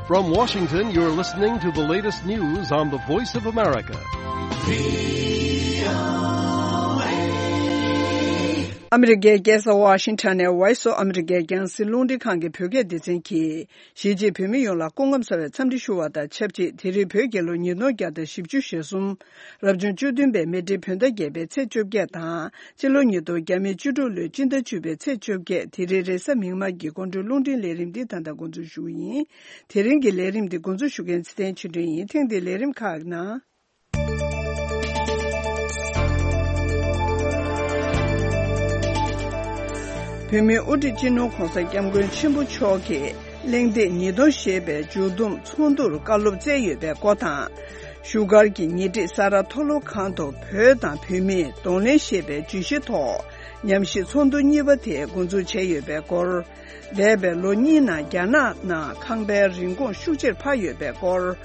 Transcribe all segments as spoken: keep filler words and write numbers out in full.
From Washington, you're listening to the latest news on the Voice of America. ཨ་མི་རི་ཀའི་རྒྱལ་ས་ཝ་ཤིང་ཊོན་ནས་Voice of America རྒྱང་སྲིང་རླུང་འཕྲིན་ཁང་གི་བོད་སྐད་སྡེ་ཚན་གྱིས། གཞིས་བྱེས་བོད་མི་ཡོངས་ལ་སྐུ་ཁམས་བཟང་བའི་འཚམས་འདྲི་ཞུ་བ་དང་ཆབས་ཅིག་དེ་རིང་བོད་རྒྱལ་ལོ་ཉིས་སྟོང་བརྒྱ་དང་བཞི་བཅུ་ཞེ་གསུམ། རབ་བྱུང་བཅུ་བདུན་པའི་མེ་སྤྲེལ་བོད་ཟླ་བརྒྱད་པའི་ཚེས་བཅོ་བརྒྱད་དང་། སྤྱི་ལོ་ཉིས་སྟོང་བརྒྱ་མེད་བཅུ་དྲུག་ལོའི་སྤྱི་ཟླ་བཅུ་པའི་ཚེས་བཅོ་བརྒྱད། དེ་རིང་རེས་གཟའ་མིག་དམར་གྱི་དགོང་དྲོའི་རླུང་འཕྲིན་ལས་རིམ་འདི་ད་ལྟ་འགོ་འཛུགས་ཞུ་གི་ཡིན། དེ་རིང་གི་ལས་རིམ་འདི་འགོ་འཛུགས་ཞུ་མཁན་ཚེ་བརྟན་ཆོས་སྒྲོན་ཡིན། ཐེངས་འདིའི་ལས་རིམ་ཁག་ནང་། བོད་མིའི་དབུ་ཁྲིད་སྤྱི་ནོར་༧གོང་ས་༧སྐྱབས་མགོན་ཆེན་པོ་མཆོག་གིས་གླེང་སྟེགས་ཉིས་སྟོང་ཞེས་པའི་མཇུག་བསྡོམས་ཚོགས་འདུར་བཀའ་སློབ་སྩལ་ཡོད་པའི་སྐོར་དང་། བཞུགས་སྒར་གྱི་ཉེ་འཁྲིས་ས་རཱ་མཐོ་སློབ་ཁང་དུ་བོད་དང་བོད་མིས་གདོང་ལེན་ཞེས་པའི་བརྗོད་གཞིའི་ཐོག་ཉམས་ཞིབ་ཚོགས་འདུ་གཉིས་པ་དེ་འགོ་འཛུགས་བྱས་ཡོད་པའི་སྐོར། འདས་པའི་ལོ་གཉིས་ནང་རྒྱ་ནག་ནང་ཁང་པའི་རིན་གོང་ཤུགས་ཆེར་འཕར་ཡོད་པའི་སྐོར།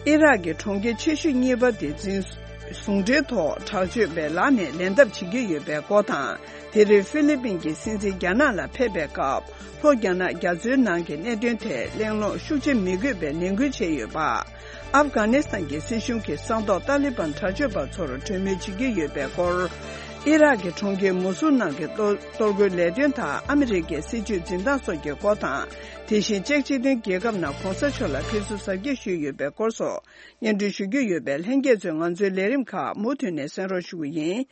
ཨི་རག་གི་གྲོང་ཁྱེར་ཆེ་ཤོས་གཉིས་པ་དེ་འཛིན་བཟུང་འབྲེལ་ཐོག་དྲག་སྤྱོད་པའི་ལག་ནས་ལེན་ཐབས་བྱེད་ཀྱི་ཡོད་པའི་སྐོར་དང་། དེ་རིང་ཧྥི་ལི་པིན་གྱི་སྲིད་འཛིན་རྒྱ་ནག་ལ་ཕེབས་པའི་སྐབས། ལྷོ་རྒྱ་ནག་རྒྱ་མཚོའི་ནང་གི་གནད་དོན་ཐད་གླེང་སློང་ཤུགས་ཆེ་མི་དགོས་པའི་ནན་སྐུལ་བྱས་ཡོད་པ། ཨབ་གྷ་ནི་སི་ཐན་གྱི་སྲིད་གཞུང་གིས་གསང་ཐོག་ཏཱ་ལི་བན་དྲག་སྤྱོད་པ་ཚོར་གྲོས་མོལ་བྱེད་ཀྱི་ཡོད་པའི་སྐོར། ཨི་རག་གི་གྲོང་ཁྱེར་མུ་སུལ་ནང་གི་གཏོར་གཏོར་རྒོལ་ལས་དོན་དང་ཨ་མི་རི་ཀའི་སྲིད་ཇུས་འཛིན་སྟངས་སོགས་ཀྱི་སྐོར་དང་། དེ་བཞིན་ཅེཀ་སྤྱི་མཐུན་རྒྱལ་ཁབ་ནང་གོང་ས་མཆོག་ལ་ཕེབས་བསུ་གཟབ་རྒྱས་ཞུས་ཡོད་པའི་སྐོར་སོགས་སྙན་སྒྲོན་ཞུ་རྒྱུ་ཡོད་པས། ལྷན་རྒྱས་ཚོས་ང་ཚོའི་ལས་རིམ་ཁག་མུ་མཐུད་ནས་གསན་རོགས་ཞུ་གི་ཡིན།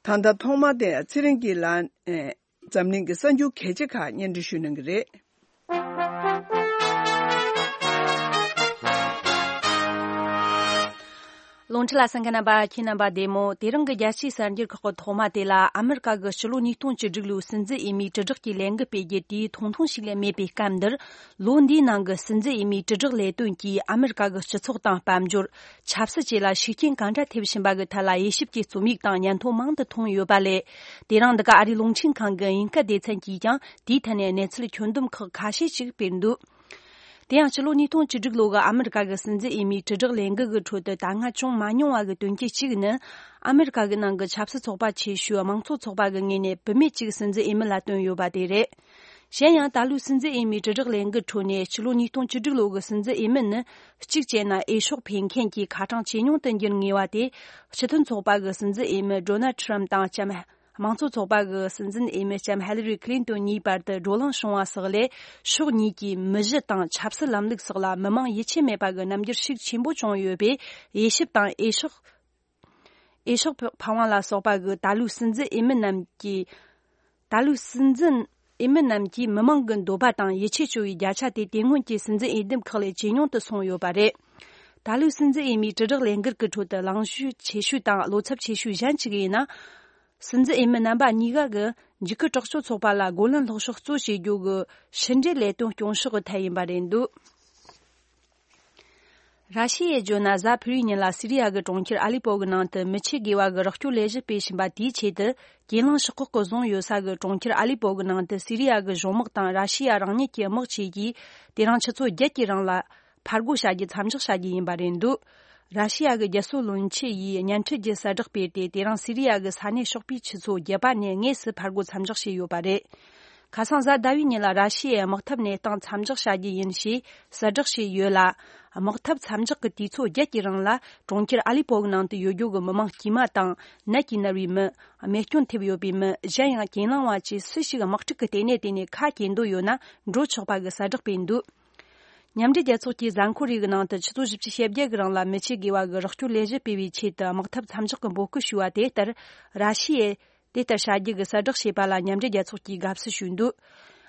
ད་ལྟ་ཐོག་མར་དེ་ཚེ་རིང་སྐྱིད་ལགས་ནས་འཛམ་གླིང་གི་གསར་འགྱུར་གལ་ཆེ་ཁག་སྙན་སྒྲོན་ཞུ་གནང་གི་རེད། རླུང་འཕྲིན་ལ་གསན་མཁན་རྣམ་པ་ཁྱེད་རྣམ་པ་བདེ་མོ། དེ་རིང་གི་རྒྱལ་སྤྱིའི་གསར་འགྱུར་ཁག་གི་ཐོག་མ་དེ་ལ། ཨ་མི་རི་ཀ་གི་སྤྱི་ལོ་ཉིས་སྟོང་བཅུ་དྲུག་ལོའི་སྲིད་འཛིན་འོས་མིའི་དྲིལ་བསྒྲགས་ཀྱི་ལས་འགུལ་སྤེལ་རྒྱུ་དེ་ཐུང་ཐུང་ཞིག་ལས་མེད་པའི་སྐབས་འདིར། ལོ་འདིའི་ནང་གི་སྲིད་འཛིན་འོས་མིའི་དྲིལ་བསྒྲགས་ལས་དོན་གྱིས་ཨ་མི་རི་ཀ་གི་སྤྱི་ཚོགས་དང་དཔལ་འབྱོར། ཆབ་སྲིད་བཅས་ལ་ཤུགས་རྐྱེན་གང་འདྲ་ཐེབས་བཞིན་པ་གི་ཐད་ལ་དབྱེ་ཞིབ་ཀྱི་རྩོམ་ཡིག་དང་སྙན་ཐོ་མང་དུ་མཐོང་ཡོད་པ་ལས། དེ་རིང་འདི་ག་ཨ་རིའི་རླུང་འཕྲིན་ཁང་གི་དབྱིན་སྐད་སྡེ་ཚན་གྱིས་ཀྱང་དེའི་ཐད་ནས་གནས་ཚུལ་ཁྱོན་བསྡོམས་ཁག་ཁ་ཤས་ཤིག་སྤེལ་འདུག་དེ་ཡང་ཕྱི་ལོ་ཉིས་སྟོང་བཅུ་དྲུག་ལོ་གི་ཨ་མི་རི་ཀ་གི་སྲིད་འཛིན་འོས་མིའི་དྲིལ་བསྒྲགས་ལས་འགུལ་གྱི་ཁྲོད་དུ་ད་སྔ་བྱུང་མ་མྱོང་བ་གི་དོན་རྐྱེན་གཅིག་ནི། ཨ་མི་རི་ཀ་གི་ནང་གི་ཆབ་སྲིད་ཚོགས་པ་ཆེ་ཤོས་དམངས་གཙོ་ཚོགས་པ་གི་ངོས་ནས་བུད་མེད་ཅིག་སྲིད་འཛིན་འོས་མི་ལ་བཏོན་ཡོད་པ་དེ་རེད། གཞན་ཡང་ད་ལོའི་སྲིད་འཛིན་འོས་མིའི་དྲིལ་བསྒྲགས་ལས་འགུལ་ཁྲོད་ནས་ཕྱི་ལོ་ཉིས་སྟོང་བཅུ་དྲུག་ལོ་གི་སྲིད་འཛིན་འོས་མི་ནི། གཅིག་བྱས་ན་འོས་ཤོག་འཕེན་མཁན་གྱི་ཁ་གྲངས་ཇེ་ཉུང་དུ་འགྱུར་ངེས་པ་དེ། སྤྱི་མཐུན་ཚོགས་པ་གི་སྲིད་འཛིན་འོས་མི་ཌོ་ནལ་ཁྲམ་དང་ལྕམ། དམངས་གཙོ་ཚོགས་པ་གི་སྲིད་འཛིན་འོས་མི་ལྕམ་ཧེ་ལི་རི་ཁི་ལིན་ཏོན་གཉིས་བར་དུ་བགྲོ་གླེང་བྱུང་བ་སོགས་ལས། ཕྱོགས་གཉིས་ཀྱི་མི་གཞི་དང་ཆབ་སྲིད་ལམ་ལུགས་སོགས་ལ་མི་མང་ཡིད་ཆེས་མེད་པ་གི་རྣམ་འགྱུར་ཤུགས་ཆེན་པོ་བྱུང་ཡོད་པས། འོས་ཞིབ་དང་འོས་ཤོག་འོས་ཤོག་འཕང་བ་ལ་སོགས་པ་གི་ད་ལོའི་སྲིད་འཛིན་འོས་མི་རྣམས་ཀྱི། ད་ལོའི་སྲིད་འཛིན་འོས་མི་རྣམས་ཀྱིས་མི་མང་གི་འདོད་པ་དང་ཡིད་ཆེས་བཅོལ་བའི་བརྒྱ་ཆ་དེ་དེ་སྔོན་གྱི་སྲིད་འཛིན་འོས་འདེམས་ཁག་ལས་ཇེ་ཉུང་དུ་སོང་ཡོད་པ་རེད། ད་ལོའི་སྲིད་འཛིན་འོས་མིའི་དྲིལ་བསྒྲགས་ལས་འགུལ་གྱི་ཁྲོད་དུ་གླེང་གཞི་ཆེ་ཤོས་དང་བློ་འཚབ་ཆེ་ཤོས་གཞན་གཅིག་ཡིན་ན། སྲིད་འཛིན་འོས་མི་རྣམ་པ་གཉིས་ཀ་གིས་འཇིགས་སྐུལ་དྲག་སྤྱོད་ཚོགས་པ་ལ་རྒོལ་ལན་སློག་ཕྱོགས་གཙོ་བྱེད་རྒྱུ་གི་ཕྱི་འབྲེལ་ལས་དོན་སྐྱོང་ཕྱོགས་ཀྱི་ཐད་ཡིན་པ་རེད་འདུག་ར་ཤི་ཡའི་བརྗོད་ན་གཟའ་ཕུར་བུའི་ཉིན་ལ་སི་རི་ཡ་གི་གྲོང་ཁྱེར་ཨ་ལི་པོ་གི་ནང་དུ་མི་ཆེ་དགེ་བ་གི་རོགས་སྐྱོར་ལས་གཞི་སྤེལ་བཞིན་པ་དེའི་ཆེད་དུ། གྱེན་ལངས་ཤོག་ཁག་གིས་བཟུང་ཡོད་ས་གི་གྲོང་ཁྱེར་ཨ་ལི་པོ་གི་ནང་དུ་སི་རི་ཡ་གི་གཞུང་དམག་དང་ར་ཤི་ཡ་རང་ཉིད་ཀྱི་དམག་བཅས་ཀྱིས་དེ་རིང་ཆུ་ཚོད་བརྒྱད་ཀྱི་རིང་ལ་ཕར་རྒོལ་བྱ་རྒྱུ་མཚམས་འཇོག་བྱ་རྒྱུ་ཡིན་པ་རེད་འདུག་ར་ཤི་ཡ་གི་རྒྱལ་སྲུང་བློན་ཆེན་ཡིས་བརྙན་འཕྲིན་གྱི་གསལ་བསྒྲགས་སྤེལ་ཏེ། དེ་རིང་སི་རི་ཡ་གི་ས་གནས་ཕྱོགས་པའི་ཆུ་ཚོད་བརྒྱད་པ་ནས་དངོས་སུ་ཕར་རྒོལ་མཚམས་འཇོག་བྱས་ཡོད་པ་རེད། ཁ་སང་གཟའ་ཟླ་བའི་ཉིན་ལ་ར་ཤི་ཡའི་དམག་འཐབ་གནས་སྟངས་མཚམས་འཇོག་བྱ་རྒྱུ་ཡིན་ཞེས་གསལ་བསྒྲགས་བྱས་ཡོད་ལ། དམག་འཐབ་མཚམས་འཇོག་གི་དུས་ཚོད་བརྒྱད་ཀྱི་རིང་ལ་གྲོང་ཁྱེར་ཨ་ལི་པོ་གི་ནང་དུ་ཡོད་རྒྱུ་གི་མི་མང་དཀྱུས་མ་དང་། ནད་ཀྱིས་མནར་བའི་མི། རྨས་སྐྱོན་ཐེབས་ཡོད་པའི་མི། གཞན་ཡང་གྱེན་ལངས་པ་བཅས་སུ་ཞིག་དམག་འཁྲུག་གི་ལྟེ་གནས་དེ་ནས་ཁ་གྱེས་འདོད་ཡོད་ན་འགྲོ་ཆོག་པ་གི་གསལ་བསྒྲགས་སྤེལ་འདུག་མཉམ་འབྲེལ་རྒྱལ་ཚོགས་ཀྱིས་གཟའ་འཁོར་རེ་གི་ནང་དུ་ཆུ་ཚོད་བཞི་བཅུ་ཞེ་བརྒྱད་གི་རིང་ལ་མི་ཆེ་དགེ་བ་གི་རོགས་སྐྱོར་ལས་གཞི་སྤེལ་བའི་ཆེད་དུ་དམག་འཐབ་མཚམས་འཇོག་གི་འབོད་སྐུལ་ཞུས་པ་དེ་ལྟར། ར་ཤི་ཡས་དེ་ལྟར་བྱ་རྒྱུ་གི་གསལ་བསྒྲགས་བྱས་པ་ལ་མཉམ་འབྲེལ་རྒྱལ་ཚོགས་ཀྱིས་དགའ་བསུ་ཞུས་འདུག་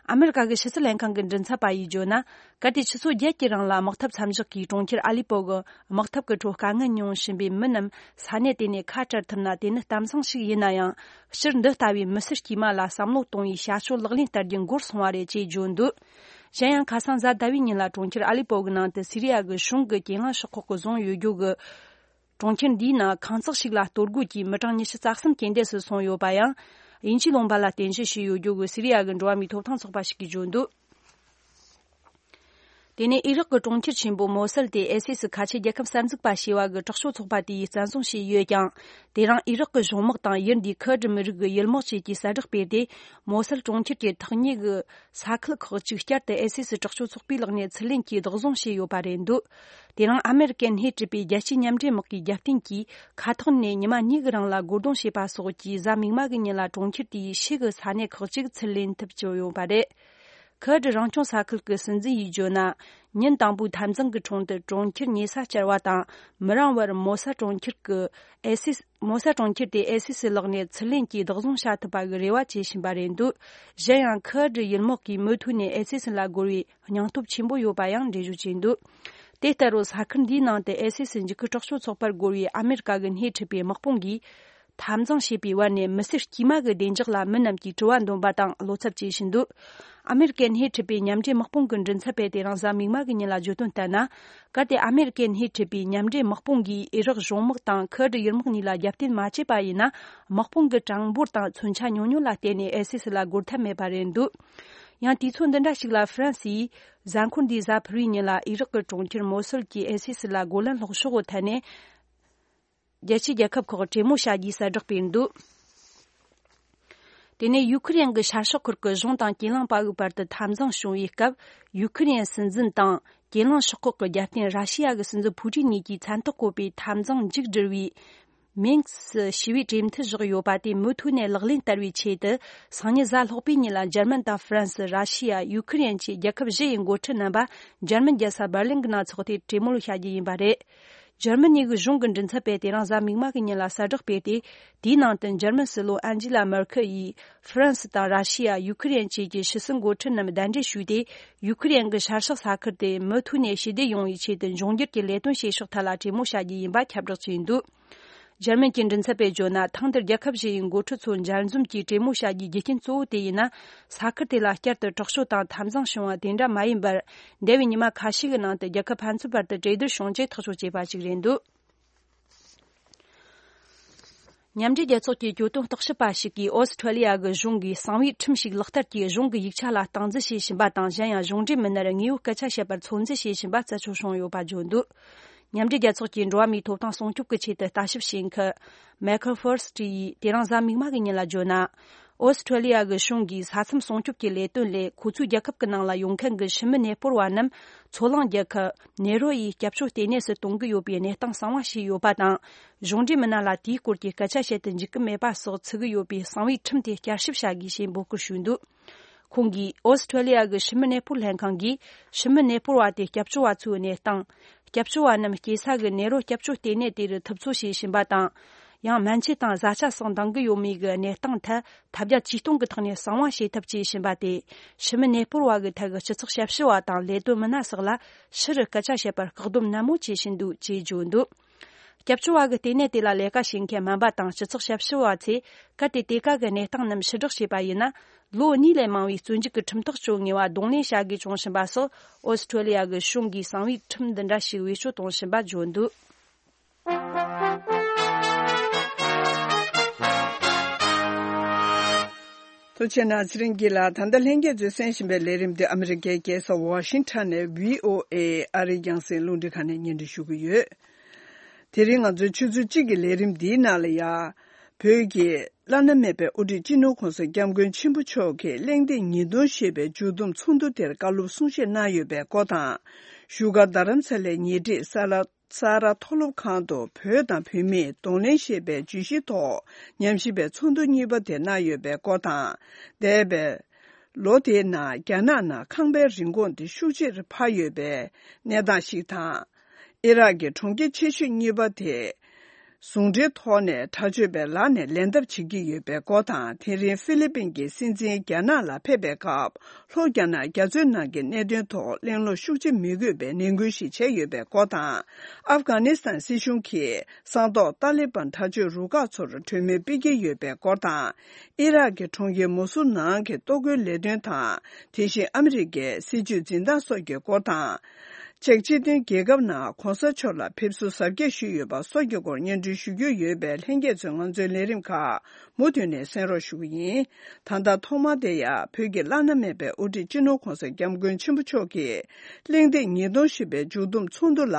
ཨ་མི་རི་ཀ་གི་ཕྱི་སྲིད་ལྷན་ཁང་གི་མགྲིན་ཚབ་པ་ཡིས་བརྗོད་ན། གལ་ཏེ་ཆུ་ཚོད་བརྒྱད་ཀྱི་རིང་ལ་དམག་འཐབ་མཚམས་འཇོག་གིས་གྲོང་ཁྱེར་ཨ་ལི་པོ་གི་དམག་འཐབ་ཀྱི་ཁྲོད་དཀའ་ངལ་མྱོང་བཞིན་པའི་མི་རྣམས་ས་གནས་དེ་ནས་ཁ་བྲལ་ཐུབ་ན་དེ་ནི་གཏམ་བཟང་ཞིག་ཡིན་ན་ཡང་། སྤྱིར་འདི་ལྟ་བུའི་མི་སེར་དཀྱུས་མ་ལ་བསམ་བློ་གཏོང་བའི་བྱ་སྤྱོད་ལག་ལེན་བསྟར་རྒྱུ་འགོར་སོང་བ་རེད་ཅེས་བརྗོད་འདུག་གཞན་ཡང་ཁ་སང་གཟའ་ཟླ་བའི་ཉིན་ལ་གྲོང་ཁྱེར་ཨ་ལི་པོ་གི་ནང་དུ་སི་རི་ཡ་གི་གཞུང་གི་གྱེན་ལངས་ཤོག་ཁག་གིས་བཟུང་ཡོད་རྒྱུ་གི་གྲོང་ཁྱེར་འདིའི་ནང་ཁང་བརྩེགས་ཤིག་ལ་གཏོར་རྒོལ་གྱིས་མི་གྲངས་ཉི་ཤུ་རྩ་གསུམ་རྐྱེན་འདས་སུ་སོང་ཡོད་པ་ཡང་། དབྱིན་ཇིའི་ལུང་པ་ལ་རྟེན་གཞི་བྱས་ཡོད་རྒྱུ་གི་སི་རི་ཡ་གི་འགྲོ་བ་མིའི་ཐོབ་ཐང་ཚོགས་པ་ཞིག་གིས་བརྗོད་འདུག་དེ་ནས་ཨི་རག་གི་གྲོང་ཁྱེར་ཆེན་པོ་མོ་སལ་དེ་ཨའི་སི་སི་ཁ་ཆེ་རྒྱལ་ཁབ་གསར་འཛུགས་པ་ཞེས་པ་གི་དྲག་སྤྱོད་ཚོགས་པ་དེ་ཡིས་བཙན་བཟུང་བྱས་ཡོད་ཀྱང་། དེ་རིང་ཨི་རག་གི་གཞུང་དམག་དང་ཡུལ་འདིའི་ཁུར་ཌི་མི་རིགས་ཀྱི་ཡུལ་དམག་བཅས་ཀྱིས་གསལ་བསྒྲགས་སྤེལ་ཏེ། མོ་སལ་གྲོང་ཁྱེར་གྱི་ཐག་ཉེ་གི་ས་ཁུལ་ཁག་ཅིག་བསྐྱར་དུ་ཨའི་སི་སི་དྲག་སྤྱོད་ཚོགས་པའི་ལག་ནས་ཚུར་ལེན་གྱིས་བདག་བཟུང་བྱས་ཡོད་པ་རེད་འདུག་དེ་རིང་ཨ་མེ་རི་ཀའི་སྣེ་ཁྲིད་པའི་རྒྱལ་སྤྱིའི་མཉམ་འབྲེལ་དམག་གི་རྒྱབ་རྟེན་གྱིས་མཁའ་ཐོག་ནས་ཉི་མ་གཉིས་ཀྱི་རིང་ལ་རྒོལ་རྡུང་བྱས་པ་སོགས་ཀྱིས་གཟའ་མིག་དམར་གྱི་ཉིན་ལ་གྲོང་ཁྱེར་དེའི་ཕྱི་གི་ས་གནས་ཁག་ཅིག་ཚུར་ལེན་ཐུབ་བྱུང་ཡོད་པ་རེད། ཁུར་ཌི་རང་སྐྱོང་ས་ཁུལ་གྱི་སྲིད་འཛིན་ཡིས་བརྗོད་ན། ཉིན་དང་པོའི་འཐབ་འཛིང་གི་དྲུང་དུ་གྲོང་ཁྱེར་ཉེ་ས་བཅར་བ་དང་། མི་རིང་བར་མོ་ས་གྲོང་ཁྱེར་གྱི་ཨེ་སི་སི། མོ་ས་གྲོང་ཁྱེར་དེ་ཨེ་སི་སི་ལག་ནས་ཚུར་ལེན་གྱིས་བདག་བཟུང་བྱ་ཐུབ་པ་གི་རེ་བ་བྱེད་བཞིན་པ་རེད་འདུག་གཞན་ཡང་ཁུར་ཌི་ཡུལ་དམག་གིས་མུ་མཐུད་ནས་ཨེ་སི་སི་ལ་རྒོལ་བའི་སྙིང་སྟོབས་ཆེན་པོ་ཡོད་པ་ཡང་འགྲེལ་བརྗོད་བྱས་འདུག་དེ་ལྟར་རོ་ས་ཁུལ་འདིའི་ནང་དུ་ཨེ་སི་སི་འཇིགས་སྐུལ་དྲག་སྤྱོད་ཚོགས་པར་རྒོལ་བའི་ཨ་མེ་རི་ཀ་གི་སྣེ་ཁྲིད་པའི་དམག་དཔུང་གིས། འཐབ་འཛིང་བྱེད་པའི་བར་ནས་མི་སེར་དཀྱུས་མ་གི་བདེ་འཇགས་ལ་མི་རྣམས་ཀྱིས་དྲི་བ་འདོན་པ་དང་བློ་འཚབ་བྱེད་བཞིན་འདུག་ཨ་མེ་རི་ཀའི་སྣེ་ཁྲིད་པའི་མཉམ་འབྲེལ་དམག་དཔུང་གི་མགྲིན་ཚབ་པས་དེ་རིང་གཟའ་མིག་དམར་གྱི་ཉིན་ལ་བརྗོད་དོན་ལྟར་ན། གལ་ཏེ་ཨ་མེ་རི་ཀའི་སྣེ་ཁྲིད་པའི་མཉམ་འབྲེལ་དམག་དཔུང་གིས་ཨི་རག་གཞུང་དམག་དང་ཁུར་ཌི་ཡུལ་དམག་གཉིས་ལ་རྒྱབ་རྟེན་མ་བྱས་པ་ཡིན་ན། དམག་དཔུང་གི་གྲངས་འབོར་དང་མཚོན་ཆ་ཉུང་ཉུང་ལ་བརྟེན་ནས་ཨེ་སི་སི་ལ་རྒོལ་ཐབས་མེད་པ་རེད་འདུག་ཡང་དུས་ཚོད་འདི་འདྲ་ཞིག་ལ་ཧྥ་རན་སིས་གཟའ་འཁོར་འདིའི་གཟའ་ཕུར་བུའི་ཉིན་ལ་ཨི་རག་གི་གྲོང་ཁྱེར་མོ་སུལ་གྱི་ཨེ་སི་སི་ལ་རྒོལ་ལན་སློག་ཕྱོགས་ཐད་ནས། རྒྱལ་སྤྱིའི་རྒྱལ་ཁབ་ཁག་གྲོས་མོལ་བྱ་རྒྱུའི་གསལ་བསྒྲགས་སྤེལ་འདུག་དེ་ནས་ཡུ་ཁུ་རེན་གྱི་ཤར་ཕྱོགས་ཁུལ་གྱི་གཞུང་དང་གྱེན་ལངས་པ་འགོས་བར་དུ་འཐབ་འཛིང་བྱུང་བའི་སྐབས། ཡུ་ཁུ་རེན་སྲིད་འཛིན་དང་གྱེན་ལངས་ཤོག་ཁག་གི་རྒྱབ་རྟེན་ར་ཤི་ཡ་གི་སྲིད་འཛིན་ཕུ་ཏིན་གཉིས་ཀྱིས་མཚན་རྟགས་བཀོད་པའི་འཐབ་འཛིང་མཇུག་བསྒྲིལ་བའི་མིན་སི་ཞི་བའི་གྲོས་མཐུན་བཞག་ཡོད་པ་དེ་མུ་མཐུད་ནས་ལག་ལེན་བསྟར་བའི་ཆེད་དུ། སང་ཉིན་གཟའ་ལྷག་པའི་ཉིན་ལ་འཇར་མན་དང་ཧྥ་རན་སི། ར་ཤི་ཡ། ཡུ་ཁུ་རེན་བཅས་རྒྱལ་ཁབ་བཞི་ཡི་འགོ་ཁྲིད་རྣམ་པ་འཇར་མན་རྒྱལ་ས་འབར་ལིན་གྱི་ནང་འཚོགས་ཏེ་གྲོས་མོལ་བྱ་རྒྱུ་ཡིན་པ་རེད། འཇར་མ་ནི་གི་གཞུང་གི་མགྲིན་ཚབ་པས་དེ་རིང་གཟའ་མིག་དམར་གྱི་ཉིན་ལ་གསལ་བསྒྲགས་སྤེལ་ཏེ། དེའི་ནང་དུ་འཇར་མན་སྲིད་བློན་ཨན་ཇི་ལ་མར་ཁེལ་ཡིས་ཧྥ་རན་སི་དང་ར་ཤི་ཡ། ཡུ་ཁུ་རེན་བཅས་ཀྱི་ཕྱི་སྲིད་འགོ་ཁྲིད་རྣམས་གདན་འདྲེན་ཞུས་ཏེ། ཡུ་ཁུ་རེན་གྱི་ཤར་ཕྱོགས་ས་ཁུལ་དེ་མུ་མཐུད་ནས་ཞི་བདེ་ཡོང་བའི་ཆེད་དུ་འབྱུང་འགྱུར་གྱི་ལས་དོན་བྱེད་ཕྱོགས་ཐད་ལ་གྲོས་མོལ་བྱ་རྒྱུ་ཡིན་པ་ཁྱབ་བསྒྲགས་བྱས་འདུག་འཇར་མན་གྱི་མགྲིན་ཚབ་པས་བརྗོད་ན། ཐེངས་འདིར་རྒྱལ་ཁབ་བཞི་ཡི་འགོ་ཁྲིད་ཚོ་མཇལ་འཛོམས་ཀྱིས་གྲོས་མོལ་བྱ་རྒྱུའི་རྒྱུ་རྐྱེན་གཙོ་བོ་དེ་ཡིན་ན། ས་ཁུལ་དེ་ལ་བསྐྱར་དུ་དྲག་སྤྱོད་དང་འཐབ་འཛིང་བྱུང་བ་དེ་འདྲ་མ་ཡིན་པར། འདས་པའི་ཉི་མ་ཁ་ཤས་ཀྱི་ནང་དུ་རྒྱལ་ཁབ་ཕན་ཚུན་བར་དུ་གྲོས་བསྡུར་བྱུང་རྗེས་ཐག་གཅོད་བྱས་པ་ཞིག་རེད་འདུག་མཉམ་འབྲེལ་རྒྱལ་ཚོགས་ཀྱི་གྱོད་དོན་བརྟག་ཞིབ་པ་ཞིག་གིས་ཨོ་སི་ཁྲུ་ལི་ཡ་གི་གཞུང་གིས་གསང་བའི་ཁྲིམས་ཤིག་ལག་བསྟར་གྱིས་གཞུང་གི་ཡིག་ཆ་ལ་སྟངས་འཛིན་བྱེད་བཞིན་པ་དང་། གཞན་ཡང་གཞུང་འབྲེལ་མི་སྣར་དངོས་ཡོད་སྐད་ཆ་བཤད་པར་ཚོད་འཛིན་བྱེད་བཞིན་པ་རྩད་གཅོད་བྱུང་ཡོད་པ་བརྗོད་འདུག་མཉམ་འབྲེལ་རྒྱལ་ཚོགས་ཀྱི་འགྲོ་བ་མིའི་ཐོབ་ཐང་སྲུང་སྐྱོབ་ཀྱི་ཆེད་དུ་ལྟ་ཞིབ་བྱེད་མཁན་མའི་ཁལ་ཧྥོར་སི་ཊི་ཡིས་དེ་རིང་གཟའ་མིག་དམར་གྱི་ཉིན་ལ་བརྗོད་ན། ཨོ་སི་ཁྲུ་ལི་ཡ་གི་གཞུང་གིས་ས་མཚམས་སྲུང་སྐྱོབ་ཀྱི་ལས་དོན་ལས་ཁོ་ཚོའི་རྒྱལ་ཁབ་ཀྱི་ནང་ལ་ཡོང་མཁན་གྱི་ཕྱི་མི་གནས་སྤོར་བ་རྣམས་མཚོ་གླིང་རྒྱལ་ཁབ་ནེ་རོ་ཡི་སྐྱབས་བཅོལ་ལྟེ་གནས་སུ་གཏོང་གི་ཡོད་པའི་གནས་སྟངས་གསང་བ་བྱས་ཡོད་པ་དང་། གཞུང་འབྲེལ་མི་སྣ་ལ་དེའི་སྐོར་གྱི་སྐད་ཆ་བཤད་དུ་འཇུག་གི་མེད་པ་སོགས་ཚུད་ཀྱི་ཡོད་པའི་གསང་བའི་ཁྲིམས་དེ་བསྐྱར་ཞིབ་བྱ་དགོས་ཞེས་འབོད་སྐུལ་ཞུས་འདུག་ཁོང་གིས་ཨོ་སི་ཁྲུ་ལི་ཡ་གི་ཕྱི་མི་གནས་སྤོར་ལྷན་ཁང་གིས་ཕྱི་མི་གནས་སྤོར་བ་དེ་སྐྱབས་བཅོལ་བ་ཚོའི་གནས་སྟངས། སྐྱབས་བཅོལ་བ་རྣམས་སྐྱེས་ས་གི་ནེ་རོ་སྐྱབས་བཅོལ་ལྟེ་གནས་དེ་རུ་ཐུབ་ཚོད་བྱེད་བཞིན་པ་དང་། ཡང་སྨན་ཆས་དང་བཟའ་བཅའ་སོགས་འདང་གི་ཡོད་མེད་ཀྱི་གནས་སྟངས་ཐད་ཐབས་བརྒྱ་ཇུས་སྟོང་གི་ཐོག་ནས་གསང་བ་བྱེད་ཐབས་བྱེད་བཞིན་པ་སྟེ། ཕྱི་མི་གནས་སྤོར་བ་གི་ཐད་ཀྱི་སྤྱི་ཚོགས་ཞབས་ཞུ་བ་དང་ལས་དོན་མི་སྣ་སོགས་ལ་ཕྱི་རུ་སྐད་ཆ་བཤད་པར་བཀག་སྡོམ་ནན་མོ་བྱེད་བཞིན་འདུག་ཅེས་བརྗོད་འདུག་སྐྱབས་བཅོལ་བ་གི་ལྟེ་གནས་དེ་ལ་ལས་ཀ་བྱེད་མཁན་སྨན་པ་དང་སྤྱི་ཚོགས་ཞབས་ཞུ་བ་ཚོས་གལ་ཏེ་དེ་ག་གི་གནས་སྟངས་རྣམས་ཕྱིར་བསྒྲགས་བྱས་པ་ཡིན་ན། ལོ་གཉིས་ལས་མང་བའི་བཙོན་འཇུག་གི་ཁྲིམས་ཐག་གཅོད་ངེས་པ་གདོང་ལེན་བྱ་དགོས་བྱུང་བཞིན་པ་སོགས་ཨོ་སི་ཁྲུ་ལི་ཡ་གི་གཞུང་གིས་གསང་བའི་ཁྲིམས་འདི་འདྲ་ཞིག་བེད་སྤྱོད་གཏོང་བཞིན་པ་བརྗོད་འདུག་ཐུགས་རྗེ་ཆེ་གནང་། ཚེ་རིང་སྐྱིད་ལགས། ད་ལྟ་ལྷན་རྒྱས་ཚོས་གསན་བཞིན་པའི་ལས་རིམ་འདི་ཨ་མི་རི་ཀའི་རྒྱལ་ས་ཝ་ཤིང་ཊོན་ནས་བྷི་ཨོ་ཨེ་ཨ་རིའི་རྒྱང་སྲིང་རླུང་འཕྲིན་ཁང་ནས་སྙན་སྒྲོན་ཞུ་གི་ཡོད། དེ་རིང་ང་ཚོའི་ཆུ་ཚོད་གཅིག་གི་ལས་རིམ་འདིའི་ནང་ལ་ཡང་། བོད་ཀྱི་བླ་ན་མེད་པའི་དབུ་ཁྲིད་སྤྱི་ནོར་༸གོང་ས་༸སྐྱབས་མགོན་ཆེན་པོ་མཆོག་གིས་གླེང་སྟེགས་ཉིས་སྟོང་ཞེས་པའི་མཇུག་བསྡོམས་ཚོགས་འདུ་དེར་བཀའ་སློབ་གསུང་བཤད་གནང་ཡོད་པའི་སྐོར་དང་། བཞུགས་སྒར་རྡ་རམ་ས་ལའི་ཉེ་འཁྲིས་ས་ལ། ས་རཱ་མཐོ་སློབ་ཁང་དུ་བོད་དང་བོད་མིའི་གདོང་ལེན་ཞེས་པའི་བརྗོད་གཞིའི་ཐོག་ཉམས་ཞིབ་པའི་ཚོགས་འདུ་གཉིས་པ་དེ་གནང་ཡོད་པའི་སྐོར་དང་། འདས་པའི་ལོ་དེའི་ནང་རྒྱ་ནག་ནང་ཁང་པའི་རིན་གོང་དེ་ཤུགས་ཆེར་འཕར་ཡོད་པའི་གནས་སྟངས་ཤིག་དང་། ཨི་རག་གི་གྲོང་ཁྱེར་ཆེ་ཤོས་གཉིས་པ་དེ་ཟུང་འབྲེལ་ཐོག་ནས་དྲག་སྤྱོད་པའི་ལག་ནས་ལེན་ཐབས་བྱེད་ཀྱི་ཡོད་པའི་སྐོར་དང་། དེ་རིང་ཧྥི་ལི་པིན་གྱི་སྲིད་འཛིན་རྒྱ་ནག་ལ་ཕེབས་པའི་སྐབས། ལྷོ་རྒྱ་ནག་རྒྱ་མཚོའི་ནང་གི་གནད་དོན་ཐོག་གླེང་སློང་ཤུགས་ཆེ་མི་དགོས་པའི་ནན་སྐུལ་ཞིག་བྱས་ཡོད་པའི་སྐོར་དང་། ཨབ་གྷ་ནི་སི་ཐན་སྲིད་གཞུང་གིས་ས་ཐོག་ཏཱ་ལི་བན་དྲག་སྤྱོད་རུ་ཁག་ཚོར་གྲོས་མོལ་སྤེལ་གྱི་ཡོད་པའི་སྐོར་དང་། ཨི་རག་གི་གྲོང་ཁྱེར་མོ་སུ་ནང་གི་གཏོར་རྒོལ་ལས་དོན་དང་། དེ་བཞིན་ཨ་མི་རི་ཀའི་སྲིད་ཇུས་འཛིན་སྟངས་སོགས་ཀྱི་སྐོར་དང་། ཅེཀ་སྤྱི་མཐུན་རྒྱལ་ཁབ་ནང་གོང་ས་མཆོག་ལ་ཕེབས་བསུ་གཟབ་རྒྱས་ཞུས་ཡོད་པ་སོགས་ཀྱི་སྐོར་སྙན་སྒྲོན་ཞུ་རྒྱུ་ཡོད་པས། ལྷན་རྒྱས་ཚོས་ང་ཚོའི་ལས་རིམ་ཁག་མུ་མཐུད་ནས་གསན་རོགས་ཞུ་གི་ཡིན། ད་ལྟ་ཐོག་མར་དེ་ཡང་བོད་ཀྱི་བླ་ན་མེད་པའི་དབུ་ཁྲིད་སྤྱི་ནོར་༧གོང་ས་༧སྐྱབས་མགོན་ཆེན་པོ་མཆོག་གིས་གླེང་སྟེགས་ཉིས་སྟོང་བཞི་པའི་མཇུག་བསྡོམས་ཚོགས་འདུ་ལ་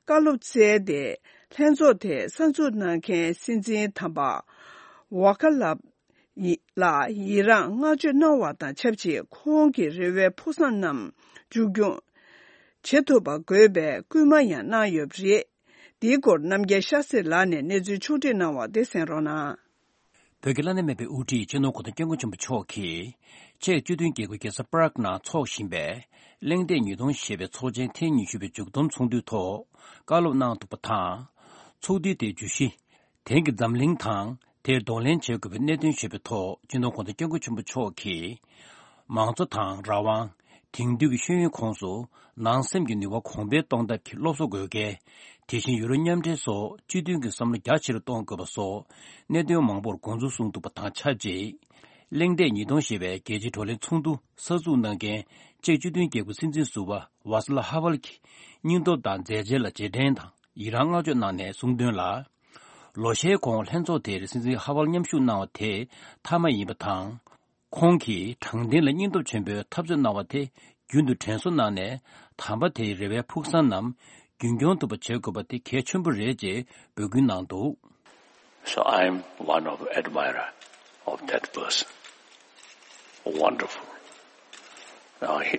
བཀའ་སློབ་སྩལ་ཏེ། ལྷན་ཚོགས་དེར་གསར་འཛུགས་གནང་མཁན་སྲིད་འཛིན་དམ་པ་ཝ་ཀ་ལབ་ཡི་ལ་ཡི་རངས་བསྔགས་བརྗོད་གནང་བ་དང་ཆབས་ཅིག་ཁོང་གི་རེ་བའི་ཕུགས་བསམ་རྣམས་མཇུག་སྐྱོང་བྱེད་ཐུབ་པ་དགོས་པའི་སྐུལ་མ་ཡང་གནང་ཡོད་པ་རེད། འདིའི་སྐོར་རྣམ་རྒྱལ་ཤཱ་སྟྲི་ལགས་ནས་གནས་ཚུལ་ཕྱོགས་སྒྲིག་གནང་བ་དེ་གསན་རོགས་གནང་། བོད་ཀྱི་བླ་ན་མེད་པའི་དབུ་ཁྲིད་སྤྱི་ནོར་༧གོང་ས་༧སྐྱབས་མགོན་ཆེན་པོ་མཆོག་གིས་ཅེཀ་སྤྱི་མཐུན་རྒྱལ་ཁབ་རྒྱལ་ས་པ་རག་ནང་འཚོགས་བཞིན་པའི་གླེང་སྟེགས་ཉིས་སྟོང་ཞེས་པའི་ཚོགས་ཆེན་ཐེངས་ཉི་ཤུ་པའི་མཇུག་བསྡོམས་ཚོགས་འདུའི་ཐོག་བཀའ་སློབ་གནང་འདུག་པ་དང་། ཚོགས་འདུའི་དེའི་བརྗོད་གཞི། དེང་གི་འཛམ་གླིང་དང་དེར་གདོང་ལེན་བྱེད་དགོས་པའི་གནད་དོན་ཞེས་པའི་ཐོག་སྤྱི་ནོར་༧གོང་ས་༧སྐྱབས་མགོན་ཆེན་པོ་མཆོག་གིས། མང་གཙོ་དང་རང་དབང་། དེང་དུས་ཀྱི་ཤེས་ཡོན་ཁོངས་སུ་ནང་སེམས་ཀྱི་ནུས་པ་གོང་འཕེལ་གཏོང་ཐབས་ཀྱི་སློབ་གསོ་དགོས་གལ། དེ་བཞིན་ཡུ་རོབ་མཉམ་འབྲེལ་སོགས་སྤྱི་མཐུན་གྱི་བསམ་བློ་རྒྱ་ཆེ་རུ་གཏོང་དགོས་པ་སོགས་གནད་དོན་མང་པོར་དགོངས་ཚུལ་གསུངས་འདུག་པ་དང་ཆབས་ཅིག་གླེང་སྟེགས་ཉིས་སྟོང་ཞེས་པའི་རྒྱལ་སྤྱིའི་བགྲོ་གླེང་ཚོགས་འདུ་གསར་འཛུགས་གནང་མཁན་ཅེཀ་སྤྱི་མཐུན་རྒྱལ་ཁབ་སྲིད་འཛིན་ཟུར་པ་ཝཱ་སི་ལ་ཧ་ཝལ་གྱིས་སྙིང་སྟོབས་དང་མཛད་རྗེས་ལ་རྗེས་དྲན་དང་ཡི་རངས་བསྔགས་བརྗོད་གནང་ནས་གསུངས་དོན་ལ། ལོ་ཤས་གོང་ལྷན་ཚོགས་དེར་སྲིད་འཛིན་ཧ་ཝལ་མཉམ་ཞུགས་གནང་བ་དེ་མཐའ་མ་ཡིན་པ་དང་། ཁོང་གིས་དྲང་བདེན་ལ་སྙིང་སྟོབས་ཆེན་པོས་འཐབ་རྩོད་གནང་བ་དེ་རྒྱུན་དུ་དྲན་གསོ་གནང་ནས་དམ་པ་དེའི་རེ་བའི་ཕུགས་བསམ་རྣམས་རྒྱུན་སྐྱོང་ཐུབ་པ་བྱེད་དགོས་པ་དེ་གལ་ཆེན་པོ་རེད་ཅེས་འབོད་སྐུལ་གནང་འདུག So I am one of admirer of that person. Wonderful. Now he,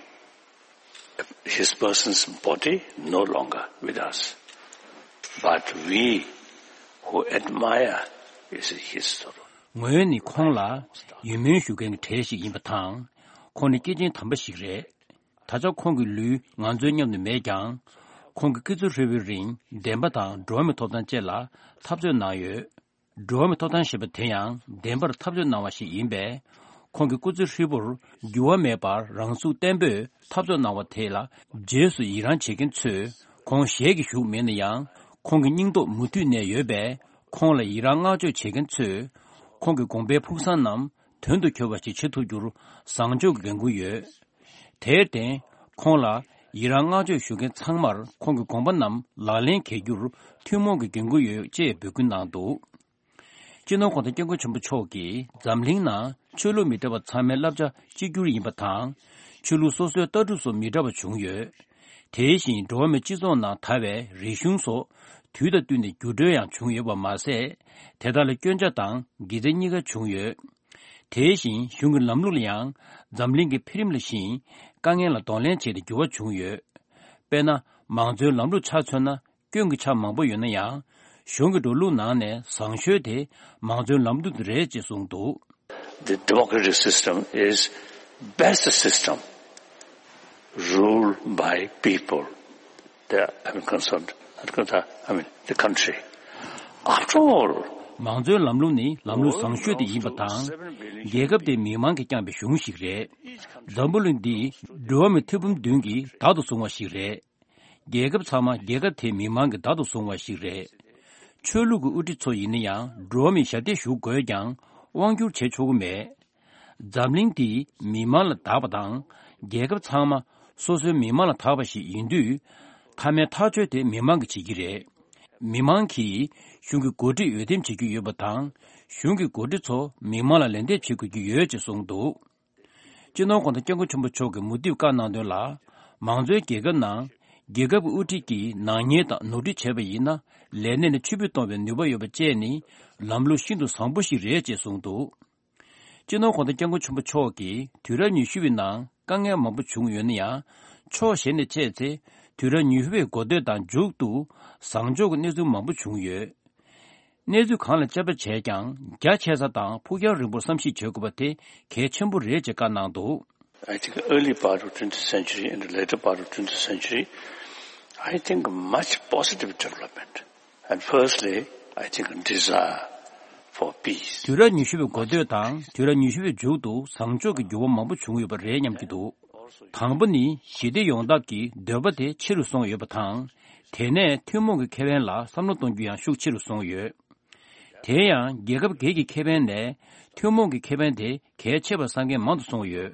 his person's body no longer with us. But we who admire is his story. ངོས་ནི་ཁོང་ལ་ཡིད་སྨོན་ཞུ་མཁན་གྱི་གྲས་ཤིག་ཡིན་པ་དང་། ཁོང་ནི་སྐྱེས་ཆེན་དམ་པ་ཞིག་རེད། ད་ཆ་ཁོང་གི་ལུས་ང་ཚོའི་མཉམ་དུ་མེད་ཀྱང་། ཁོང་གི་སྐུ་ཚེ་ཧྲིལ་པོའི་རིང་བདེན་པ་དང་འགྲོ་བ་མིའི་ཐོབ་ཐང་བཅས་ལ་འཐབ་རྩོད་གནང་ཡོད། འགྲོ་བ་མིའི་ཐོབ་ཐང་ཞེས་པ་དེ་ཡང་བདེན་པར་འཐབ་རྩོད་གནང་བ་ཞིག་ཡིན་པས། ཁོང་གི་སྐུ་ཚེ་ཧྲིལ་པོར་འགྱུར་བ་མེད་པར་རང་ཚུགས་བརྟན་པོས་འཐབ་རྩོད་གནང་བ་དེ་ལ་རྗེས་སུ་ཡི་རངས་བྱེད་མཁན་ཚོས་ཁོང་ཞལ་གྱིས་བཞུགས་མེད་ན་ཡང་ཁོང་གི་སྙིང་སྟོབས་མུ་མཐུད་གནས་ཡོད་པས། ཁོང་ལ་ཡི་རངས་བསྔགས་བརྗོད་བྱེད་མཁན་ཚོས་ཁོང་གི་དགོངས་པའི་ཕུགས་བསམ་རྣམས་དོན་དུ་འཁྱོལ་བ་ཞིག་བྱེད་ཐུབ་རྒྱུར་བཟང་ཕྱོགས་ཀྱི་འགན་འཁུར་ཡོད། དེར་བརྟེན། ཁོང་ལ་ཡི་རངས་བསྔགས་བརྗོད་ཞུ་མཁན་ཚང་མར་ཁོང་གི་དགོངས་པ་རྣམས་ལག་ལེན་འཁེལ་རྒྱུར་ཐུན་མོང་གི་འགན་འཁུར་ཡོད་ཅེས་འབོད་སྐུལ་གནང་འདུག་སྤྱི་ནོར་༧གོང་ས་༧སྐྱབས་མགོན་ཆེན་པོ་མཆོག་གིས་འཛམ་གླིང་ནང་ཆོས་ལུགས་མི་འདྲ་བ་ཚང་མའི་བསླབ་བྱ་གཅིག་གྱུར་ཡིན་པ་དང་། ཆོས་ལུགས་སོ་སོའི་ལྟ་གྲུབ་སོགས་མི་འདྲ་བ་བྱུང་ཡོད། དེ་བཞིན་འགྲོ་བ་མིའི་སྤྱི་ཚོགས་ནང་དར་བའི་རིག་གཞུང་སོགས་དུས་དང་བསྟུན་ནས་འགྱུར་འགྲོས་ཡང་བྱུང་ཡོད་པ་མ་ཟད། དེ་དག་ལ་སྐྱོན་ཆ་དང་དགེ་མཚན་གཉིས་ཀ་བྱུང་ཡོད། དེ་བཞིན་གཞུང་གི་ལམ་ལུགས་ལ་ཡང་འཛམ་གླིང་གི་འཕེལ་རིམ་ལ་བཞིན་དཀའ་ངལ་ལ་གདོང་ལེན་བྱས་ཏེ་འགྱུར་བ་བྱུང་ཡོད། དཔེར་ན། མང་གཙོའི་ལམ་ལུགས་ཆ་མཚོན་ན་སྐྱོན་གྱི་ཆ་མང་པོ་ཡོད་ན་ཡང་། གཞུང་གི་འགྲོ་ལུགས་ནང་ནས་བཟང་ཤོས་དེ་མང་གཙོའི་ལམ་ལུགས་དེ་རེད་ཅེས་གསུངས་འདུག The democratic system is best system ruled by people. They are, I mean, concerned, I mean, the country. After all, མང་གཙོའི་ལམ་ལུགས་ནི་ལམ་ལུགས་བཟང་ཤོས་དེ་ཡིན་པ་དང་། རྒྱལ་ཁབ་དེ་མི་མང་གིས་བསྐྱངས་པའི་གཞུང་ཞིག་རེད། འཛམ་བུ་གླིང་འདི་འགྲོ་བ་མི་ཐེར་འབུམ་བདུན་གྱིས་བདག་ཏུ་བཟུང་བ་ཞིག་རེད། རྒྱལ་ཁབ་ཚང་མ་རྒྱལ་ཁབ་དེའི་མི་མང་གིས་བདག་ཏུ་བཟུང་བ་ཞིག་རེད། ཆོས་ལུགས་ཀྱི་དབུ་ཁྲིད་ཚོ་ཡིན་ན་ཡང་འགྲོ་བ་མིའི་ཞབས་སྟེགས་ཞུགས་དགོས་ཀྱང་དབང་བསྒྱུར་བྱེད་ཆོག་གི་མེད། འཛམ་གླིང་འདི་མི་མང་ལ་བདག་པ་དང་། རྒྱལ་ཁབ་ཚང་མ་སོ་སོའི་མི་མང་ལ་བདག་པ་ཞིག་ཡིན་དུས། མཐའ་མའི་ཐག་གཅོད་དེ་མི་མང་གིས་བྱེད་ཀྱི་རེད། མི་མང་གིས་གཞུང་གི་འགོ་ཁྲིད་འོས་འདེམས་བྱེད་ཀྱི་ཡོད་པ་དང་། གཞུང་གི་འགོ་ཁྲིད་ཚོ་མི་མང་ལ་ལན་འདེབས་བྱེད་དགོས་ཀྱི་ཡོད་ཅེས་གསུངས་འདུག་སྤྱི་ནོར་༧གོང་ས་༧སྐྱབས་མགོན་ཆེན་པོ་མཆོག་གིས་མུ་མཐུད་བཀའ་གནང་དོན་ལ། མང་གཙོའི་རྒྱལ་ཁབ་ནང་རྒྱལ་ཁབ་ཀྱི་དབུ་ཁྲིད་ཀྱིས་ནག་ཉེས་དང་ནོར་འཁྲུལ་བྱས་པ་ཡིན་ན། ལས་གནས་ནས་ཕྱིར་འབུད་གཏོང་བའི་ནུས་པ་ཡོད་པ་བཅས་ནི་ལམ་ལུགས་ཤིན་ཏུ་བཟང་པོ་ཞིག་རེད་ཅེས་གསུངས་འདུག་སྤྱི་ནོར་༧གོང་ས་༧སྐྱབས་མགོན་ཆེན་པོ་མཆོག་གིས་དུས་རབས་ཉི་ཤུ་པའི་ནང་དཀའ་ངལ་མང་པོ་བྱུང་ཡོད་ན་ཡང་། ཕྱོགས་གཞན་ནས་དཔྱད་ཚེ། དུས་རབས་ཉི་ཤུ་པའི་འགོ་སྟོད་དང་མཇུག་ཏུ་བཟང་ཕྱོགས་ཀྱི་གནས་ཚུལ་མང་པོ་བྱུང་ཡོད། གནས་ཚུལ་གང་ལ་དཔྱད་པ་བྱས་ཀྱང་རྒྱ་ཆེ་ས་དང་ཕུགས་རྒྱང་རིང་པོར་བསམ་གཞིག་བྱེད་དགོས་པ་དེ་གལ་ཆེན་པོ་རེད་ཅེས་བཀའ་གནང་འདུག I think early part of twentieth century and the later part of twentieth century, I think much positive development. And firstly, I think desire for peace. དུས་རབས་ཉི་ཤུ་པའི་འགོ་སྟོད་དང་དུས་རབས་ཉི་ཤུ་པའི་མཇུག་ཏུ་བཟང་ཕྱོགས་ཀྱི་འགྱུར་བ་མང་པོ་བྱུང་ཡོད་པ་རེད་སྙམ་གྱི་འདུག་དང་པོ་ནི་ཞི་བདེ་ཡོང་ཐབས་ཀྱི་འདོད་པ་དེ་ཆེ་རུ་སོང་ཡོད་པ་དང་། དེ་ནས་ཐུན་མོང་གི་ཁེ་ཕན་ལ་བསམ་བློ་གཏོང་རྒྱུ་ཡང་ཤུགས་ཆེ་རུ་སོང་ཡོད། དེ་ཡང་རྒྱལ་ཁབ་སྒེར་གྱི་ཁེ་ཕན་ལས་ཐུན་མོང་གི་ཁེ་ཕན་དེ་གལ་ཆེ་བར་བསམ་མཁན་མང་དུ་སོང་ཡོད།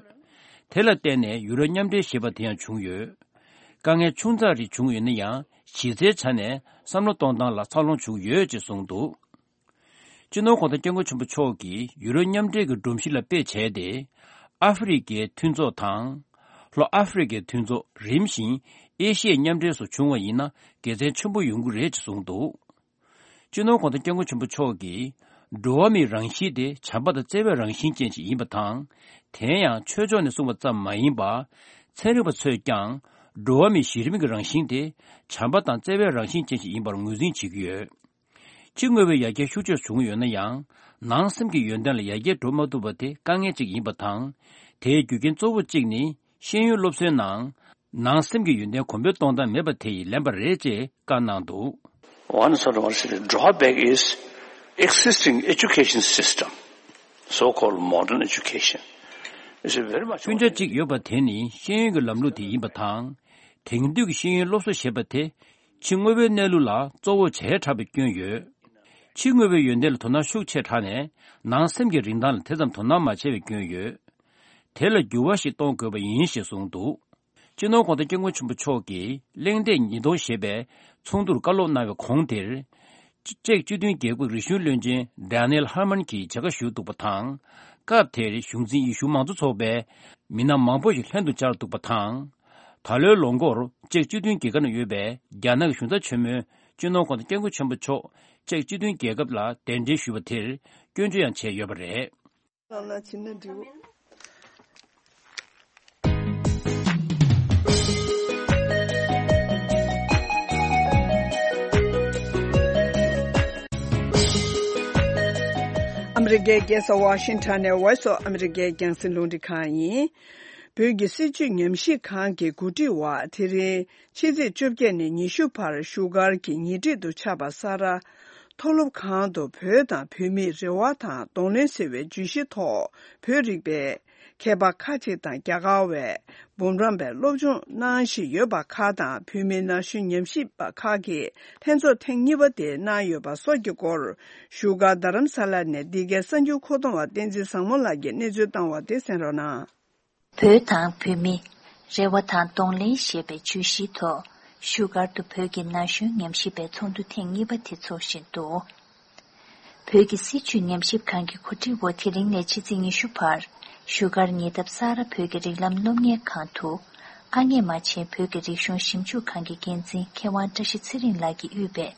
དེ་ལ་བརྟེན་ནས་ཡུ་རོབ་མཉམ་འབྲེལ་ཞེས་པ་དེ་ཡང་བྱུང་ཡོད། དཀའ་ངལ་ཆུང་ཙག་རེ་བྱུང་ཡོད་ན་ཡང་གཞི་རྩའི་ཆ་ནས་བསམ་བློ་གཏོང་སྟངས་ལ་འཚར་ལོངས་བྱུང་ཡོད་ཅེས་གསུངས་འདུག་སྤྱི་ནོར་གོང་ས་སྐྱབས་མགོན་ཆེན་པོ་མཆོག་གིས་ཡུ་རོབ་མཉམ་འབྲེལ་གྱི་སྒྲོམ་གཞི་ལ་དཔེ་བྱས་ཏེ། ཨ་ཧྥེ་རི་ཁའི་མཐུན་ཚོགས་དང་། ལྷོ་ཨ་ཧྥེ་རི་ཁའི་མཐུན་ཚོགས། རིམ་བཞིན་ཨེ་ཤི་ཡའི་མཉམ་འབྲེལ་སོགས་བྱུང་བ་ཡིན་ན་དགེ་མཚན་ཆེན་པོ་ཡོང་གི་རེད་ཅེས་གསུངས་འདུག་སྤྱི་ནོར་གོང་ས་སྐྱབས་མགོན་ཆེན་པོ་མཆོག་གིས། འགྲོ་བ་མིའི་རང་བཞིན་དེ་བྱམས་པ་དང་བརྩེ་བའི་རང་བཞིན་ཅན་ཞིག་ཡིན་པ་དང་། དེ་ཡང་ཆོས་ཕྱོགས་ནས་གསུངས་པ་ཙམ་མ་ཡིན་པར། ཚན་རིག་པ་ཚོས་ཀྱང་། འགྲོ་བ་མིའི་གཞི་རིམ་གྱི་རང་བཞིན་དེ། བྱམས་པ་དང་བརྩེ་བའི་རང་བཞིན་ཅན་ཞིག་ཡིན་པར་ངོས་འཛིན་བྱེད་ཀྱི་ཡོད། ཕྱི་དངོས་པོའི་ཡར་རྒྱས་ཤུགས་ཆེ་བྱུང་ཡོད་ན་ཡང་། ནང་སེམས་ཀྱི་ཡོན་ཏན་ལ་ཡར་རྒྱས་འགྲོ་མ་ཐུབ་པ་དེ་དཀའ་ངལ་ཅིག་ཡིན་པ་དང་། དེའི་རྒྱུ་རྐྱེན་གཙོ་བོ་གཅིག་ནི། ཤེས་ཡོན་སློབ་གསོའི་ནང་། ནང་སེམས་ཀྱི་ཡོན་ཏན་གོང་འཕེལ་གཏོང་སྟངས་མེད་པ་དེ་ཡིས་ལན་པ་རེད་ཅེས་བཀའ་གནང་འདུག One sort of drawback is existing education system, so-called modern education, is very much. སྤུན་ཆ་གཅིག་ཡོད་པ་དེ་ནི་ཤེས་ཡོན་གྱི་ལམ་ལུགས་དེ་ཡིན་པ་དང་། དེང་དུས་ཀྱི་ཤེས་ཡོན་སློབ་གསོ་ཞེས་པ་དེ། ཕྱི་དངོས་པོའི་གནས་ལུགས་ལ་གཙོ་བོ་བྱས་དྲགས་པའི་སྐྱོན་ཡོད། ཕྱི་དངོས་པོའི་ཡོན་ཏན་ལ་དོ་སྣང་ཤུགས་ཆེ་དྲགས་ནས། ནང་སེམས་ཀྱི་རིན་ཐང་ལ་དེ་ཙམ་དོ་སྣང་མ་བྱས་པའི་སྐྱོན་ཡོད། དེ་ལ་འགྱུར་བ་ཞིག་གཏོང་དགོས་པ་ཡིན་ཞེས་གསུངས་འདུག་སྤྱི་ནོར་གོང་ས་སྐྱབས་མགོན་ཆེན་པོ་མཆོག་གིས་གླེང་སྟེགས་ཉིས་སྟོང་ཞེས་པའི་ཚོགས་འདུར་བཀའ་སློབ་གནང་བའི་གོང་དེར། ཅེཀ་སྤྱི་མཐུན་རྒྱལ་ཁབ་རིག་གཞུང་བློན་ཆེན་Daniel Herman གྱིས་མཇལ་ཁ་ཞུས་འདུག་པ་དང་། སྐབས་དེར་གཞུང་འཛིན་ཡེ་ཤུ་མང་གཙོ་ཚོགས་པའི་མི་སྣ་མང་པོ་ཞིག་ལྷན་དུ་བཅར་འདུག་པ་དང་། ད་ལོའི་ལོ་འགོར་ཅེཀ་སྤྱི་མཐུན་རྒྱལ་ཁབ་ནང་ཡོད་པའི་རྒྱ་ནག་གི་གཞུང་ཚབ་ཆེན་མོས་སྤྱི་ནོར་གོང་ས་སྐྱབས་མགོན་ཆེན་པོ་མཆོག་ཅེཀ་སྤྱི་མཐུན་རྒྱལ་ཁབ་ལ་གདན་འདྲེན་ཞུས་པ་དེར་སྐྱོན་བརྗོད་ཡང་བྱས་ཡོད་པ་རེད། ལ་ཕྱིན་ན་འགྲིག་ཨ་མི་རི་ཀའི་རྒྱལ་ས་ཝ་ཤིང་ཊོན་ནས་Voice of America རྒྱང་སྲིང་རླུང་འཕྲིན་ཁང་ཡིན། བོད་ཀྱི་སྲིད་བྱུས་ཉམས་ཞིབ་ཁང་གི་འགོ་ཁྲིད་པ་དེ་རིང་ཕྱི་ཚེས་བཅོ་བརྒྱད་ནས་ཉི་ཤུ་བར་བཞུགས་སྒར་གྱི་ཉེ་འཁྲིས་སུ་ཆགས་པ་ས་རཱ་མཐོ་སློབ་ཁང་དུ་བོད་དང་བོད་མིའི་རེ་བ་དང་གདོང་ལེན་ཟེར་བའི་བརྗོད་གཞིའི་ཐོག་བོད་རིག་པའི་མཁས་པ་ཁག་ཅིག་དང་རྒྱ་གར་བའི་འབུམ་རམས་པའི་སློབ་སྦྱོང་གནང་བཞིན་ཡོད་པ་ཁག་དང་། བོད་མིའི་ན་གཞོན་ཉམས་ཞིབ་པ་ཁག་གིས་ལྷན་ཚོགས་ཐེངས་གཉིས་པ་དེ་གནང་ཡོད་པ་སོགས་ཀྱི་སྐོར་བཞུགས་སྒར་རྡ་རམ་ས་ལ་ནས་འདི་གའི་གསར་འགྱུར་མཁོ་གཏོང་བ་བསྟན་འཛིན་བཟང་མོ་ལགས་ཀྱིས་གནས་ཚུལ་བཏང་བ་དེ་གསན་རོགས་གནང་། བོད་དང་བོད་མི། རེ་བ་དང་གདོང་ལེན་ཞེས་པའི་བརྗོད་གཞིའི་ཐོག་བཞུགས་སྒར་དུ་བོད་ཀྱི་ན་གཞོན་ཉམས་ཞིབ་པའི་ཚོགས་འདུ་ཐེངས་གཉིས་པ་དེ་འཚོགས་བཞིན་འདུག་བོད་ཀྱི་སྲིད་བྱུས་ཉམས་ཞིབ་ཁང་གི་གོ་སྒྲིག་འོག་དེ་རིང་ནས་ཕྱི་ཚེས་ཉི་ཤུ་བར་བཞུགས་སྒར་ཉེ་འདབས་ས་རཱ་བོད་ཀྱི་རིགས་ལམ་སློབ་གཉེར་ཁང་དུ། ཨ་མྱེས་རྨ་ཆེན་བོད་ཀྱི་རིག་གཞུང་ཞིབ་འཇུག་ཁང་གི་འགན་འཛིན་མཁས་དབང་བཀྲ་ཤིས་ཚེ་རིང་ལགས་ཀྱིས་དབུས་པའི་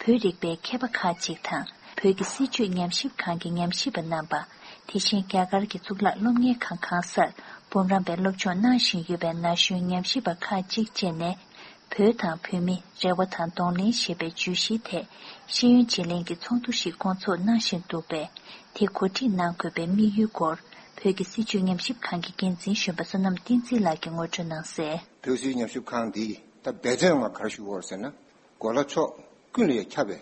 བོད་རིག་པའི་མཁས་པ་ཁག་ཅིག་དང་། བོད་ཀྱི་སྲིད་བྱུས་ཉམས་ཞིབ་ཁང་གི་ཉམས་ཞིབ་པ་རྣམ་པ། དེ་བཞིན་རྒྱ་གར་གྱི་གཙུག་ལག་སློབ་གཉེར་ཁང་གང་སར་འབུམ་རམས་པའི་སློབ་སྦྱོང་གནང་བཞིན་ཡོད་པའི་ན་གཞོན་ཉམས་ཞིབ་པ་ཁག་ཅིག་བཅས་ནས། བོད་དང་བོད་མི། རེ་བ་དང་གདོང་ལེན་ཞེས་པའི་བརྗོད་གཞིའི་ཐད་ཤེས་ཡོན་བརྗེ་ལེན་གྱི་ཚོགས་འདུ་ཞིག་སྐོང་ཚོགས་གནང་བཞིན་འདུག་པས། དེ་གོ་སྒྲིག་གནང་དགོས་པའི་དམིགས་ཡུལ་སྐོར་བོད་ཀྱི་སྲིད་བྱུས་ཉམས་ཞིབ་ཁང་གི་འགན་འཛིན་གཞོན་པ་བསོད་ནམས་བསྟན་འཛིན་ལགས་ཀྱིས་ངོ་སྤྲོད་གནང་གསལ། བོད་སྲིད་ཉམས་ཞིབ་ཁང་འདིས་ད་འབད་བརྩོན་ང་ག་རེ་ཞུ་དགོས་ཟེར་ན། གོ་ལ་ཕྱོགས་ཀུན་ལ་ཁྱབ་པའི་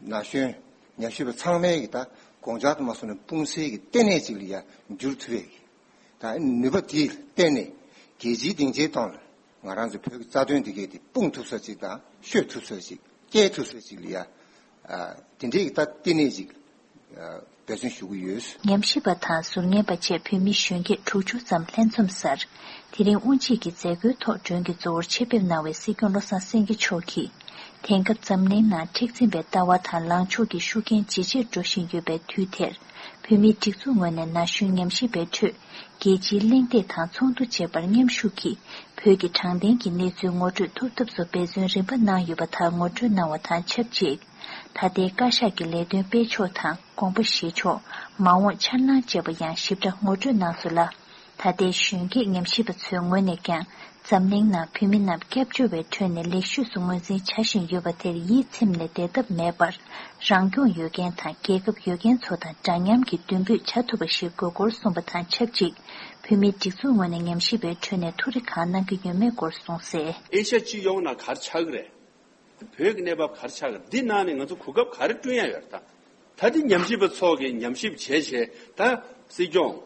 ན་གཞོན་ཉམས་ཞིབ་པ་ཚང་མའི་གི་ད་དགོངས་འཆར་དུ་མ་སོང་ནས་སྤུངས་སའི་གི་ལྟེ་གནས་ཅིག་ལ་ཡ་འགྱུར་ཐུབ་པའི་གི་ད་ནུས་པ་དེའི་ལྟེ་གནས་རྒྱལ་སྤྱིའི་སྡིངས་ཆའི་སྟེང་ལ་ང་རང་ཚོའི་བོད་ཀྱི་རྩ་དོན་འདི་གའི་དེ་སྤུངས་ཐུབ་ས་ཅིག་དང་ཤོད་ཐུབ་ས་ཅིག་སྐྱེལ་ཐུབ་ས་ཅིག་ལ་ཡ་དེ་འདྲའི་གི་ད་ལྟེ་གནས་ཅིག་འབད་བརྩོན་ཞུ་གི་ཡོད། ཉམས་ཞིབ་པ་དང་ཟུར་ཉན་པ་བཅས་བོད་མི་གཞོན་སྐྱེས་དྲུག་ཅུ་ཙམ་ལྷན་འཛོམས་སར། དེ་རིང་དབུ་འབྱེད་ཀྱི་མཛད་སྒོའི་ཐོག་མགྲོན་གྱི་གཙོ་བོར་ཆེད་ཕེབས་གནང་བའི་སྲིད་སྐྱོང་བློ་བཟང་སེང་གེ་མཆོག་གིས། དེང་སྐབས་འཛམ་གླིང་ནང་མཁྲེགས་འཛིན་པའི་ལྟ་བ་དང་ལངས་ཕྱོགས་ཀྱི་ཤུགས་རྐྱེན་ཇེ་ཆེར་འགྲོ་བཞིན་ཡོད་པའི་དུས་དེར། བོད་མིའི་སྒྲིག་འཛུགས་ངོས་ནས་ན་གཞོན་ཉམས་ཞིབ་པའི་ཁྲོད། རྒྱལ་སྤྱིའི་གླེང་སྟེགས་དང་ཚོགས་འདུ་བཅས་པར་མཉམ་ཞུགས་ཀྱིས། བོད་ཀྱི་དྲང་བདེན་གྱི་གནས་ཚུལ་ངོ་སྤྲོད་ཐུབ་ཐབས་སུ་འབད་བརྩོན་རིམ་པ་གནང་ཡོད་པ་དག་ངོ་སྤྲོད་གནང་བ་དང་ཆབས་ཅིག་ད་ལྟའི་བཀའ་ཤག་གི་ལས་དོན་སྤེལ་ཕྱོགས་དང་དགོངས་པ་བཞེས་ཕྱོགས། མ་འོངས་འཆར་སྣང་བཅས་པ་ཡང་ཞིབ་ཕྲ་ངོ་སྤྲོད་གནང་སོང་ལ། ད་ལྟའི་གཞོན་སྐྱེས་ཉམས་ཞིབ་པ་ཚོའི་ངོས་ནས་ཀྱང་། འཛམ་གླིང་ནང་བོད་མི་རྣམས་སྐྱབས་བཅོལ་བའི་ཁྲོད་ནས་ལེགས་ཤོས་སུ་ངོས་འཛིན་བྱ་བཞིན་ཡོད་པ་དེར་ཡིད་ཚིམ་ནས་བསྡད་ཐབས་མེད་པར། རང་སྐྱོང་ཡོད་མཁན་དང་རྒྱལ་ཁབ་ཡོད་མཁན་ཚོ་དང་འདྲ་མཉམ་གྱི་མདུན་སྤོས་བྱ་ཐུབ་པ་ཞིག་དགོས་སྐོར་གསུངས་པ་དང་ཆབས་ཅིག་བོད་མིའི་སྒྲིག་འཛུགས་ངོས་ནས་ཉམས་ཞིབ་པའི་ཁྲོད་ནས་ཐུགས་རེ་གང་གནང་གི་ཡོད་མེད་སྐོར་གསུངས་གསལ། ཨེ་ཤ་ཡ་སྤྱི་ཡོངས་ནང་ག་རེ་ཆགས་ཀྱི་རེད། བོད་ཀྱི་གནས་བབ་ག་རེ་ཆགས་ཀྱི་རེད། འདི་ནང་ནས་ང་ཚོ་གོ་སྐབས་ག་རེ་བསྐྲུན་ཡ་ཡོད་རེད་ད། ད་འདི་ཉམས་ཞིབ་པ་ཚོ་གིས་ཉམས་ཞིབ་བྱས་བྱས་ད་སྲིད་སྐྱོང་།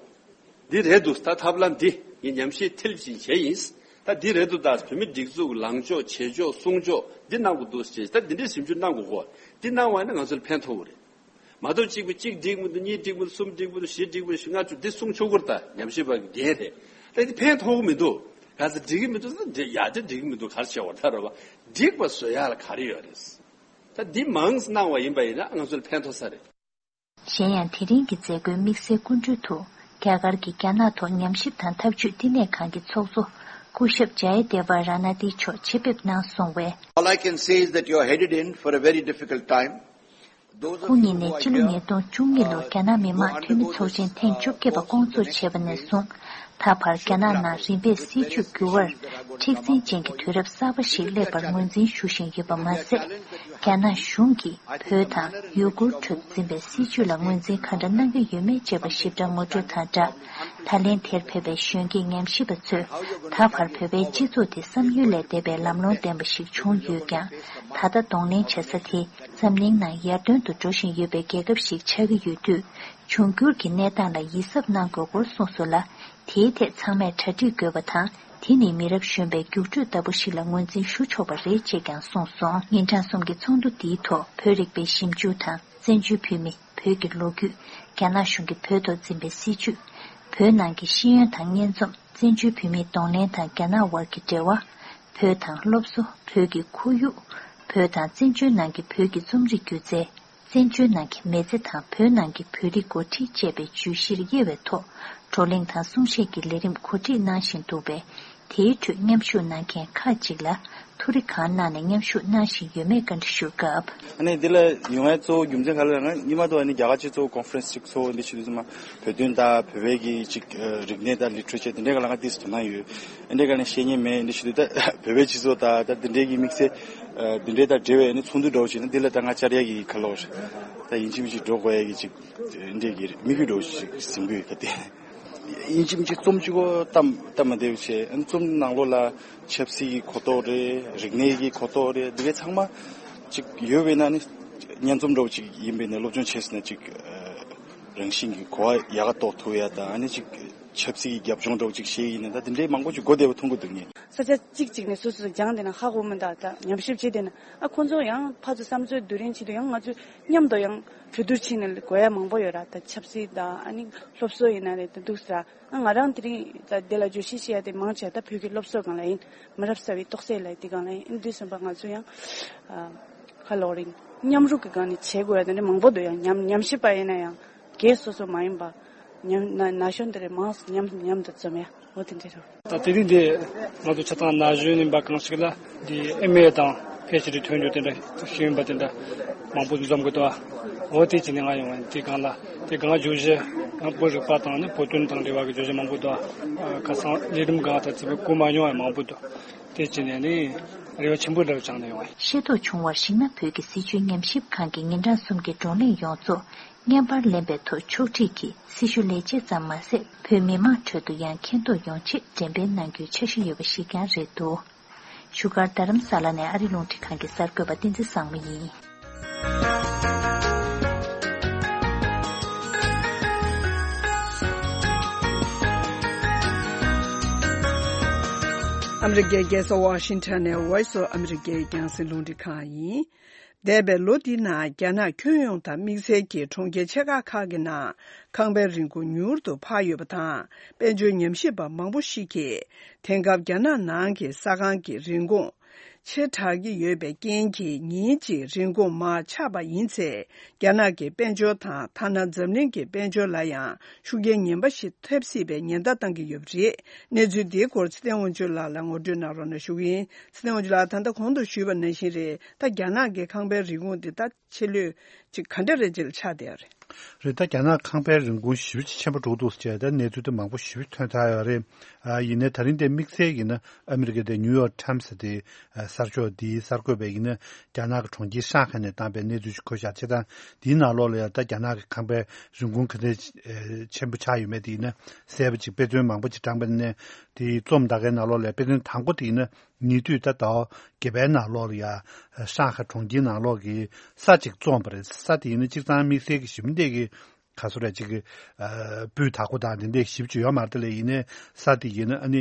འདི་རེད་འདུག་ད་ཐབས་ལམ་འདི་ངས་ཉམས་ཞིབ་མཐིལ་ཕྱིན་བྱས་ཡིན། ད་འདི་རེད་འདུག་ད་བོད་མི་སྒྲིག་འཛུགས་ལངས་ཕྱོགས་བྱེད་ཕྱོགས་གསུང་ཕྱོགས་འདི་གནང་དགོས་འདུག་ཅེས་ད་འདི་འདྲའི་ཞིབ་འཇུག་གནང་དགོས་གོ། འདི་གནང་བ་ཡིན་ན་ང་ཚོ་ལ་ཕན་ཐོགས་ཀྱི་རེད། མ་གཏོགས་གཅིག་པུ་གཅིག་འགྲིག་མི་འདུག་གཉིས་འགྲིག་མི་འདུག་གསུམ་འགྲིག་མི་འདུག་བཞི་འགྲིག་མི་འདུག་བཞི་ལྔ་བཅུ་འདི་གསུང་ཆོག་གི་རེད་ད། ཉམས་ཞིབ་པ་གི་འགན་རེད། ད་འདི་ཕན་ཐོགས་ཀྱི་མི་འདུག་ག་ཚོད་འགྲིག་གི་མི་འདུག་ཟེར། འགྲིག་ཡ་དེ་འགྲིག་གི་མི་འདུག་ག་རེ་བྱེད་བར་ད་རོ་བ། འགྲིག་པ་བཟོ་ཡ་ལ་ག་རེ་ཡོད་རེད། ད་འདི་མང་གནང་བ་ཡིན་པ་ཡིན་ན་ང་ཚོ་ལ་ཕན་ཐོགས་ས་རེད། གཞན་ཡང་དེ་རིང་གི་མཛད་སྒོའི་དམིགས་བསལ་སྐུ་མགྲོན་དུ་རྒྱ་གར་གྱི་རྒྱ་ནག་ཐོག་ཉམས་ཞིབ་དང་འཐབ་ཇུས་བསྟི་གནས་ཁང་གི་ཚོགས་གཙོ་སྐུ་ཞབས་ཇའི་དེ་ཝ་ར་ན་དི་མཆོག་ཆེད་ཕེབས་གནང་སོང་བས། All I can say is that you are headed in for a very difficult time. Those of སྐུ་ཉིད་ནས་སྤྱི་ལོ་ཉིས་སྟོང་བཅུ་གཉིས་ལོར་རྒྱ་ནག་མི་དམངས་འཐུས་མི་ཚོགས་ཆེན་ཐེངས་བཅོ་བརྒྱད་པ་བསྐོང་ཚོགས་བྱས་པ་ནས་བཟུང་། ད་བར་རྒྱ་ནག་ནང་རིམ་པས་སྲིད་ཇུས་འགྱུར་བར་མཁྲེགས་འཛིན་ཅན་གྱི་དུས་རབས་གསར་པ་ཞིག་སླེབས་པར་ངོས་འཛིན་ཞུ་བཞིན་ཡོད་པ་མ་ཟད། རྒྱ་ནག་གཞུང་གིས་བོད་དང་ཡུ་གུར་ཁྲོད་འཛིན་པའི་སྲིད་ཇུས་ལ་ངོས་འཛིན་ག་འདྲ་གནང་གི་ཡོད་མེད་བཅས་པ་ཞིབ་ཕྲ་ངོ་སྤྲོད་དང་སྦྲགས། ད་ལན་དེར་ཕེབས་པའི་གཞོན་སྐྱེས་ཉམས་ཞིབ་པ་ཚོས་ད་བར་བོད་པའི་སྤྱི་ཚོགས་དེ་བསམ་ཡུལ་ལས་འདས་པའི་ལམ་ལྷོང་ལྡན་པ་ཞིག་བྱུང་ཡོད་ཀྱང་། ད་ལྟ་གདོང་ལེན་བྱེད་ས་དེ་འཛམ་གླིང་ནང་ཡར་ཐོན་དུ་འགྲོ་བཞིན་ཡོད་པའི་རྒྱལ་ཁབ་ཞིག་ཆགས་ཀྱི་ཡོད་དུས། འབྱུང་འགྱུར་གྱི་གནས་སྟངས་ལ་ཡིད་གཟབ་གནང་དགོས་སྐོར་གསུངས་སོང་ལ། དེའི་ཐད་ཚང་མས་གྲ་སྒྲིག་དགོས་པ་དང་། དེ་ནི་མི་རབས་གཞོན་པའི་རྒྱུགས་སྤྲོད་ལྟ་བུ་ཞིག་ལ་ངོས་འཛིན་ཞུ་ཆོག་པ་རེད་ཅེས་ཀྱང་གསུངས་སོང་། ཉིན་གྲངས་གསུམ་གྱི་ཚོགས་འདུ་འདིའི་ཐོག་བོད་རིག་པའི་ཞིབ་འཇུག་དང་བཙན་བྱོལ་བོད་མི། བོད་ཀྱི་ལོ་རྒྱུས། རྒྱ་ནག་གཞུང་གིས་བོད་ཐོག་འཛིན་པའི་སྲིད་བྱུས། བོད་ནང་གི་ཤེས་ཡོན་དང་སྙན་རྩོམ། བཙན་བྱོལ་བོད་མིའི་གདོང་ལེན་དང་རྒྱ་ནག་དབར་གྱི་འབྲེལ་བ། བོད་དང་སློབ་གསོ། བོད་ཀྱི་ཁོར་ཡུག་བོད་དང་བཙན་བྱོལ་ནང་གི་བོད་ཀྱི་རྩོམ་རིག་སྒྱུ་རྩལ། བཙན་བྱོལ་ནང་གི་མི་ཚེ་དང་བོད་ནང་གི་བོད་རིགས་འགོ་ཁྲིད་བཅས་པའི་བརྗོད་གཞིར་དབྱེ་བའི་ཐོག་བགྲོ་གླེང་དང་གསུང་བཤད་ཀྱི་ལས་རིམ་གོ་སྒྲིག་གནང་བཞིན་འདུག་པས། དེའི་ཁྲོད་མཉམ་ཞུགས་གནང་མཁན་ཁག་ཅིག་ལ་ཐུགས་རེ་གང་གནང་ནས་མཉམ་ཞུགས་གནང་བཞིན་ཡོད་མེད་བཀའ་འདྲི་ཞུས་སྐབས། ཨ་ནི་འདི་ལ་ཡོང་བའི་གཙོ་བོ་རྒྱུ་མཚན་ག་རེ་ལབ་ན། སྔོན་མ་དུ་ཨ་ནི་རྒྱ་གར་སྤྱི་ཚོགས་ཀོན་ཧྥ་རན་སི་ཅིག་ཚོགས་འདི་བྱེད་དུས་ཙམ་པ་བོད་དོན་དང་བོད་པའི་གི་ཅིག་རིག་གནས་དང་ལི་ཊ་རེ་ཅར་འདི་འདྲའི་ག་ལ་ང་ཏིས་དོ་སྣང་ཡོད། འདི་འདྲའི་ག་ནས་བཤད་མཁན་མེད། འདི་བྱེད་དུས་ད་བོད་པའི་སྤྱི་ཚོགས་དང་ད་འདི་འདྲའི་གི་དམིགས་བསལ་འདི་འདྲའི་དང་འབྲེལ་བའི་ནི་ཚོགས་འདུ་འདྲ་བོ་ཞིག་ན་འདི་ལ་ད་ང་བཅར་ཡ་གི་ག་ལོ་ད་ཡིན་གཅིག་མིན་གཅིག་འགྲོ་དགོས་ཡ་གི་ཅིག་འདི་འདྲའི་གི་དམིགས་ཡུལ་འདྲ་བོ་ཞིག་ཟིན་གི་ཡོད་ག་དེ། ཡིན་གཅིག་མིན་གཅིག་རྩོམ་གཅིག་པོ་སྟབས་སྟབས་མ་བདེ་བ་བྱས། རྩོམ་ནང་ལོགས་ལ་ཆབ་སྲིད་ཀྱི་གོ་རྟོགས་རེད། རིག་གནས་ཀྱི་གོ་རྟོགས་རེད། འདི་གའི་ཚང་མ་ཅིག་ཡོད་པས་ན་ནི་སྙན་རྩོམ་འདྲ་བོ་ཅིག་ཡིན་པས་ན་སློབ་སྦྱོང་བྱས་ཟིན་ན་ཅིག་རང་བཞིན་གྱི་གོ་བ་ཡག་ག་རྟོགས་ཐུབ་ཡ་དང་། ཨ་ནི་ཅིག་ཆབ་སྲིད་ཀྱི་རྒྱབ་ལྗོངས་འདྲ་བོ་ཅིག་ཤེས་ཡིན་ན་ད་འདི་འདྲའི་མང་པོ་ཅིག་གོ་བདེ་བ་མཐོང་གི་འདུག་ངས། ས་ཆ་གཅིག་གཅིག་ནས་སོ་སོ་སྦྱངས་བསྡད་ན་ཧ་གོ་མི་འདུག་ད་ཉམས་ཞིབ་བྱས་བསྡད་ན་ཨ་ཁོང་ཚོ་ཡང་ཕར་ཚུར་བསམ་ཚུལ་བསྡུར་རིན་བྱེད་དུས་ཡང་ང་ཚོས་མཉམ་དུ་ཡང་གྲོས་བསྡུར་བྱས་ནས་དགོས་ཡ་མང་པོ་ཡོད་ར། ད་ཆབ་སྲིད་དང་ཨ་ནི་སློབ་གསོ་ཡིན་ན་རེད། ད་འདུག་ཟེར་ཨ་ང་རང་དེ་རིང་ད་དེ་ལ་བརྗོད་གཞི་བཤད་ཡ་དེ་མང་ཆེ་བ་ད་བོད་ཀྱི་སློབ་གསོ་སྒང་ལ་ཡིན། མི་རབས་གསར་བའི་རྟོགས་སད་ལ་ཡིན། དེ་སྒང་ལ་ཡིན། འདི་སོང་པ་ང་ཚོ་ཡང་ཨ་ཁ་ལོག་རིང་མཉམ་རུབ་ཀྱི་སྒང་ནས་བྱེད་དགོས་ཡ་དེ་འདྲ་མང་པོ་འདུག་ཡང་ཉམས་ཉམས་ཞིབ་པ་ཡིན་ན་ཡང་། སྒེར་སོ་སོ་མ་ཡིན་པ་ཉམས་ན་ན་གཞོན་དེ་རེ་མང་ཉམས་ཉམས་དུ་འཛོམས་ཡ་འོ་དེ་འདྲ་རེད། ད་དེ་རིང་འདི་ང་ཚོ་ཆ་ཚང་ན་གཞོན་ཡིན་པ་གང་ཞིག་ལ་འདི་ཨེམ་ཨེ་དང་ཕི་ཨེཆ་ཌི་ཐོན་རྒྱུ་དེ་འདྲ་ཤེས་ཡོན་པ་དེ་འདྲ་མང་པོ་འཛོམས་གི་འདུག་འོ་དེ་བྱས་ནས་ང་ཡོང་བ་དེ་སྒང་ལ་དེ་སྒང་བརྗོད་གཞི་ང་བོད་རིག་པ་དང་ནི་བོད་དོན་དང་འབྲེལ་བ་གི་བརྗོད་གཞི་མང་པོ་འདུག་ཁ་སང་ལས་རིམ་སྒང་ད་ཚིག་པའི་གོ་མ་མྱོང་བ་མང་པོ་འདུག་དེ་བྱས་ནས་ནི་རེ་བ་ཆེན་པོ་འདྲ་བོ་བཅངས་ནས་ཡོང་བ་ཡིན། ཤེས་རྟོགས་བྱུང་བར་གཞིགས་ན་བོད་ཀྱི་སྲིད་བྱུས་ཉམས་ཞིབ་ཁང་གི་ཉིན་གྲངས་གསུམ་གྱི་བགྲོ་གླེང་ཡོངས་རྫོགས། བརྙན་པར་ལེན་པའི་ཐོག་ཕྱོགས་སྒྲིག་གིས་སྲི་ཞུ་ལས་བྱེད་ཙམ་མ་ཟད། བོད་མི་མང་ཁྲོད་དུ་ཡང་མཁྱེན་རྟོགས་ཡོང་ཆེད་འགྲེམས་སྤེལ་གནང་རྒྱུའི་འཆར་གཞི་ཡོད་པ་ཞིག་ཀྱང་རེད་འདུག་བཞུགས་སྒར་རྡ་རམ་ས་ལ་ནས་ཨ་རི་རླུང་འཕྲིན་ཁང་གི་གསར་འགོད་པ་བསྟན་འཛིན་བཟང་མོ་ཡིན། ཨ་མི་རི་ཀའི་རྒྱལ་ས་ཝ་ཤིང་ཊོན་ནས་Voice of America ཡི་རྒྱང་སྲིང་རླུང་འཕྲིན་ཁང་ཡིན། འདས་པའི་ལོ་འདིའི་ནང་རྒྱ་ནག་ཁྱོན་ཡོངས་དང་དམིགས་བསལ་གྱིས་གྲོང་ཁྱེར་ཆེ་ཁག་ཁག་གི་ནང་ཁང་པའི་རིན་གོང་མྱུར་དུ་འཕར་ཡོད་པ་དང་། དཔལ་འབྱོར་ཉམས་ཞིབ་པ་མང་པོ་ཞིག་གིས་དེང་སྐབས་རྒྱ་ནག་ནང་གི་ས་ཁང་གི་རིན་གོང་ཆེ་དྲགས་ཀྱི་ཡོད་པའི་རྐྱེན་གྱིས་ཉིན་གཅིག་རིན་གོང་མར་ཆག་པ་ཡིན་ཚེ། རྒྱ་ནག་གི་དཔལ་འབྱོར་དང་ཐ་ན་འཛམ་གླིང་གི་དཔལ་འབྱོར་ལ་ཡང་ཤུགས་རྐྱེན་ངན་པ་ཞིག་ཐེབས་སྲིད་པའི་ཉེན་བརྡ་བཏང་གི་ཡོད་པ་རེད། གནས་ཚུལ་འདིའི་སྐོར་ཚེ་བརྟན་དབང་ཕྱུག་ལགས་ལ་ངོ་སྤྲོད་གནང་རོགས་གནང་ཞུ་གི་ཡིན། ཚེ་བརྟན་དབང་ཕྱུག་ལགས་ད་ལྟ་གོང་དུ་ཞུས་པ་ནང་བཞིན་རེད། ད་རྒྱ་ནག་གི་ཁང་པའི་རིན་གོང་འདི་ད་ཆེ་ལོས་ཅིག་ག་འདྲ་རེད་ཅེས་ཆགས་བསྡད་ཡོད་རེད། རེད། ད་རྒྱ་ནག་ཁང་པའི་རིན་གོང་ཞེ་པོ་ཅིག་ཆེན་པོ་འགྲོ་འདུག་ཅེས་ད་གནས་ཚུལ་དེ་མང་པོ་ཞེ་པོ་ཐོན་ཚར་ཡོད་རེད། ཨ་ཡིན་ནའི་ད་རིང་དེ་དམིགས་བསལ་ཡིན་ན་ཨ་མི་རི་ཀའི་དེ་ནིའུ་ཡོག་ཊའིམ་སི་དེ་གསར་ཤོག་དེའི་གསར་འགོད་པས་ཡིན་ན་རྒྱ་ནག་གི་གྲོང་ཁྱེར་ཧྲང་ཧའེ་ནས་བཏང་པའི་གནས་ཚུལ་ཞིག་འཁོད་བཞག་བྱས་ཙང་དེའི་ནང་ལོགས་ལ་ཡང་ད་རྒྱ་ནག་གི་ཁང་པའི་རིན་གོང་ག་ཚད་ཆེན་པོ་ཆགས་ཡོད་མེད་དེ་ཡིན་ན་གསལ་པོ་ཅིག་དཔེ་མཚོན་མང་པོ་ཅིག་དྲངས་པ་ཡིན་ན་དེའི་རྩོམ་ད་གའི་ནང་ལོགས་ལ་དཔེ་མཚོན་དང་པོ་དེ་ཡིན་ན། ཉེ་དུས་ད་ཟླ་བ་བརྒྱད་པའི་ནང་ལོགས་ལ་ཡ་ཧྲང་ཧའེ་གྲོང་ཁྱེར་ནང་ལོགས་ཀྱི་ས་ཅིག་བཙོངས་པ་རེད། ས་དེ་ཡིན་ན་སྤྱིར་བཏང་དམིགས་བསལ་གྱི་ཞི་མོལ་འདི་གི་ག་ཚོད་རེད་ཅིག་གི་སྤུས་དག་པོ་དང་དེ་འདྲས་ཞིབ་ཅིག་ཡོད་མ་རེད་དེ་ལས་ཡིན་ནའི་ས་དེ་ཡིན་ན་ཨ་ནི་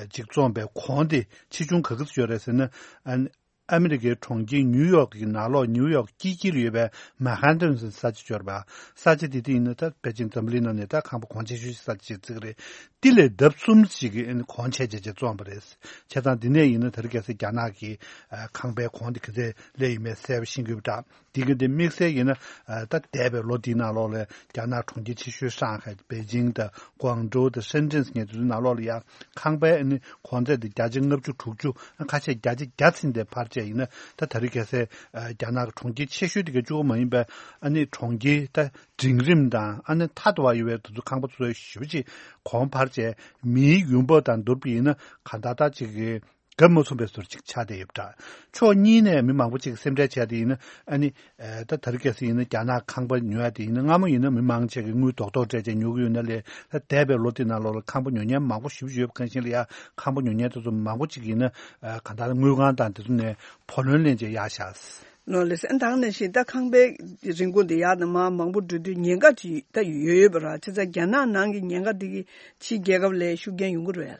ཅིག་བཙོངས་པའི་གོང་དེ་ཆེ་ཆུང་ག་གི་ཚོད་ཡོད་རེད་ཟེར་ན་ཨ་ནི་ ཨ་མི་རི་ཀའི་གྲོང་ཁྱེར་ནིའུ་ཡོག་གི་ནང་ལོགས། ནིའུ་ཡོག་དཀྱིལ་དཀྱིལ་ལ་ཡོད་པའི་མན་ཧན་ཏན་ཟེར་ས་ཆ་ཅིག་ཡོད་རེད་པ། ས་ཆ་དེ་དེ་ཡིན་ན་ད་ཕལ་ཆེར་འཛམ་བུ་གླིང་ནང་ནས་ད་ཁང་པ་གོང་ཆེ་ཤོས་ཤིག་ས་ཆ་ཅིག་བརྩི་གི་རེད། དེ་ལས་ལྡབ་གསུམ་ཞིག་གི་གོང་ཆེ་ཆེ་ཆེ་བཙོངས་པ་རེད། བྱས་ཙང་འདི་ནས་ཡིན་ན་དེ་རིང་ཁ་སང་རྒྱ་ནག་གི་ཨ་ཁང་པའི་གོང་དེ་ག་ཚད་སླེབས་ཡོད་མེད་གསལ་པོ་ཤེས་ཀྱི་ཡོད་པ་འདྲ། དེ་གི་དེ་དམིགས་བསལ་ཡིན་ན་ཨ་ད་འདས་པའི་ལོ་འདིའི་ནང་ལོགས་ལ་རྒྱ་ནག་གྲོང་ཁྱེར་ཆེ་ཤོས་ཧྲང་ཧའེ། པེ་ཅིང་དང་ཀུང་ཀྲོའུ་དང་ཧྲེན་ཀྲེན་ཟེར་མཁན་དེ་ཚོའི་ནང་ལོགས་ལ་ཡང་ཁང་པའི་ཨ་ནི་གོང་ཚད་དེ་བརྒྱ་ཆ་ལྔ་བཅུ་དྲུག་ཅུ། ཁ་ཤས་བརྒྱ་ཆ་བརྒྱ་ཟིན་ཏེ་འཕར་བྱས་ཡིན་ན། ད་དེ་རིང་ཁ་སང་ཨ་རྒྱ་ནག་གི་གྲོང་ཁྱེར་ཆེ་ཤོས་དེ་ག་གཅིག་པོ་མ་ཡིན་པའི་ཨ་ནི་གྲོང་ཁྱེར་ད་འབྲིང་རིམ་དང་ཨ་ནི་མཐའ་དུ་བ་ཡོད་པའི་དེ་ཚོ་ཁང་པ་ཚོ་ཞེ་པོ་ཅིག་གོང་འཕར་བྱས། མིའི་ཡོང་འབབ་དང་བསྡུར་བ་ཡིན་ན་གང་ལྟར་ད་ཅིག་གི་གོ་མ་ཚོམ་པའི་བཟོ་འདྲ་ཅིག་ཆགས་བསྡད་ཡོད་པ་འདྲ། ཕྱོགས་གཉིས་ནས་མི་མང་པོ་ཅིག་སེམས་ཁྲལ་བྱས་ཏེ་ཡིན་ན་ཨ་ནི་ཨ་ད་དེ་རིང་ཁ་སང་ཡིན་ན་རྒྱ་ནག་ཁང་པ་ཉོ་ཡ་དེ་ཡིན་ན། སྔ་མོ་ཡིན་ན་མི་མང་ཆེ་གིས་དངུལ་རྡོག་རྡོག་སྤྲད་བྱས་ཉོ་གི་ཡོད་ན་ལས། ད་འདས་པའི་ལོ་དེ་ནང་ལོགས་ལ་ཁང་པ་ཉོ་མཁན་མང་པོ་ཞེ་པོ་ཅིག་ཡོད་པ་གང་ཤེས་ལ་ཡ། ཁང་པ་ཉོ་མཁན་དེ་ཚོ་མང་པོ་ཅིག་ཡིན་ན་ཨ་གང་ལྟར་དངུལ་ཁང་དང་དེ་ཚོ་ནས་བུ་ལོན་ལེན་བྱས་གཡར་བཞག་ལོ་ལེ་སན་དང་ནང་བཞིན་ད་ཁང་པའི་རིན་གོང་དེ་ཡར་དང་མར་མང་པོ་འགྲོ་དུས་ཉེན་ཁ་ཅིག་ད་ཡོད་ཡོད་པ་ར། བྱས་ཙང་རྒྱ་ནག་ནང་གི་ཉེན་ཁ་དེ་གི་ཕྱིའི་རྒྱལ་ཁབ་ལ་ཤུགས་རྐྱེན་ཡོང་གི་རེད།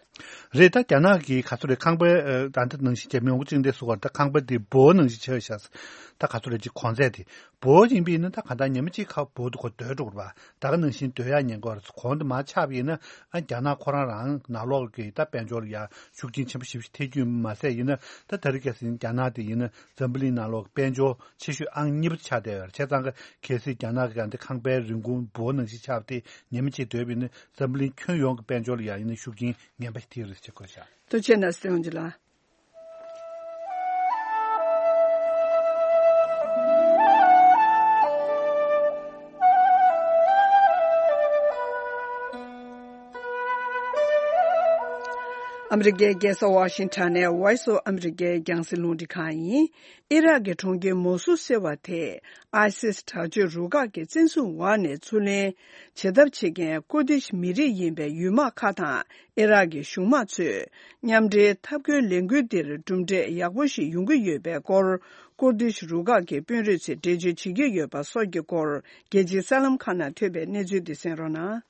རེད། ད་རྒྱ་ནག་གི་ག་ཚོད་རེད། ཁང་པའི་ཨ་ད་ལྟ་ནང་བཞིན་བྱས་མི་ཡོང་གི་ཅིག་འདས་སུ་བར་ད་ཁང་པ་དེ་འབོར་ནང་བཞིན་ཆགས་ཤག་ད་ག་ཚོད་རེད་ཅིག་གོང་ཚད་དེ་འབོར་ཡིན་པ་ཡིན་ན་ད་ག་ད་ཉི་མ་གཅིག་ཁ་འབོར་དེ་ཁོ་སྡོད་འགྲོ་གི་རེད་པ། ད་ག་ནང་བཞིན་སྡོད་ཡ་ཉེན་ཁ་རེད། གོང་དུ་མར་ཆག་པ་ཡིན་ན་ཨ་རྒྱ་ནག་ཁོ་རང་རང་ནང་ལོགས་ཀྱི་ད་དཔལ་འབྱོར་ལ་ཡ་ཤུགས་རྐྱེན་ཆེན་པོ་ཞེ་པོ་ཞིག་ཐེབས་རྒྱུ་མ་ཟད་ཡིན་ན། ད་དེ་རིང་ཁ་སང་རྒྱ་ནག་དེ་ཡིན་ན་འཛམ་བུ་གླིང་ནང་ལོགས་ཀྱི་དཔལ་འབྱོར་ཆེ་ཤོས་ཨང་གཉིས་པ་ཆགས་བསྡད་ཡོད་རེད། བྱས་ཙང་ག་གལ་སྲིད་རྒྱ་ནག་གི་ཡང་དེ་ཁང་པའི་རིན་གོང་འབོར་ནང་བཞིན་ཆགས་པ་དེ་ཉི་མ་གཅིག་སྡོད་པ་ཡིན་ན་འཛམ་བུ་གླིང་ཁྱོན་ཡོངས་ཀྱི་དཔལ་འབྱོར་ལ་ཡང་ཡིན་ན་ཤུགས་རྐྱེན་ངན་པ་ཞིག་ཐེབས་རེད་ཅེས་བཀོད་བཞག་ཐུགས་རྗེ་གནང་སྲིད་འོང་ཇི་ལ། ཨ་མི་རི་ཀའི་རྒྱལ་ས་ཝ་ཤིང་ཊོན་ནས་Voice of America རྒྱང་སྲིང་རླུང་འཕྲིན་ཁང་ཡིན། ཨི་རག་གི་གྲོང་ཁྱེར་མོ་སུལ་ཟེར་བ་དེ་ཨའི་སིས་དྲག་སྤྱོད་རུ་ཁག་གི་བཙན་བཟུང་འོག་ནས་ཚུར་ལེན་བྱེད་ཐབས་བྱེད་མཁན་ཀུར་དིཤ་མི་རིགས་ཡིན་པའི་ཡུལ་དམག་ཁག་དང་ཨི་རག་གི་གཞུང་དམག་ཚོས་མཉམ་འབྲེལ་འཐབ་རྒོལ་ལས་འགུལ་འདིར་གྲུབ་འབྲས་ཡག་པོ་ཞིག་ཡོང་གི་ཡོད་པའི་སྐོར། ཀུར་དིཤ་རུ་ཁག་གི་དཔོན་རིགས་ཚོས་འགྲེལ་བརྗོད་བྱེད་ཀྱི་ཡོད་པ་སོགས་ཀྱི་སྐོར། རྒྱལ་སྤྱིའི་གསར་ལམ་ཁག་ནང་ཐོན་པའི་གནས་ཚུལ་འདི་གསན་རོགས་གནང་།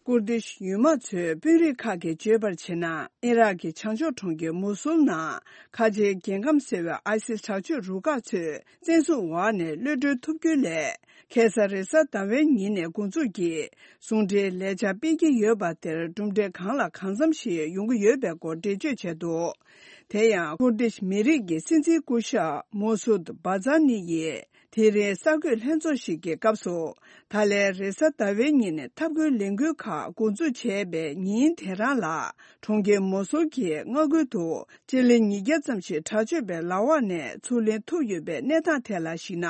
ཀུར་དིཤ་ཡུལ་དམག་ཚོའི་དཔོན་རིགས་ཁག་གིས་བརྗོད་པར་བྱས་ན། ཨི་རག་གི་བྱང་ཕྱོགས་གྲོང་ཁྱེར་མུ་སུལ་ནང་ཁ་ཆེའི་རྒྱལ་ཁམས་ཟེར་བའི་ཨའི་སིས་དྲག་སྤྱོད་རུ་ཁག་ཚོས་བཙན་བཟུང་འོག་ནས་གློད་གྲོལ་ཐུབ་རྒྱུ་ལས། ཁ་སང་རེས་གཟའ་ཟླ་བའི་ཉིན་ནས་འགོ་འཛུགས་ཀྱིས་ཟུང་འབྲེལ་ལས་འཆར་སྤེལ་གྱི་ཡོད་པ་དེར་གྲུབ་འབྲས་གང་ལ་གང་འཚམ་ཞིག་ཡོང་གི་ཡོད་པའི་སྐོར་འགྲེལ་བརྗོད་བྱས་འདུག་དེ་ཡང་ཀུར་དིཤ་མི་རིགས་ཀྱི་སྲིད་འཛིན་སྐུ་ཞབས་མོ་སུད་བྷ་ཛཱ་ནི་ཡིས། དེ་རིང་གསར་འགོད་ལྷན་ཚོགས་ཤིག་གི་སྐབས་སུ། ད་ལན་རེས་གཟའ་ཟླ་བའི་ཉིན་ནས་འཐབ་རྒོལ་ལས་འགུལ་ཁག་འགོ་འཛུགས་བྱས་པའི་ཉིན་དེ་རང་ལ། གྲོང་ཁྱེར་མོ་སུལ་གྱི་མངའ་ཁུལ་དུ་སྤྱི་ལེ་ཉིས་བརྒྱ་ཙམ་ཞིག་དྲག་སྤྱོད་པའི་ལག་འོག་ནས་ཚུར་ལེན་ཐུབ་ཡོད་པའི་གནས་སྟངས་ཐད་ལ་གཞིགས་ན།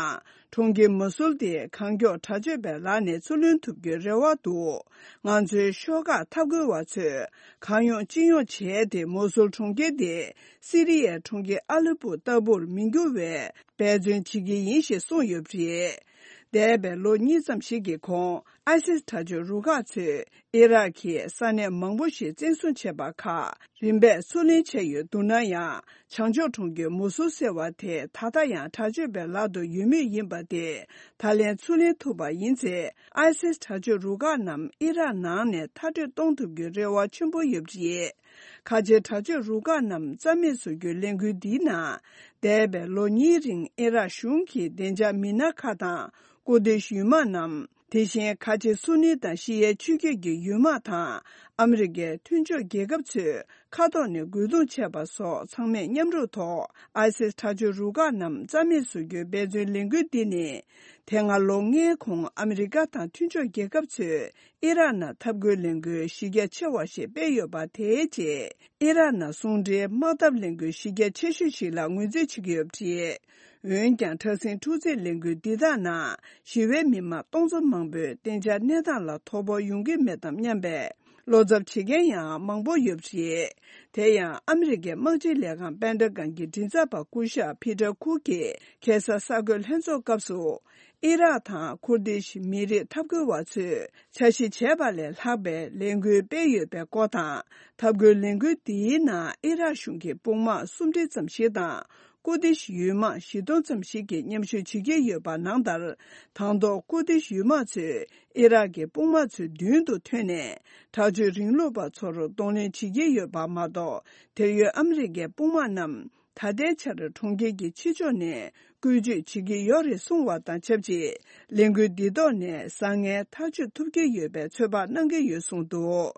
གྲོང་ཁྱེར་མོ་སུལ་དེ་གང་མགྱོགས་དྲག་སྤྱོད་པའི་ལག་ནས་ཚུར་ལེན་ཐུབ་རྒྱུའི་རེ་བ་འདུག་ང་ཚོའི་ཤོག་ཁག་འཐབ་རྒོལ་བ་ཚོས་གང་ཡོང་ཅི་ཡོང་བྱས་ཏེ། མོ་སུལ་གྲོང་ཁྱེར་དེ་སི་རི་ཡའི་གྲོང་ཁྱེར་ཨ་ལེ་པོ་ལྟ་བུར་མི་འགྱུར་བའི་འབད་བརྩོན་བྱེད་ཀྱི་ཡིན་ཞེས་གསུངས་ཡོད་པ་རེད། འདས་པའི་ལོ་གཉིས་ཙམ་ཞིག་གི་གོང་། ཨའི་སིས་དྲག་སྤྱོད་རུ་ཁག་ཚོས་ཨི་རག་གི་ས་གནས་མང་པོ་ཞིག་བཙན་བཟུང་བྱས་པ་ཁག་རིམ་པས་ཚུར་ལེན་བྱས་ཡོད་འདུག་ན་ཡང་། བྱང་ཕྱོགས་གྲོང་ཁྱེར་མུ་སུལ་ཟེར་བ་དེ་ད་ལྟ་ཡང་དྲག་སྤྱོད་པའི་ལག་ཏུ་ཡོད་མུས་ཡིན་པ་དེ། ད་ལན་ཚུར་ལེན་ཐུབ་པ་ཡིན་ཚེ། ཨའི་སིས་དྲག་སྤྱོད་རུ་ཁག་རྣམས་ཨི་རག་ནང་ནས་མཐར་སྐྲོད་གཏོང་ཐུབ་རྒྱུའི་རེ་བ་ཆེན་པོ་ཡོད་པ་རེད། ཁ་ཆེའི་དྲག་སྤྱོད་རུ་ཁག་རྣམས་རྩ་མེད་བཟོ་རྒྱུའི་ལས་འགུལ་འདིའི་ནང་། འདས་པའི་ལོ་གཉིས་རིང་ཨི་རག་གཞུང་གི་བདེ་འཇགས་མི་སྣ་ཁག་དང་། ཀུར་དིཤ་ཡུལ་དམག་རྣམས། དེ་བཞིན་ཁ་ཆེ་སུ་ནི་དང་ཤི་ཡའི་ཆོས་བརྒྱུད་ཀྱི་ཡུལ་དམག་དང་། ཨ་མི་རི་ཀའི་མཐུན་ཕྱོགས་རྒྱལ་ཁབ་ཚོས་མཁའ་ཐོག་ནས་རྒོལ་རྡུང་བྱས་པ་སོགས་ཚང་མས་མཉམ་རུབ་ཐོག་ཨའི་སིས་དྲག་སྤྱོད་རུ་ཁག་རྣམས་རྩ་མེད་བཟོ་རྒྱུའི་འབད་བརྩོན་ལས་འགུལ་འདི་ནི། དེ་སྔ་ལོ་ལྔའི་གོང་ཨ་མི་རི་ཀ་དང་མཐུན་ཕྱོགས་རྒྱལ་ཁབ་ཚོས་ཨི་རག་ནང་འཐབ་རྒོལ་ལས་འགུལ་གཞི་རྒྱ་ཆེ་བ་ཞིག་སྤེལ་ཡོད་པ་དེའི་རྗེས། ཨི་རག་ནང་ཟུང་འབྲེལ་དམག་འཐབ་ལས་འགུལ་གཞི་རྒྱ་ཆེ་ཤོས་ཤིག་ལ་ངོས་འཛིན་བྱེད་ཀྱི་ཡོད་པ་རེད། འོན་ཀྱང་། དྲག་ཟིང་འཁྲུག་འཛིང་ལས་འགུལ་འདི་དག་ནང་ཞི་བའི་མི་མང་སྟོང་ཚོ་མང་པོས་གཏན་འཇགས་གནས་སྟངས་ལ་དོ་ཕོག་ཡོང་གི་མེད་དམ་སྙམ་པའི་བློ་འཚབ་བྱེད་མཁན་ཡང་མང་པོ་ཡོད་པ་རེད། དེ་ཡང་ཨ་མི་རི་ཀའི་དམག་སྤྱིའི་ལས་ཁང་པེན་ཏ་གོན་གྱི་མགྲིན་ཚབ་པ་སྐུ་ཞབས་ཕི་ཏར་ཁུག་གིས་ཁ་སང་གསར་འགོད་ལྷན་ཚོགས་སྐབས་སུ། ཨི་རག་དང་ཁུར་དིཤ་མི་རིགས་འཐབ་རྒོལ་བ་ཚོས་འཆར་གཞི་བྱས་པ་ལས་ལྷག་པའི་ལས་འགུལ་སྤེལ་ཡོད་པའི་སྐོར་དང་། འཐབ་རྒོལ་ལས་འགུལ་འདིའི་ནང་ཨི་རག་གཞུང་གི་དཔུང་དམག་སུམ་ཁྲི་ཙམ་ཞིག་དང་། ཀུར་དིཤ་ཡུལ་དམག་བཞི་སྟོང་ཙམ་ཞིག་གིས་མཉམ་ཞུགས་བྱེད་ཀྱི་ཡོད་པ་ནང་ལྟར། དང་ཐོག་ཀུར་དིཤ་ཡུལ་དམག་ཚོས་ཨི་རག་གི་དཔུང་དམག་ཚོའི་མདུན་དུ་ཐོན་ནས། དྲག་སྤྱོད་རིང་ལུགས་པ་ཚོར་གདོང་ལེན་བྱེད་ཀྱི་ཡོད་པ་མ་གཏོགས། དེར་ཡོད་ཨ་མི་རི་ཀའི་དཔུང་དམག་རྣམས། ད་ལྟའི་ཆར་གྲོང་ཁྱེར་གྱི་ཕྱི་ཕྱོགས་ནས་བཀོལ་སྤྱོད་བྱེད་ཀྱི་ཡོད་རེད་གསུངས་པ་དང་ཆབས་ཅིག་ལས་འགུལ་འདི་ཐོག་ནས་བཟང་ངན་ཐག་གཅོད་ཐུབ་ཀྱི་ཡོད་པའི་ཚོད་དཔག་གནང་གི་ཡོད་གསུངས་འདུག་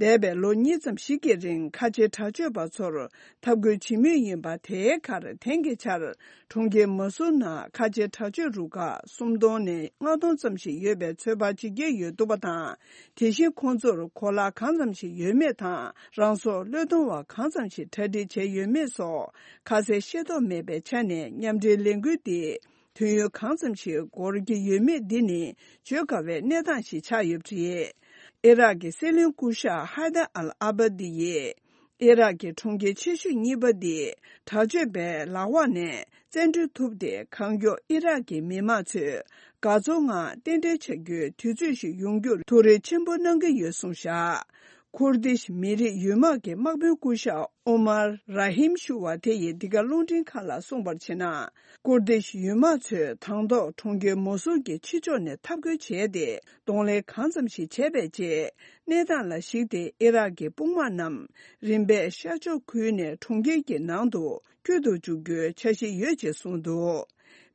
འདས་པའི་ལོ་གཉིས་ཙམ་ཞིག་གི་རིང་ཁ་ཆེ་དྲག་སྤྱོད་པ་ཚོར་འཐབ་རྒོལ་བྱེད་མུས་ཡིན་པ་དེའི་ཁར་དེང་གི་ཆར་གྲོང་ཁྱེར་མ་སུར་ནང་ཁ་ཆེ་དྲག་སྤྱོད་རུ་ཁག་སུམ་སྟོང་ནས་ལྔ་སྟོང་ཙམ་ཞིག་ཡོད་པའི་ཚོད་དཔག་བྱེད་ཀྱི་ཡོད་འདུག་པ་དང་། དེ་བཞིན་ཁོང་ཚོར་གོ་ལག་གང་ཙམ་ཞིག་ཡོད་མེད་དང་རང་སྲོག་བློས་གཏོང་བ་གང་ཙམ་ཞིག་གྲ་སྒྲིག་བྱས་ཡོད་མེད་སོགས་ཁ་གསལ་ཤེས་རྟོགས་མེད་པའི་ཆ་ནས་མཉམ་འབྲེལ་ལས་འགུལ་འདི་དུས་ཡུན་གང་ཙམ་ཞིག་འགོར་གྱི་ཡོད་མེད་འདི་ནི་བརྗོད་དཀའ་བའི་གནས་སྟངས་ཤིག་ཆགས་ཡོད་པ་རེད། ཨི་རག་གི་སྲིད་བློན་སྐུ་ཞབས་ཧའི་དར་ཨལ་ཨ་བ་དི་ཡིས། ཨི་རག་གི་གྲོང་ཁྱེར་ཆེ་ཤོས་གཉིས་པ་འདི་དྲག་སྤྱོད་པའི་ལག་འོག་ནས་བཙན་འཕྲོག་ཐུབ་སྟེ། གང་མགྱོགས་ཨི་རག་གི་མི་མང་ཚོས་དགའ་ཚོར་ངང་རྟེན་འབྲེལ་བྱ་རྒྱུའི་དུས་ཚོད་ཞིག་ཡོང་རྒྱུར་ཐུགས་རེ་ཆེན་པོ་གནང་གི་ཡོད་གསུངས་བཞག་ཁུར་དིཤ་མི་རིགས་ཡུལ་དམག་གི་དམག་དཔོན་སྐུ་ཞབས་ཨོ་མར་ར་ཧིམ་ཞུ་བ་དེ་ཡིས་འདི་ག་རླུང་འཕྲིན་ཁང་ལ་གསུངས་པར་བྱས་ན། ཀུར་དིཤ་ཡུལ་དམག་ཚོས་དང་ཐོག་གྲོང་ཁྱེར་མོ་སུལ་གྱི་ཕྱི་ཕྱོགས་ནས་འཐབ་རྒོལ་བྱས་ཏེ། གདོང་ལེན་གང་ཙམ་ཞིག་བྱས་པའི་རྗེས། གནས་སྟངས་ལ་གཞིགས་ཏེ་ཨི་རག་གི་དཔུང་དམག་རྣམས་རིམ་པས་ཤར་ཕྱོགས་ཁུལ་ནས་གྲོང་ཁྱེར་གྱི་ནང་དུ་བསྐྱོད་དུ་འཇུག་རྒྱུའི་འཆར་གཞི་ཡོད་ཅེས་གསུངས་འདུག་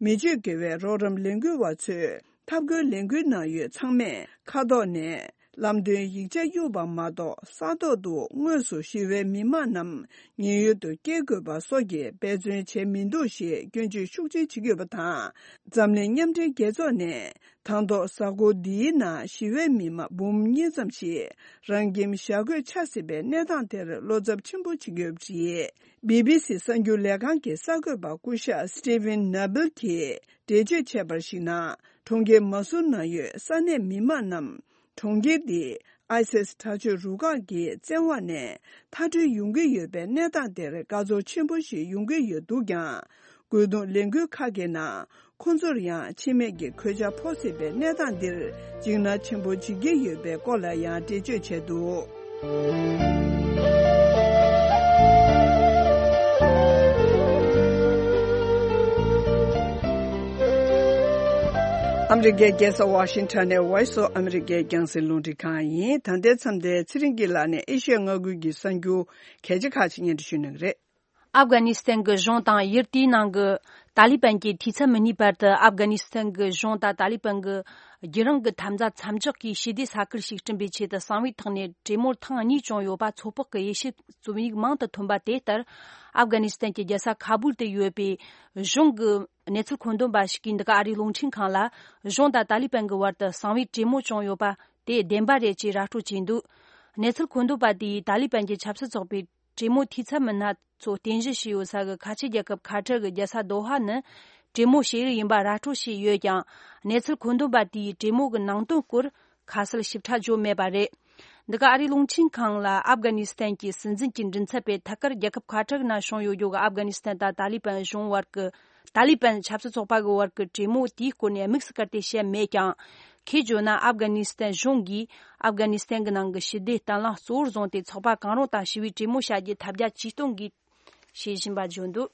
མི་སྤྱོད་དགེ་བའི་རོགས་རམ་ལས་འགུལ་བ་ཚོས་འཐབ་རྒོལ་ལས་འགུལ་ནང་ཡོད་ཚང་མས་ཁ་ཐོག་ནས་ལམ་སྟོན་ཡིག་ཆ་གཡུགས་པ་མ་གཏོགས། ས་ཐོག་ཏུ་དངོས་སུ་ཞི་བའི་མི་མང་རྣམས་ཉེན་གཡོལ་དུ་སྐྱེལ་དགོས་པ་སོགས་ཀྱི་འབད་བརྩོན་བྱས་མི་འདུག་ཞེས་སྐྱོན་བརྗོད་ཤུགས་ཆེ་བྱེད་ཀྱི་ཡོད་པ་དང་། འཛམ་གླིང་མཉམ་འབྲེལ་རྒྱལ་ཚོགས་ནས་དང་ཐོག་གཟའ་འཁོར་འདིའི་ནང་ཞི་བའི་མི་མང་འབུམ་གཉིས་ཙམ་ཞིག་རང་ཁྱིམ་བཞག་དགོས་ཆགས་སྲིད་པའི་གནས་སྟངས་དེར་བློ་འཚབ་ཆེན་པོ་བྱེད་ཀྱི་ཡོད་པ་རེད། བི་བི་སི་གསར་འགྱུར་ལས་ཁང་གི་གསར་འགོད་པ་སྐུ་ཞབས་སི་ཏི་ཝིན་ནཱ་བིལ་གྱིས་འགྲེལ་བརྗོད་བྱས་པར་གཞིགས་ན། གྲོང་ཁྱེར་མ་སུར་ནང་ཡོད་ས་གནས་མི་མང་རྣམས། གྲོང་ཁྱེར་འདི་ཨའི་སིས་དྲག་སྤྱོད་རུ་ཁག་གི་བཙན་འོག་ནས་མཐར་སྐྲོད་ཡོང་གི་ཡོད་པའི་གནས་སྟངས་དེར་དགའ་ཚོར་ཆེན་པོ་ཞིག་ཡོང་གི་ཡོད་འདུག་ཀྱང་། རྒོལ་རྡུང་ལས་འགུལ་ཁག་གི་ནང་ཁོང་ཚོར་ཡང་འཆི་རྨས་ཀྱི་གོད་ཆག་ཕོག་སྲིད་པའི་གནས་སྟངས་འདིར་འཇིགས་སྣང་ཆེན་པོ་བྱེད་ཀྱི་ཡོད་པའི་སྐོར་ལ་ཡང་འགྲེལ་བརྗོད་བྱས་འདུག་ཨ་མི་རི་ཀའི་རྒྱལ་ས་ཝ་ཤིང་ཊོན་ནས་Voice of America་རྒྱང་སྲིང་རླུང་འཕྲིན་ཁང་ཡིན། ད་ལྟའི་མཚམས་འདིར་ཚེ་རིང་གིས་ལགས་ནས་ཨེ་ཤི་ཡ་མངའ་ཁུལ་གྱི་གསར་འགྱུར་གལ་ཆེ་ཁག་ཅིག་སྙན་སྒྲོན་ཞུ་གནང་གི་རེད། ཨབ་གྷ་ནི་སི་ཐན་གྱི་གཞུང་དང་ཡུལ་དེའི་ནང་གི་ཏཱ་ལི་པན་གྱི་འཐུས་ཚབ་མི་སྣའི་བར་དུ། ཨབ་གྷ་ནི་སི་ཐན་གྱི་གཞུང་དང་ཏཱ་ལི་པན་གྱི་རྒྱུད་རིང་གི་འཐབ་འཛིང་མཚམས་འཇོག་གིས་ཞི་བདེ་ས་ཁུལ་ཞིག་བསྐྲུན་པའི་ཆེད་དུ་གསང་བའི་ཐོག་ནས་གྲོས་མོལ་ཐེངས་གཉིས་བྱུང་ཡོད་པ་ཚོད་དཔག་གི་དབྱེ་ཞིབ་རྩོམ་ཡིག་མང་དུ་ཐོན་པ་དེ་ལྟར། ཨབ་གྷ་ནི་སི་ཐན་གྱི་རྒྱལ་ས་ཁ་བུལ་དུ་ཡོད་པའི་གཞུང་གི་གནས་ཚུལ་མཁོ་འདོན་པ་ཞིག་གིས་འདི་ག་ཨ་རིའི་རླུང་འཕྲིན་ཁང་ལ། གཞུང་དང་ཏཱ་ལི་པན་གྱི་བར་དུ་གསང་བའི་གྲོས་མོལ་བྱུང་ཡོད་པ་དེ་བདེན་པ་རེད་ཅེས་ར་སྤྲོད་བྱས་འདུག་གནས་ཚུལ་མཁོ་འདོན་པ་དེས་ཏཱ་ལི་པན་གྱི་ཆབ་སྲིད་ཚོགས་པའི་གྲོས་མོལ་འཐུས་ཚབ་མི་སྣ་ཚོ་རྟེན་གཞི་བྱས་ཡོད་ས་གི་ཁ་ཆེ་རྒྱལ་ཁབ་ཁ་ཐར་གྱི་རྒྱལ་ས་དོ་ཧ་ནི་གྲོས་མོལ་བྱེད་ཡུལ་ཡིན་པ་ར་སྤྲོད་བྱས་ཡོད་ཀྱང་། གནས་ཚུལ་མཁོ་འདོན་པ་དེས་གྲོས་མོལ་གྱི་ནང་དོན་སྐོར་ཁ་གསལ་ཞིབ་ཕྲ་བརྗོད་མེད་པ་རེད། འདི་ག་ཨ་རིའི་རླུང་འཕྲིན་ཁང་ལ་ཨབ་གྷ་ནི་སི་ཐན་གྱི་སྲིད་འཛིན་གྱི་མགྲིན་ཚབ་པས་ཐད་ཀར་རྒྱལ་ཁབ་ཁ་ཐར་ནང་བྱུང་ཡོད་རྒྱུ་གི་ཨབ་གྷ་ནི་སི་ཐན་དང་ཏཱ་ལི་པན་གཞུང་བར་གྱི། ཏཱ་ལི་པན་ཆབ་སྲིད་ཚོགས་པ་གི་བར་གྱི་གྲོས་མོལ་དེའི་སྐོར་ནས་དམིགས་སུ་བཀར་ཏེ་བཤད་མེད་ཀྱང་། ཁོས་བརྗོད་ན། ཨབ་གྷ་ནི་སི་ཐན་གཞུང་གིས་ཨབ་གྷ་ནི་སི་ཐན་གྱི་ནང་གི་ཞི་བདེ་གཏན་ལམ་གཙོ་བོར་བཟུང་སྟེ། ཚོགས་པ་གང་རུང་དང་ཞི་བའི་གྲོས་མོལ་བྱ་རྒྱུའི་ཐབས་བརྒྱ་ཇུས་སྟོང་གིས་བྱེད་བཞིན་པ་བརྗོད་འདུག་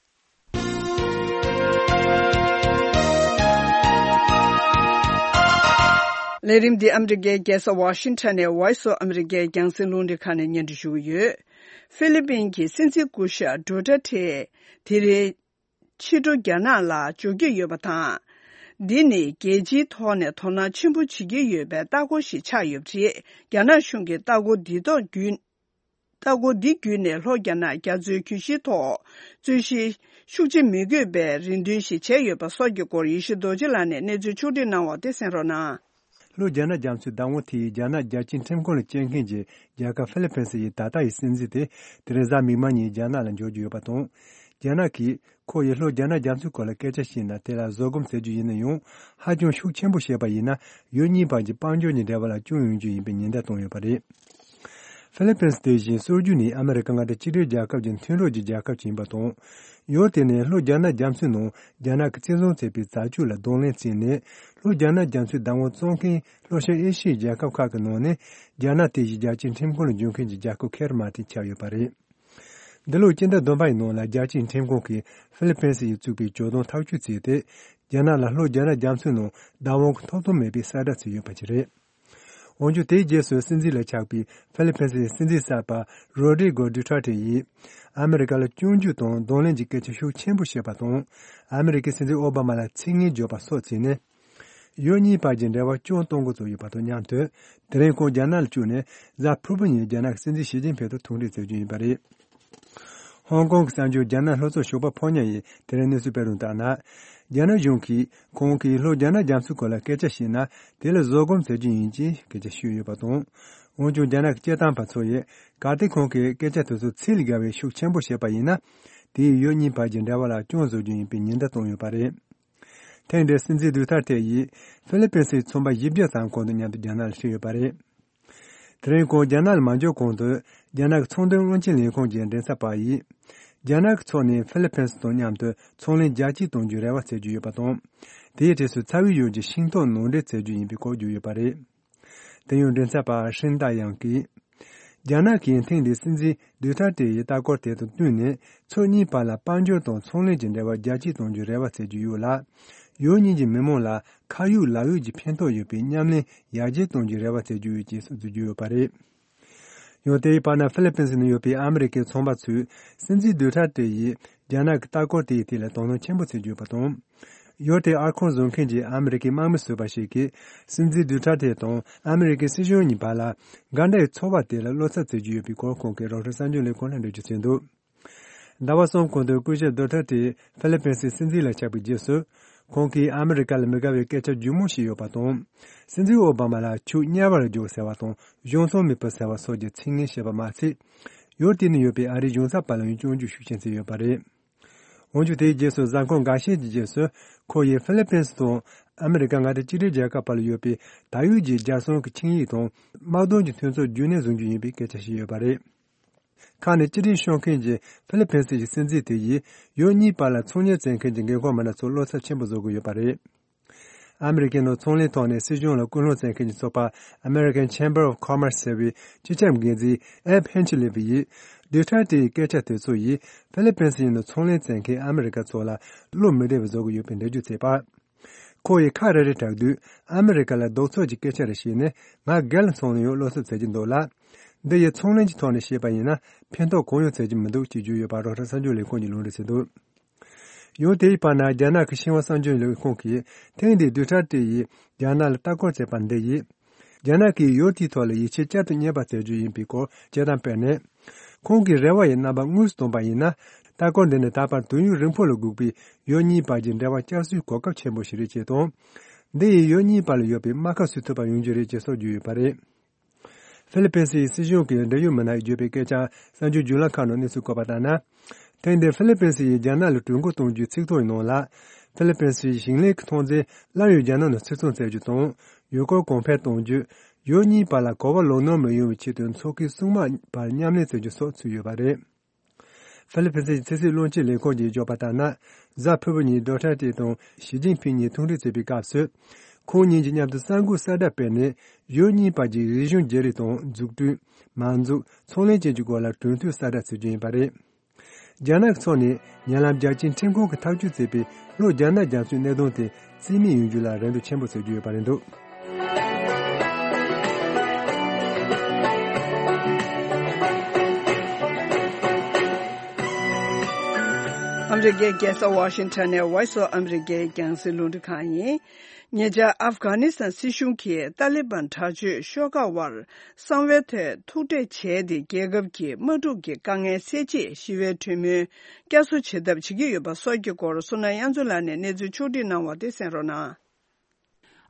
ལས་རིམ་འདི་ཨ་མི་རི་ཀའི་རྒྱལ་ས་ཝ་ཤིང་ཊོན་ནས་Voice of America་རྒྱང་སྲིང་རླུང་འཕྲིན་ཁང་ནས་སྙན་སྒྲོན་ཞུ་གི་ཡོད། ཧྥི་ལི་པིན་གྱི་སྲིད་འཛིན་སྐུ་ཞབས་ཌུ་ཏེར་ཏེ་དེ་རིང་ཕྱི་དྲོ་རྒྱ་ནག་ལ་འབྱོར་གྱི་ཡོད་པ་དང་། འདི་ནི་རྒྱལ་སྤྱིའི་ཐོག་ནས་དོ་སྣང་ཆེན་པོ་བྱེད་ཀྱི་ཡོད་པའི་ལྟ་སྐོར་ཞིག་ཆགས་ཡོད་པ་རེད། རྒྱ་ནག་གཞུང་གིས་ལྟ་སྐོར་འདི་ཐོག་བརྒྱུད། ལྟ་སྐོར་འདི་བརྒྱུད་ནས་ལྷོ་རྒྱ་ནག་རྒྱ་མཚོའི་གྱོད་གཞིའི་ཐོག་རྩོད་གཞི་ཤུགས་ཆེ་མི་དགོས་པའི་རེ་འདུན་ཞིག་བྱས་ཡོད་པ་སོགས་ཀྱི་སྐོར་ཡེ་ཤེས་རྡོ་རྗེ་ལགས་ནས་གནས་ཚུལ་ཕྱོགས་བསྒྲིགས་གནང་བ་དེ་གསན་རོགས་གནང་། ལྷོ་རྒྱ་ནག་རྒྱ་མཚོའི་བདག་དབང་དེ་ཡིས་རྒྱ་ནག་རྒྱལ་སྤྱིའི་ཁྲིམས་ཁང་ལ་བཅར་མཁན་གྱི་རྒྱལ་ཁབ་ཧྥི་ལི་པིན་སི་ཡི་ད་ལྟ་ཡི་སྲིད་འཛིན་དེ་དེ་རིང་གཟའ་མིག་དམར་ཉིན་རྒྱ་ནག་ལ་འབྱོར་རྒྱུ་ཡོད་པ་དང་། རྒྱ་ནག་གིས་ཁོ་ཡིས་ལྷོ་རྒྱ་ནག་རྒྱ་མཚོའི་སྐོར་ལ་སྐད་ཆ་བཤད་ན་དེ་ལ་བཟོད་སྒོམ་ཟེར་རྒྱུ་ཡིན་ན་ཡང་ཧ་ཅང་ཤུགས་ཆེན་པོ་བཤད་པ་ཡིན་ན་ཡུལ་གཉིས་བར་གྱི་དཔལ་འབྱོར་གྱི་འབྲེལ་བ་ལ་སྐྱོན་ཡོང་རྒྱུ་ཡིན་པའི་ཉེན་བརྡ་བཏང་ཡོད་པ་རེད། ཧྥི་ལི་པིན་སི་དེ་བཞིན་སྲོལ་རྒྱུན་ནས་ཨ་མི་རི་ཀ་མངའ་སྡེ་གཅིག་སྒྲིལ་རྒྱལ་ཁབ་ཀྱི་མཐུན་གྲོགས་ཀྱི་རྒྱལ་ཁབ་ཅིག་ཡིན་པ་དང་། ཡུལ་དེ་ནི་ལྷོ་རྒྱ་ནག་རྒྱ་མཚོའི་ནང་རྒྱ་ནག་གིས་བཙན་བཟུང་བྱས་པའི་རྩ་ཆོས་ལ་གདོང་ལེན་བྱས་ནས། ལྷོ་རྒྱ་ནག་རྒྱ་མཚོའི་བདག་དབང་བཙོང་མཁན་ལྷོ་ཤར་ཨེ་ཤི་ཡའི་རྒྱལ་ཁབ་ཁག་གི་ནང་ནས་རྒྱ་ནག་དེ་བཞིན་རྒྱལ་སྤྱིའི་ཁྲིམས་ཁང་ལ་འབྱོར་མཁན་གྱི་རྒྱལ་ཁབ་ཁེ་ར་མ་ཐིག་ཆགས་ཡོད་པ་རེད། འདི་ལོའི་སྤྱི་ཟླ་བདུན་པ་ཡི་ནང་ལ་རྒྱལ་སྤྱིའི་ཁྲིམས་ཁང་གིས་ཧྥི་ལི་པིན་སི་ཡིས་བཙུགས་པའི་ཇོ་བདག་ཐག་གཅོད་བྱས་ཏེ། རྒྱ་ནག་ལ་ལྷོ་རྒྱ་ནག་རྒྱ་མཚོའི་ནང་བདག་དབང་གི་ཐོབ་ཐང་མེད་པའི་གསལ་བསྒྲགས་བྱས་ཡོད་པ་ཞིག་རེད། དགུང་ལོ་དེའི་རྗེས་སུ་སྲིད་འཛིན་ལ་ཆགས་པའི་ཧྥི་ལི་ཕིན་སིའི་སྲིད་འཛིན་གསར་པ་རོ་ཌི་གོ་ཌུ་ཐར་ཏེ་ཡིས་ཨ་མི་རི་ཀ་ལ་སྐྱོན་བརྗོད་དང་གདོང་ལེན་གྱི་སྐད་ཆ་ཤུགས་ཆེན་པོ་བཤད་པ་དང་། ཨ་མི་རི་ཀའི་སྲིད་འཛིན་ཨོ་བྷ་མ་ལ་ཚིག་ངན་བརྗོད་པ་སོགས་བྱས་ནས། ཡུལ་གཉིས་བར་གྱི་འབྲེལ་བ་སྐྱོན་གཏོང་འགོ་བཙུགས་ཡོད་པ་དང་མཉམ་དུ། དེ་རིང་ཁོང་རྒྱ་ནག་ལ་བཅུག་ནས་གཟའ་ཕུར་བུ་ཉིན་རྒྱ་ནག་གི་སྲིད་འཛིན་ཞི་ཅིན་ཕིང་དང་ཐུག་འཕྲད་མཛད་རྒྱུ་ཡིན་པ་རེད། ཧོང་ཀོང་གི་གསར་འགྱུར་རྒྱ་ནག་ལྷོ་ཕྱོགས་ཞོགས་པ་ཕོ་ཉ་ཡིས་དེ་རིང་གནས་ཚུལ་སྤེལ་རུང་ལྟར་ན། རྒྱ་ནག་གཞུང་གིས་ཁོང་གིས་ལྷོ་རྒྱ་ནག་རྒྱ་མཚོའི་སྐོར་ལ་སྐད་ཆ་བཤད་ན་དེ་ལ་བཟོད་སྒོམ་བྱ་རྒྱུ་ཡིན་ཅེས་སྐད་ཆ་བཤད་ཡོད་པ་དང་། འོན་ཀྱང་རྒྱ་ནག་གི་སྐད་བཏང་པ་ཚོ་ཡིས་གལ་ཏེ་ཁོང་གིས་སྐད་ཆ་དེ་ཚོ་ཚིག་ལ་བརྒལ་བའི་ཤུགས་ཆེན་པོ་བཤད་པ་ཡིན་ན། དེས་ཡུལ་གཉིས་བར་གྱི་འབྲེལ་བ་ལ་སྐྱོན་བཟོ་རྒྱུ་ཡིན་པའི་ཉེན་བརྡ་བཏང་ཡོད་པ་རེད། ཐེངས་འདིར་སྲིད་འཛིན་ཌུ་ཐར་ཏེ་ཡིས་ཧྥི་ལི་ཕིན་སིའི་ཚོང་པ་བཞི་བརྒྱ་ཙམ་ཁོང་དང་མཉམ་དུ་རྒྱ་ནག་ལ་ཕེབས་ཡོད་པ་རེད། དེ་རིང་ཁོང་རྒྱ་ནག་ལ་མ་འབྱོར་གོང་དུ་རྒྱ་ནག་གི་ཚོང་དོན་བློན་ཆེན་ལས་ཁུངས་ཀྱི་མགྲིན་ཚབ་པ་ཡིས། རྒྱ་ནག་གི་ཕྱོགས་ནས་ཧྥི་ལི་ཕིན་སི་དང་མཉམ་དུ་ཚོང་ལས་རྒྱ་སྐྱེད་གཏོང་རྒྱུའི་རེ་བ་བྱེད་ཀྱི་ཡོད་པ་དང་། དེའི་གྲས་སུ་ཚ་བའི་ཡུལ་གྱི་ཤིང་ཏོག་ནང་འདྲེན་བྱེད་རྒྱུ་ཡིན་པའི་སྐོར་བརྗོད་ཡོད་པ་རེད། དེ་ཡང་མགྲིན་ཚབ་པ་ཧྲིན་ཏཱ་ཡང་གིས། རྒྱ་ནག་གིས་ཐེངས་འདིའི་སྲིད་འཛིན་ཌུ་ཐར་ཏེ་ཡི་ལྟ་སྐོར་དེ་དང་བསྟུན་ནས་ཕྱོགས་གཉིས་བར་ལ་དཔལ་འབྱོར་དང་ཚོང་ལས་ཀྱི་འབྲེལ་བ་རྒྱ་སྐྱེད་གཏོང་རྒྱུའི་རེ་བ་བྱེད་ཀྱི་ཡོད་ལ། ཡུལ་གཉིས་ཀྱི་མི་མང་ལ་ཁ་ཡོད་ལག་ཡོད་ཀྱི་ཕན་ཐོགས་ཡོད་པའི་མཉམ་ལས་ཡར་རྒྱས་གཏོང་རྒྱུའི་རེ་བ་བྱེད་ཀྱི་ཡོད་ཅེས་སོགས་བརྗོད་ཀྱི་ཡོད་པ་རེད། ཡང་དེའི་བར་ན་ཧྥི་ལི་ཕིན་སི་ནང་ཡོད་པའི་ཨ་མི་རི་ཀའི་ཚོང་པ་ཚོས་སྲིད་འཛིན་ཌུ་ཐར་ཏེ་ཡིས་རྒྱ་ནག་གི་ལྟ་སྐོར་དེའི་ཐད་ལ་དོ་སྣང་ཆེན་པོ་བྱེད་ཀྱི་ཡོད་པ་དང་། ཡུལ་དེའི་ཨར་ཁང་བཟོ་མཁན་གྱི་ཨ་མི་རི་ཀའི་དམག་མི་ཟུར་པ་ཞིག་གིས་སྲིད་འཛིན་ཌུ་ཐར་ཏེ་དང་ཨ་མི་རི་ཀའི་སྲིད་གཞུང་གཉིས་བར་ལ་འགལ་ཟླའི་ཚོར་བ་དེ་ལ་བློ་འཚབ་བྱེད་ཀྱི་ཡོད་པའི་སྐོར་ཁོང་གིས་རོའི་ཊར་གསར་འགྱུར་ལས་ཁུངས་ལ་འགྲེལ་བརྗོད་བྱས་འདུག་ཟླ་བ་གསུམ་གོང་དུ་སྐུ་ཞབས་ཌུ་ཐར་ཏེ་ཧྥི་ལི་ཕིན་སིའི་སྲིད་འཛིན་ལ་ཆགས་པའི་རྗེས་སུ། ཁོང་གིས་ཨ་མི་རི་ཀ་ལ་མི་དགའ་བའི་སྐད་ཆ་ལྗིད་མོ་བཤད་ཡོད་པ་དང་། སྲིད་འཛིན་ཨོ་བྷ་མ་ལ་ཆོས་དམྱལ་བར་འཇོག་ཟེར་བ་དང་གཞུང་ཚབ་མེད་པ་ཟེར་བ་སོགས་ཀྱི་ཚིག་ངན་བཤད་པ་མ་ཟད། ཡུལ་དེ་ནང་ཡོད་པའི་ཨ་རིའི་གཞུང་ཚབ་པ་ལ་ཡང་སྐྱོན་བརྗོད་ཤུགས་ཆེན་བྱས་ཡོད་པ་རེད། འོན་ཀྱང་དེའི་རྗེས་སུ་གཟའ་འཁོར་འགའ་ཤས་ཀྱི་རྗེས་སུ་ཁོ་ཡིས་ཧྥི་ལི་ཕིན་སི་དང་ཨ་མི་རི་ཀ་མངའ་སྡེ་གཅིག་སྒྲིལ་རྒྱལ་ཁབ་བར་ལ་ཡོད་པའི་ད་ཡོད་ཀྱི་རྒྱལ་སྲུང་གི་ཆིངས་ཡིག་དང་དམག་དོན་གྱི་མཐུན་ཚོགས་རྒྱུན་གནས་བཟུང་རྒྱུ་ཡིན་པའི་སྐད་ཆ་བཤད་ཡོད་པ་རེད། ཁ་ནས་སྐྱིད་སྒྲིང་ཤོར་མཁན་གྱི་ཧྥི་ལི་ཕིན་སི་ཡི་སྲིད་འཛིན་དེ་ཡིས་ཡུལ་གཉིས་བར་ལ་ཚོང་གཉེར་བྱེད་མཁན་གྱི་འགན་ཁུར་མི་སྣ་ཚོར་བློ་འཚབ་ཆེན་པོ་བཟོ་གི་ཡོད་པ་རེད། ཨ་མི་རི་ཀའི་ནང་ཚོང་ལས་ཐོག་ནས་སྲིད་གཞུང་ལ་སྐུལ་སློང་བྱེད་མཁན་གྱི་ཚོགས་པ་American Chamber of Commerce ཟེར་བའི་སྤྱི་ཁྱབ་འགན་འཛིན་ཨེབ་ཧན་ཆི་ལི་བི་ཡིས་ཌུ་ཐར་ཏེ་ཡི་སྐད་ཆ་དེ་ཚོ་ཡིས་ཧྥི་ལི་ཕིན་སི་ཡི་ནང་ཚོང་ལས་བྱེད་མཁན་ཨ་མི་རི་ཀ་ཚོ་ལ་བློ་མི་བདེ་བ་བཟོ་གི་ཡོད་པའི་འགྲེལ་བརྗོད་བྱས་པ། ཁོ་ཡིས་ཁ་རེ་རེ་གྲགས་དུས་ཨ་མི་རི་ཀ་ལ་ལྡོག་ཕྱོགས་ཀྱི་སྐད་ཆ་རེ་བཤད་ནས་ང་སྒེར་ལ་སོང་ནས་ཡང་བློ་འཚབ་བྱེད་ཀྱི་འདུག་ལ། འདི་ཡི་ཚོང་ལས་ཀྱི་ཐོག་ནས་བཤད་པ་ཡིན་ན་ཕན་ཐོགས་གང་ཡང་བྱེད་ཀྱི་མི་འདུག་ཅེས་བརྗོད་ཡོད་པ་རོའི་ཊར་གསར་འགྱུར་ལས་ཁུངས་ཀྱིས་ལུང་འདྲེན་བྱས་འདུག་ཡང་དེའི་བར་ན་རྒྱ་ནག་གི་ཤིན་ཧྭ་གསར་འགྱུར་ལས་ཁུངས་ཀྱིས་ཐེངས་འདིའི་ཌུ་ཐར་ཏེ་ཡིས་རྒྱ་ནག་ལ་ལྟ་སྐོར་བྱས་པ་འདི་ཡིས། རྒྱ་ནག་གིས་ཡུལ་དེའི་ཐོག་ལ་ཡིད་ཆེས་བསྐྱར་དུ་རྙེད་པ་བྱ་རྒྱུ་ཡིན་པའི་སྐོར་དཔྱད་གཏམ་སྤེལ་ནས། ཁོང་གི་རེ་བ་ཡི་རྣམ་པ་དངོས་སུ་བསྟན་པ་ཡིན་ན། ལྟ་སྐོར་འདི་ནི་ད་བར་དུས་ཡུན་རིང་པོ་ལ་སྒུག་པའི་ཡུལ་གཉིས་བར་གྱི་འབྲེལ་བ་བསྐྱར་གསོའི་གོ་སྐབས་ཆེན་པོ་ཞིག་རེད་ཅེས་དང་། འདི་ཡིས་ཡུལ་གཉིས་བར་ལ་ཡོད་པའི་རྨ་ཁ་སུ་ཐུབ་པ་ཡོང་རྒྱུ་རེད་ཅེས་སོགས་བརྗོད་ཡོད་པ་རེད། ཧྥི་ལི་ཕིན་སི་ཡི་སྲིད་གཞུང་གི་འབྲེལ་ཡོད་མི་སྣས་བརྗོད་པའི་སྐད་ཆ་གསར་འགྱུར་བརྒྱུད་ལམ་ཁག་ནང་གནས་ཚུལ་བཀོད་པ་ལྟར་ན། ཐེངས་འདིར་ཧྥི་ལི་ཕིན་སི་ཡིས་རྒྱ་ནག་ལ་གྲོས་འགོ་གཏོང་རྒྱུའི་ཚིག་ཐོ་ཡི་ནང་ལ། ཧྥི་ལི་ཕིན་སི་ཡི་ཞིང་ལས་ཀྱི་ཐོན་རྫས་སླར་ཡང་རྒྱ་ནག་ནང་ཕྱིར་ཚོང་བྱ་རྒྱུ་དང་། ཡུལ་སྐོར་གོང་འཕེལ་གཏོང་རྒྱུ། ཡུལ་གཉིས་བར་ལ་གོ་བ་ལོག་སྣང་མི་ཡོང་བའི་ཆེད་དུ་མཚོ་ཁའི་སྲུང་དམག་བར་མཉམ་ལས་བྱ་རྒྱུ་སོགས་ཚུད་ཡོད་པ་རེད། ཧྥི་ལི་ཕིན་སི་ཡི་ཕྱི་སྲིད་བློན་ཆེན་ལས་ཁུངས་ཀྱིས་བརྗོད་པ་ལྟར་ན། གཟའ་ཕུར་བུ་ཉིན་ཌུ་ཐར་ཏེ་དང་ཞི་ཅིན་ཕིང་གཉིས་ཐུག་འཕྲད་བྱེད་པའི་སྐབས་སུ། ཁོང་གཉིས་ཀྱིས་མཉམ་དུ་གསར་འགོད་གསལ་བསྒྲགས་སྤེལ་ནས། ཡུལ་གཉིས་བར་གྱི་རིག་གཞུང་བརྗེ་རེས་དང་འཛུགས་སྐྲུན། མ་འཛུགས། ཚོང་ལས་བཅས་ཀྱི་སྐོར་ལ་གྲོས་མཐུན་གསལ་བསྒྲགས་བྱེད་རྒྱུ་ཡིན་པ་རེད། རྒྱ་ནག་ཕྱོགས་ནས་ཉེ་ལམ་རྒྱལ་སྤྱིའི་ཁྲིམས་ཁང་གིས་ཐག་གཅོད་བྱས་པའི་ལྷོ་རྒྱ་ནག་རྒྱ་མཚོའི་གནད་དོན་དེ་རྩིས་མེད་ཡོང་རྒྱུ་ལ་རེ་འདུན་ཆེན་པོ་བྱེད་ཀྱི་ཡོད་པ་རེད་འདུག་ཨ་མི་རི་ཀའི་རྒྱལ་ས་ཝ་ཤིང་ཊོན་ནས་Voice of America རྒྱང་སྲིང་རླུང་འཕྲིན་ཁང་ཡིན། ཉེ་ཆར་ཨབ་གྷ་ནི་སི་ཐན་སྲིད་གཞུང་གིས་ཏཱ་ལི་བན་དྲག་སྤྱོད་ཤོག་ཁག་དབར་གསང་བའི་ཐོག་ཐུག་འཕྲད་བྱས་ཏེ། རྒྱལ་ཁབ་ཀྱི་དམག་འཁྲུག་གི་དཀའ་ངལ་སེལ་ཆེད་ཞི་བའི་གྲོས་མོལ་བསྐྱར་གསོ་བྱེད་ཐབས་བྱེད་ཀྱི་ཡོད་པ་སོགས་ཀྱི་སྐོར་བསོད་ནམས་དབྱངས་མཚོ་ལགས་ནས་གནས་ཚུལ་ཕྱོགས་བསྒྲིགས་གནང་བ་དེ་གསན་རོགས་གནང་།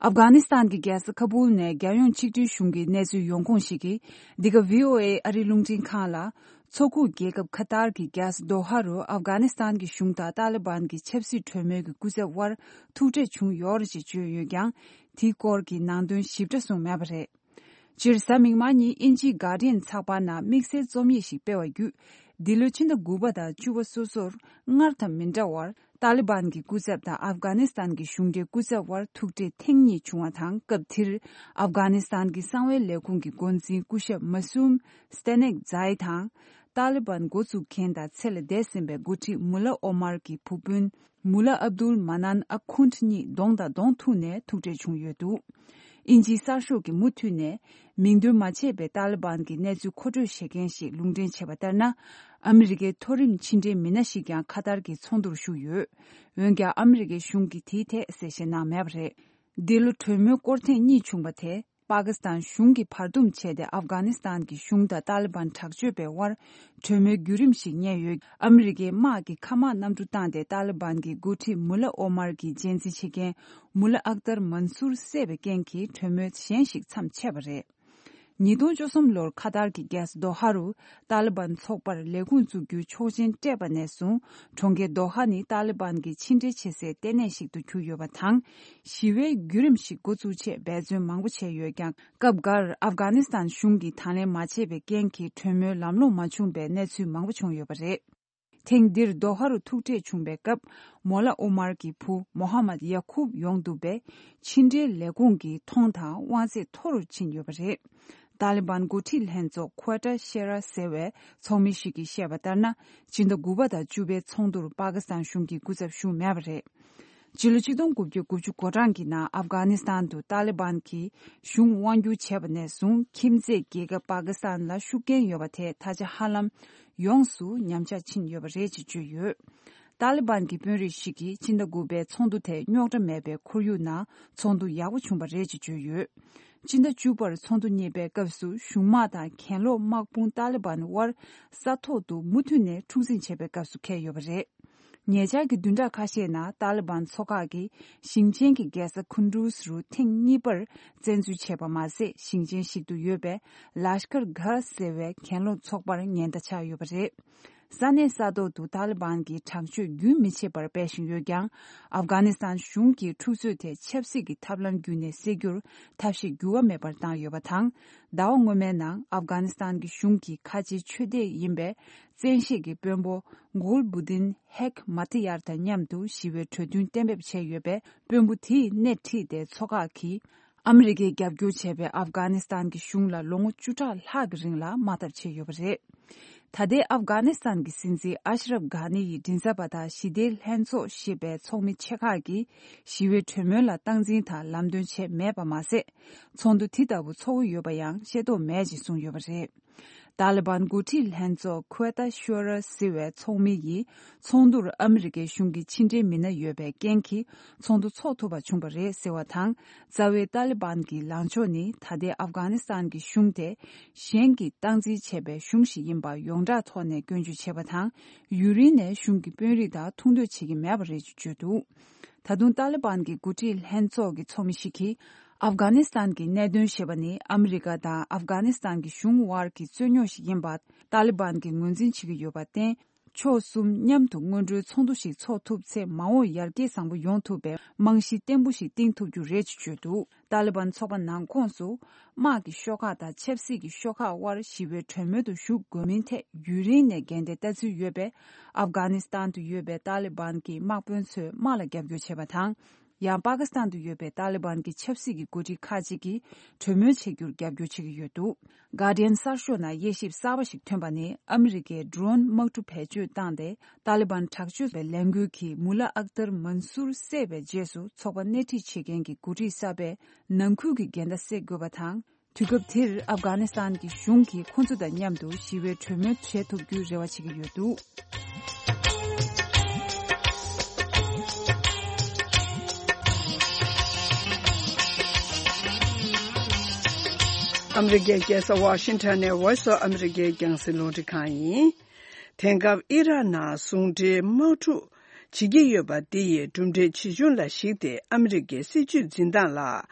ཨབ་གྷ་ནི་སི་ཐན་གྱི་རྒྱལ་ས་ཁ་བུལ་ནས་རྒྱལ་ཡོངས་ཆིག་སྒྲིལ་གཞུང་གི་གནས་ཚུལ་ཡོང་ཁུངས་ཤིག་གིས། འདི་ག་བྷི་ཨོ་ཨེ་ཨ་རིའི་རླུང་འཕྲིན་ཁང་ལ། མཚོ་ཁུག་རྒྱལ་ཁབ་ཁ་ཏར་གྱི་རྒྱལ་ས་དོ་ཧ་རུ་ཨབ་གྷ་ནི་སི་ཐན་གྱི་གཞུང་དང་ཏཱ་ལི་བན་གྱི་ཆབ་སྲིད་གྲོས་མོལ་གྱི་སྐུ་ཚབ་དབར་ཐུག་འཕྲད་བྱུང་ཡོད་རེད་ཅེས་བརྗོད་ཡོད་ཀྱང་། དེའི་སྐོར་གྱི་ནང་དོན་ཞིབ་ཕྲ་གསུངས་མེད་པ་རེད། སྤྱིར་གཟའ་མིག་དམར་ཉིན་དབྱིན་ཇིའི་Guardian ཚགས་པར་ནང་དམིགས་བསལ་རྩོམ་ཡིག་ཞིག་སྤེལ་བ་བརྒྱུད། འདི་ལོའི་ཕྱི་ཟླ་དགུ་པ་དང་བཅུ་པ་སོ་སོར་སྔར་དང་མི་འདྲ་བར། ཏཱ་ལི་བན་གྱི་སྐུ་ཚབ་དང་ཨབ་གྷ་ནི་སི་ཐན་གྱི་གཞུང་འབྲེལ་སྐུ་ཚབ་དབར་ཐུག་འཕྲད་ཐེངས་གཉིས་བྱུང་བ་དང་། སྐབས་དེར་ཨབ་གྷ་ནི་སི་ཐན་གྱི་གསང་བའི་ལས་ཁུངས་ཀྱི་འགོ་འཛིན་སྐུ་ཞབས་མ་སུམ་སྟེ་ནེག་ཛའི་དང་། ཏཱ་ལི་བན་འགོ་འཛུགས་མཁན་དང་ཚེ་ལ་འདས་ཟིན་པའི་འགོ་ཁྲིད་མུ་ལ་ཨོ་མར་གྱི་བུ་སྤུན་མུ་ལ་ཨབ་དུལ་མ་ནན་ཨ་ཁུན་ཊ་གཉིས་གདོང་དང་གདོང་ཐུག་ནས་ཐུག་འཕྲད་བྱུང་ཡོད་འདུག་དབྱིན་ཇིའི་གསར་ཤོག་གིས་མུ་མཐུད་ནས་མིང་འདོན་མ་བྱས་པའི་ཏཱ་ལི་བན་གྱི་གནས་ཚུལ་མཁོ་སྤྲོད་བྱེད་མཁན་ཞིག་ལུང་འདྲེན་བྱས་པ་ལྟར་ན། ཨ་མི་རི་ཀའི་མཐོ་རིམ་ཕྱི་འབྲེལ་མི་སྣ་ཞིག་ཀྱང་ཁ་ཏར་གྱི་ཚོགས་འདུར་ཞུགས་ཡོད། འོན་ཀྱང་ཨ་མི་རི་ཀའི་གཞུང་གིས་དེའི་ཐད་གསལ་བཤད་གནང་མེད་པ་རེད། འདི་ལོ་གྲོས་མོལ་སྐོར་ཐེངས་གཉིས་བྱུང་བ་དེ། པ་ཀི་སི་ཐན་གཞུང་གིས་བར་འདུམ་བྱས་ཏེ། ཨབ་གྷ་ནི་སི་ཐན་གྱི་གཞུང་དང་ཏཱ་ལི་བན་དྲག་སྤྱོད་པའི་དབར་གྲོས་མོལ་བརྒྱུད་རིམ་ཞིག་གཉེར་ཡོད། ཨ་མི་རི་ཀའི་དམག་གིས་མཁའ་དམག་གནམ་གྲུ་བཏང་སྟེ། ཏཱ་ལི་བན་གྱི་འགོ་ཁྲིད་མུ་ལ་ཨོ་མར་གྱི་རྒྱལ་འཛིན་བྱེད་མཁན་མུ་ལ་ཨག་ཏར་མན་སུར་བསད་པའི་རྐྱེན་གྱིས་གྲོས་མོལ་གཞན་ཞིག་མཚམས་ཆད་པ་རེད། ཉིས་སྟོང་བཅུ་གསུམ་ལོར་ཁ་ཏར་གྱི་རྒྱལ་ས་རྡོ་ཧ་རུ་ཏཱ་ལི་བན་ཚོགས་པར་ལས་ཁུངས་བཙུགས་རྒྱུའི་ཆོག་མཆན་སྤྲད་པ་ནས་བཟུང་། གྲོང་ཁྱེར་རྡོ་ཧ་ནི་ཏཱ་ལི་བན་གྱི་ཕྱི་འབྲེལ་བྱེད་སའི་ལྟེ་གནས་ཤིག་ཏུ་གྱུར་ཡོད་པ་དང་། ཞི་བའི་བརྒྱུད་རིམ་ཞིག་འགོ་བཙུགས་ཆེད་འབད་བརྩོན་མང་པོ་བྱས་ཡོད་ཀྱང་། སྐབས་འགར་ཨབ་གྷ་ནི་སི་ཐན་གཞུང་གིས་དང་ལེན་མ་བྱས་པའི་རྐྱེན་གྱིས་གྲོས་མོལ་ལམ་ལྷོང་མ་བྱུང་པའི་གནས་ཚུལ་མང་པོ་བྱུང་ཡོད་པ་རེད། ཐེངས་འདིར་རྡོ་ཧ་རུ་ཐུག་འཕྲད་བྱུང་བའི་སྐབས། མོ་ལ་ཨོ་མར་གྱི་བུ་མོ་ཧ་མད་ཡ་ཁུབ་ཡོང་འདུག་པས། ཕྱི་འབྲེལ་ལས་ཁུངས་ཀྱིས་མཐོང་དང་དབང་ཚད་མཐོ་རུ་ཕྱིན་ཡོད་པ་རེད། ཏཱ་ལི་བན་འགོ་ཁྲིད་ལྷན་ཚོགས་ཁོ་ཨ་ཏྲ་ཤེ་ར་ཟེར་བའི་ཚོགས་མི་ཞིག་གིས་བཤད་པ་ལྟར་ན། སྤྱི་ཟླ་དགུ་པ་དང་བཅུ་པའི་ཚོགས་འདུར་པ་ཀི་སི་ཐན་གཞུང་གིས་སྐུ་ཚབ་ཞུས་མེད་པ་རེད། སྤྱི་ལོ་ཆིག་སྟོང་དགུ་བརྒྱ་དགུ་ཅུ་གོ་གྲངས་ཀྱི་ནང་ཨབ་གྷ་ནི་སི་ཐན་དུ་ཏཱ་ལི་བན་གྱིས་གཞུང་དབང་བསྒྱུར་བྱས་པ་ནས་བཟུང་། ཁྱིམ་མཚེས་རྒྱལ་ཁབ་པ་ཀི་སི་ཐན་ལ་ཤུགས་རྐྱེན་ཡོད་པ་དེ་ད་ཆ་ཧ་ལམ་ཡོངས་སུ་ཉམས་ཆག་ཕྱིན་ཡོད་པ་རེད་ཅེས་བརྗོད་ཡོད། ཏཱ་ལི་བན་གྱི་དཔོན་རིགས་ཤིག་གིས་ཕྱི་ཟླ་དགུ་པའི་ཚོགས་འདུ་དེ་རྙོག་དྲ་མེད་པའི་ཁོར་ཡུག་ནང་ཚོགས་འདུ་ཡག་པོ་བྱུང་བ་རེད་ཅེས་བརྗོད་ཡོད། ཕྱི་ཟླ་བཅུ་པར་ཚོགས་འདུ་གཉིས་པའི་སྐབས་སུ་གཞུང་དམག་དང་གྱེན་ལོག་དམག་དཔུང་ཏཱ་ལི་བན་དབར་ས་ཐོག་ཏུ་མུ་མཐུད་ནས་འཁྲུག་འཛིང་བྱས་པའི་སྐབས་སུ་འཁེལ་ཡོད་པ་རེད། ཉེ་ཆར་གྱི་བདུན་ཕྲག་ཁ་ཤས་ནང་ཏཱ་ལི་བན་ཚོ་ཁག་གིས་ཞིང་ཆེན་གྱི་རྒྱལ་ས་ཁུན་ཌུས་རུ་ཐེངས་གཉིས་པར་བཙན་འཛུལ་བྱས་པ་མ་ཟད། ཞིང་ཆེན་ཞིག་ཏུ་ཡོད་པའི་ལཱཤ་ཀར་གྷ་ཟེར་བའི་གྱེན་ལོག་ཚོགས་པར་ཉེན་བརྡ་ཆགས་ཡོད་པ་རེད། ས་གནས་ས་ཐོག་ཏུ་ཏཱ་ལི་བན་གྱི་དྲག་སྤྱོད་རྒྱུན་མི་ཆད་པར་སྤེལ་བཞིན་ཡོད་ཀྱང་། ཨབ་གྷ་ནི་སི་ཐན་གཞུང་གིས་འཁྲུག་རྩོད་དེ་ཆབ་སྲིད་ཀྱི་ཐབས་ལམ་བརྒྱུད་ནས་སེལ་རྒྱུར་ཐབས་ཤེས་འགྱུར་བ་མེད་པར་བཏང་ཡོད་པ་དང་། ཟླ་བ་སྔོན་མའི་ནང་ཨབ་གྷ་ནི་སི་ཐན་གྱི་གཞུང་གི་ཁ་ཆེའི་ཆོས་དད་ཡིན་པའི་བཙན་ཤེད་ཀྱི་དཔོན་པོ་གུལ་བུ་དིན་ཧེག་མ་ཐི་ཡར་དང་མཉམ་དུ་ཞི་བའི་གྲོས་མཐུན་གཏན་འབེབས་བྱས་ཡོད་པས། དཔོན་པོ་དེས་སྣེ་ཁྲིད་དེ་མཚོ་འགག་གིས་ཨ་མི་རི་ཀས་རྒྱབ་སྐྱོར་བྱས་པའི་ཨབ་གྷ་ནི་སི་ཐན་གྱི་གཞུང་ལ་ལོ་ངོ་བཅུ་ཕྲག་ལྷག་གི་རིང་ལ་དམག་འཐབ་བྱས་ཡོད་པ་རེད། ད་ལྟའི་ཨབ་གྷ་ནི་སི་ཐན་གྱི་སྲིད་འཛིན་ཨ་ཤ་རབ་གྷ་ནི་ཡི་མགྲིན་ཚབ་པ་དང་ཞི་བདེའི་ལྷན་ཚོགས་ཞེས་པའི་ཚོགས་མི་ཆེ་ཁག་གིས་ཞི་བའི་གྲོས་མོལ་ལ་སྟངས་འཛིན་དང་ལམ་སྟོན་བྱས་མེད་པ་མ་ཟད། ཚོགས་འདུ་དེ་ལྟ་བུ་ཚོགས་ཀྱི་ཡོད་པ་ཡང་ཤེས་རྟོགས་མེད་ཅེས་གསུངས་ཡོད་པ་རེད། ཏཱ་ལི་བན་འགོ་ཁྲིད་ལྷན་ཚོགས་ཁུ་ཨ་ཏ་ཤོ་ར་ཟེར་བའི་ཚོགས་མི་ཡིས་ཚོགས་འདུར་ཨ་མི་རི་ཀའི་གཞུང་གི་ཕྱི་འབྲེལ་མི་སྣ་ཡོད་པའི་རྐྱེན་གྱིས་ཚོགས་འདུ་འཚོགས་ཐུབ་པ་བྱུང་བ་རེད་ཟེར་བ་དང་། རྩ་བའི་ཏཱ་ལི་བན་གྱི་ལངས་ཕྱོགས་ནི་ད་ལྟའི་ཨབ་གྷ་ནི་སི་ཐན་གྱི་གཞུང་དེ་གཞན་གྱིས་སྟངས་འཛིན་བྱས་པའི་གཞུང་ཞིག་ཡིན་པ་ཡོངས་གྲགས་ཐོག་ནས་སྐྱོན་བརྗོད་བྱས་པ་དང་། ཡུན་རིང་ནས་གཞུང་གི་དཔོན་རིགས་དང་ཐུག་འདོད་བྱེད་ཀྱི་མེད་པ་རེད་ཅེས་བརྗོད་འདུག་ད་དུང་ཏཱ་ལི་བན་གྱི་འགོ་ཁྲིད་ལྷན་ཚོགས་ཀྱི་ཚོགས་མི་ཞིག་གིས། ཨབ་གྷ་ནི་སི་ཐན་གྱི་གནད་དོན་ཞེས་པ་ནི་ཨ་མི་རི་ཀ་དང་ཨབ་གྷ་ནི་སི་ཐན་གྱི་གཞུང་དབར་གྱི་རྩོད་རྙོག་ཞིག་ཡིན་པ་ཏཱ་ལི་བན་གྱིས་ངོས་འཛིན་བྱེད་ཀྱི་ཡོད་པར་བརྟེན། ཕྱོགས་གསུམ་མཉམ་དུ་སྔོན་འགྲོའི་ཚོགས་འདུ་ཞིག་འཚོགས་ཐུབ་ཚེ། མ་འོངས་ཡར་རྒྱས་བཟང་པོ་ཡོང་ཐུབ་པའི་རྨང་གཞི་བརྟན་པོ་ཞིག་བཏིང་ཐུབ་རྒྱུ་རེད་ཅེས་བརྗོད་འདུག་ཏཱ་ལི་བན་ཚོགས་པ་ནང་ཁོངས་སུ། དམག་གི་ཤོག་ཁག་དང་ཆབ་སྲིད་ཀྱི་ཤོག་ཁག་དབར་ཞི་བའི་གྲོས་མོལ་དུ་ཞུགས་དགོས་མིན་ཐད་ཡུན་རིང་ནས་འགལ་ཟླའི་ལྟ་ཚུལ་ཡོད་པས། ཨབ་གྷ་ནི་སི་ཐན་དུ་ཡོད་པའི་ཏཱ་ལི་བན་གྱི་དམག་དཔོན་ཚོས་དམག་ལ་རྒྱབ་སྐྱོར་བྱས་པ་དང་། ཡང་པ་ཀི་སི་ཐན་དུ་ཡོད་པའི་ཏཱ་ལི་བན་གྱི་ཆབ་སྲིད་ཀྱི་འགོ་ཁྲིད་ཁག་ཅིག་གིས་གྲོས་མོལ་བྱེད་རྒྱུར་རྒྱབ་སྐྱོར་བྱེད་ཀྱི་ཡོད་འདུག་གྷར་ཌི་ཡན་གསར་ཤོག་ནང་དབྱེ་ཞིབ་གསར་པ་ཞིག་ཐོན་པ་ནི། ཨ་མི་རི་ཀས་ཌོ་རོན་དམག་གྲུ་བེད་སྤྱོད་བཏང་སྟེ། ཏཱ་ལི་བན་དྲག་སྤྱོད་པའི་ལས་འགུལ་གྱིས་མུ་ལ་ཨག་ཏར་མན་སུར་བསད་པའི་རྗེས་སུ། ཚོགས་པ་སྣེ་ཁྲིད་བྱེད་མཁན་གྱི་འགོ་ཁྲིད་གསར་པས་ནང་ཁུལ་གྱི་འགལ་ཟླ་སེལ་དགོས་པ་དང་། དུས་སྐབས་དེར་ཨབ་གྷ་ནི་སི་ཐན་གྱི་གཞུང་གིས་ཁོ་ཚོ་དང་མཉམ་དུ་ཞི་བའི་གྲོས་མོལ་བྱེད་ཐུབ་རྒྱུའི་རེ་བ་བྱེད་ཀྱི་ཡོད་འདུག་ཨ་མི་རི་ཀའི་རྒྱལ་ས་ཝ་ཤིང་ཊོན་ནས་Voice of America རྒྱང་སྲིང་རླུང་འཕྲིན་ཁང་ཡིན། དེང་སྐབས་ཨི་རག་ནང་ཟུང་འབྲེལ་དམག་འཁྲུག་བྱེད་ཀྱི་ཡོད་པ་འདི་ཡི་གྲུབ་འབྲས་ཇི་བྱུང་ལ་གཞིགས་ཏེ། ཨ་མི་རི་ཀའི་སྲིད་བྱུས་འཛིན་སྟངས་ལ་